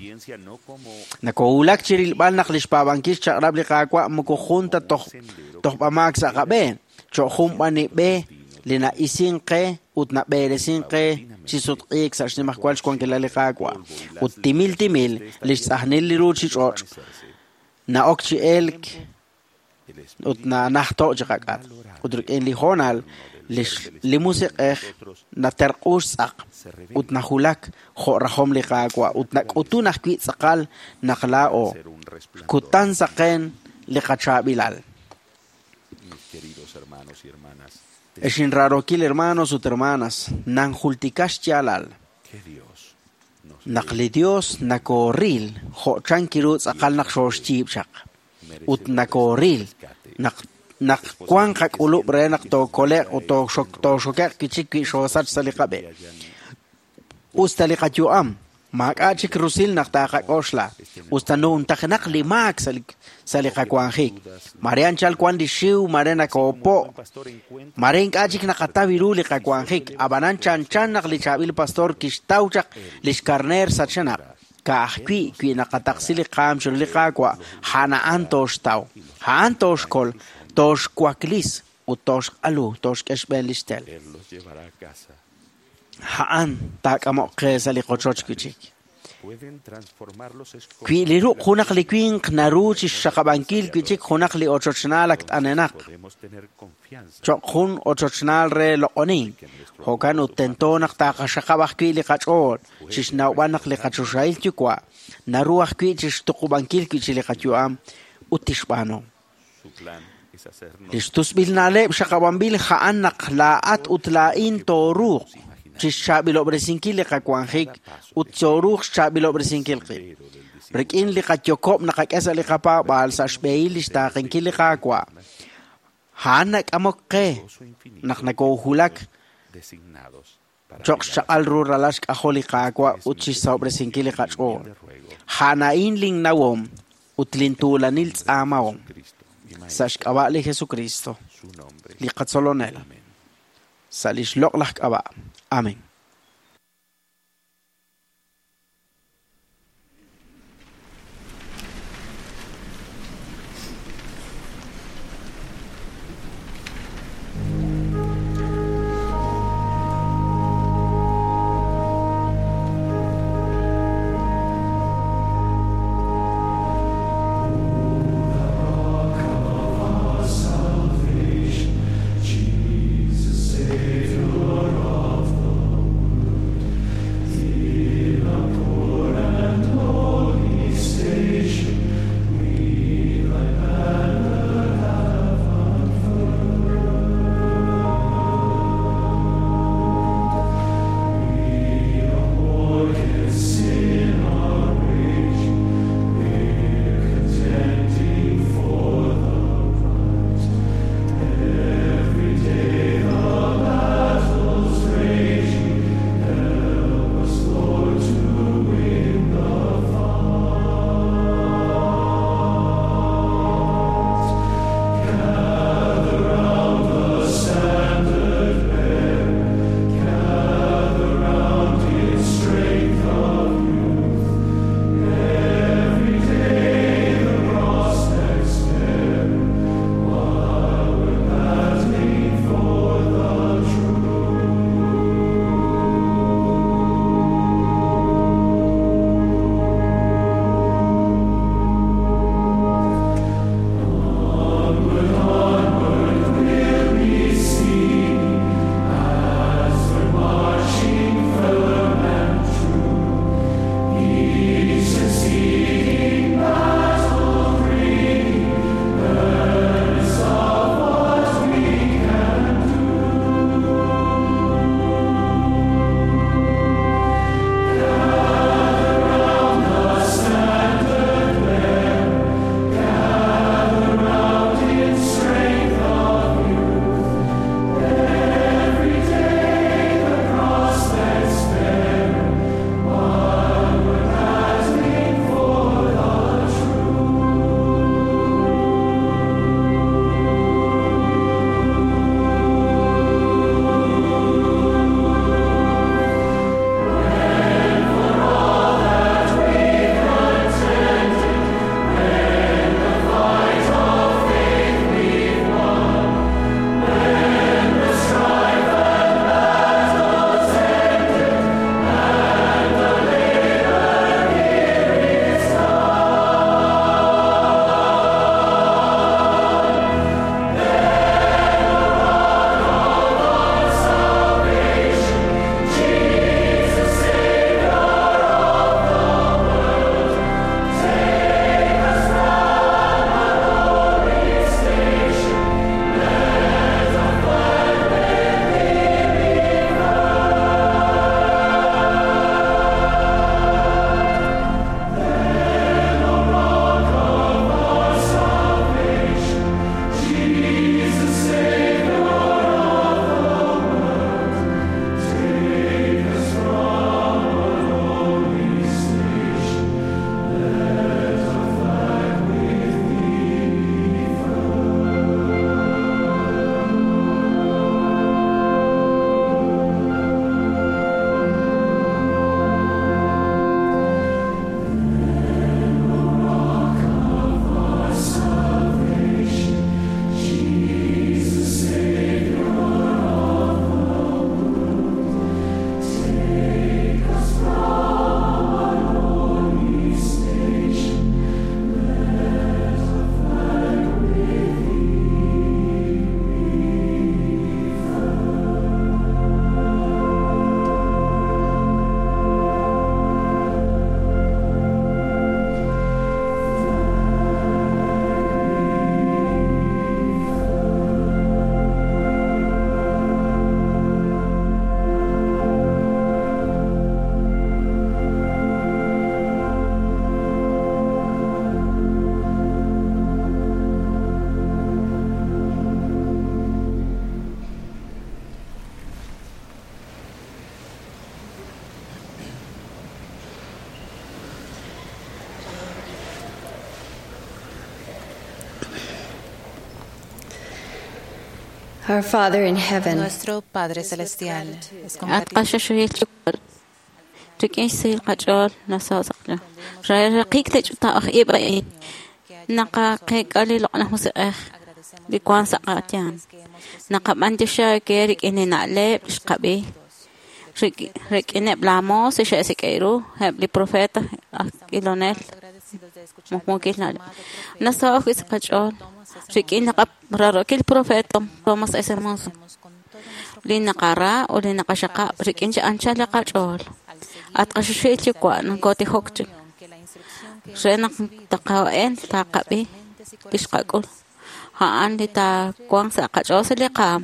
Nakowulak chirilb'al naq li xpaab'ankil xchaq'rab' li Qaawa' moko jun ta toj tojb'amaak sa' qab'een, cho'q jun b'an li b'e li na'isink qe ut nab'eeresink qe chi sutq'iik sa' xnimajwal xwankilal li Qaawa'. Ut timil timil li xtz'ajnil li ruchich'och' na'ok chi elk ut nanajto' chi qak'at. Ut rik'in li hoonal li x- li musiq'ej naterq'u xtz'aq ut najulak jo' rajom li Qaawa' ut nak'utun ajwi' tz'aqal naq laa'o kutan saqen li qachaab'ilal. Ex inraarokil hermanos ut hermanas, nanjultika xyaalal naq li Dios nakooril jo' chan kiru tz'aqal naq xooxyiib' chaq ut nakooril naq naq wan qak'ulub' re naq tookole'q ut tooxok- tooxoke'q wi' chik wi' xoosach sa' li qab'e. Usta li qayu'am maak'a' chik rusil naq taaqak'oxla, usta nuntajenaq li maak sa' li sa' li qawanjik. Mare anchal wan li xiw, mare nakoopo', mare ink'a' chik naqataw ru li qawanjik. Ab'anan chanchan naq li chaab'il pastor kixtaw chaq li xkarneer sachenaq. Ka'ajwi' wi naqataqsi li qaam chiru li Qaawa', a'an a'an tooxtaw, a'an tooxkol, tooxwaklis ut tooxq'alu, tooxk'e xb'een li xtel. A'an taak'amoq qe sa' li qochoch wi' chik. Wi li ruq' junaq li winq naru chixxaqab'ankil wi' chik junaq li ochochnaal ak t'anenaq, cho'q jun ochochnaal re loq'onink. Jo'kan ut tento naq taaqaxaqab' ajwi' li qach'ool chixnawb'al naq li qachoxahil yuwa' naru ajwi' chixtuqub'ankil wi' chik li qayu'am ut tixb'aanu. Li xtusb'il na'leb' xaqab'anb'il a'an naq laa'at ut laa'in tooruuq chixchaab'ilob'resinkil li qawanjik ut tooruuq xchaab'ilob'resinkil qib'. Rik'in li qayokob' naqak'e sa' li qapaab'aal sa' xb'ehil li xtaaqenkil li Qaawa'. A'an nak'amok qe naq nakoohulak cho'q xchaq'al ru ralal xk'ajol li Qaawa' ut chixsahob'resinkil li qach'ool. A'an a'in linnawom ut lintuulanil tz'aamahom sa' xk'ab'a' li Jesucristo, li qatzolonel, sa' li xloq'laj k'ab'a'. Amén. Our Father in heaven, Nuestro Padre Celestial, es con At qaxaxuhil ch'uqul. Rik'in xsahil qach'ool nasaw saqla. Raqik li ch'uta'aj ib' a'in. Naqaqeek'a li loq'laj musiq'ej li wan sa' qatyan. Naqab'antioxi ke rik'in li na'leb' xqab'i. Rik'ineb' la moos xe'sik'e ru eb' li profeta aj ilonel muqmuukil na'leb'. Nasaw ajwi' sa' qach'ool rik'in rarokil profeta Thomas S. Monson. Li naqara ut li naqaxaqab' rik'in chi anchal li qach'ool. At qaxuxil yuwa' nankotijok chik. Re naq taqa'en taqab'i li xqak'ul. A'an li taawanq sa' qach'ool sa' li qaam.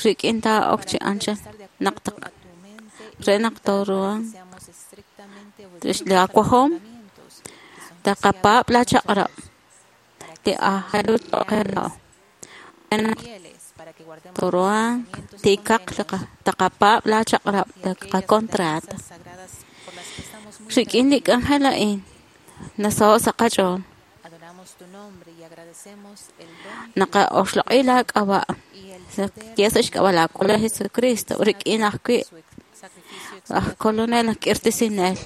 Rik'in taa'ok chi anchal naq re naq tooruhan li awajom taqapaab' la chaq'rab' li aajel ru cho'q qe laa'o. Re naq tooruhan tiikaq taqapaab' la chaq'rab' li qacontrato. Rik'in li k'anjel a'in nasaho' sa' qach'ool. Naqa'oxloq'i la k'ab'a' ye sa' xk'ab'a' la Kolonel Jesucristo rik'in ajwi' aj Kolonel aj k'irtisinel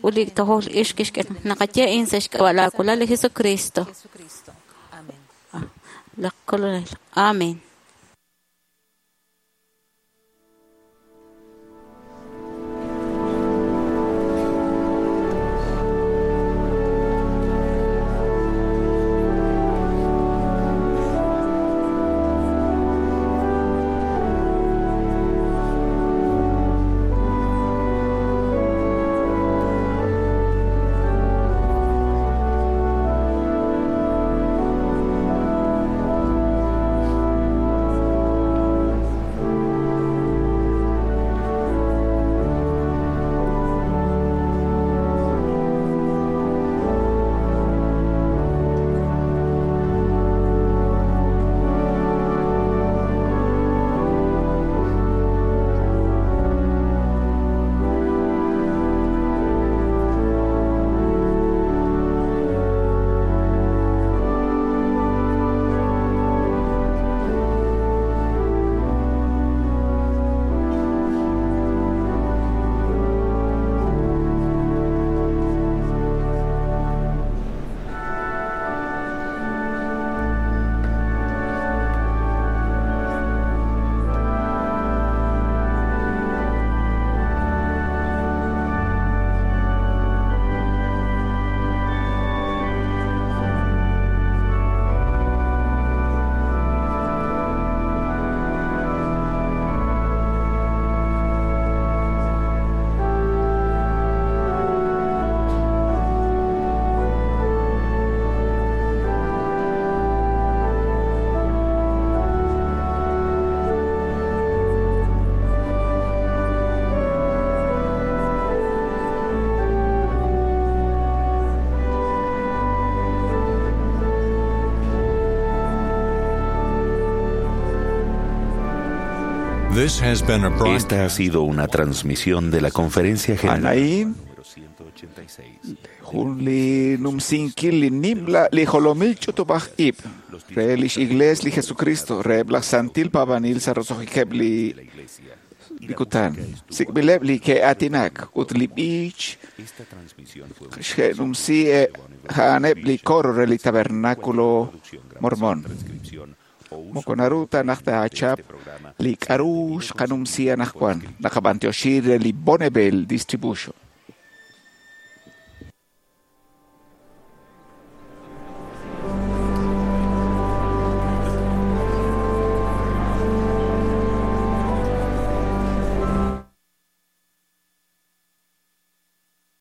ut li tojol ix kixk'e naqaye in sa' xk'ab'a' la Kolonel Jesucristo. La Kolonel. Amén. Esta ha sido una transmisión de la Conferencia General. Anaí, jun li numsinkil li nimla li jolomil ch'utub'aj ib' re lix iglees li Jesucristo reheb' laj santil paab'anil sa' roso'jikeb' li li kutan. Sik'b'ileb' li ke'aatinak ut li b'ich xe'numsi a'aneb' li coro re li Tabernáculo Mormón. Moko naru ta naq taachap li k'aru xqanumsi anaqwan naqab'antioxi re li Bonneville Distribution.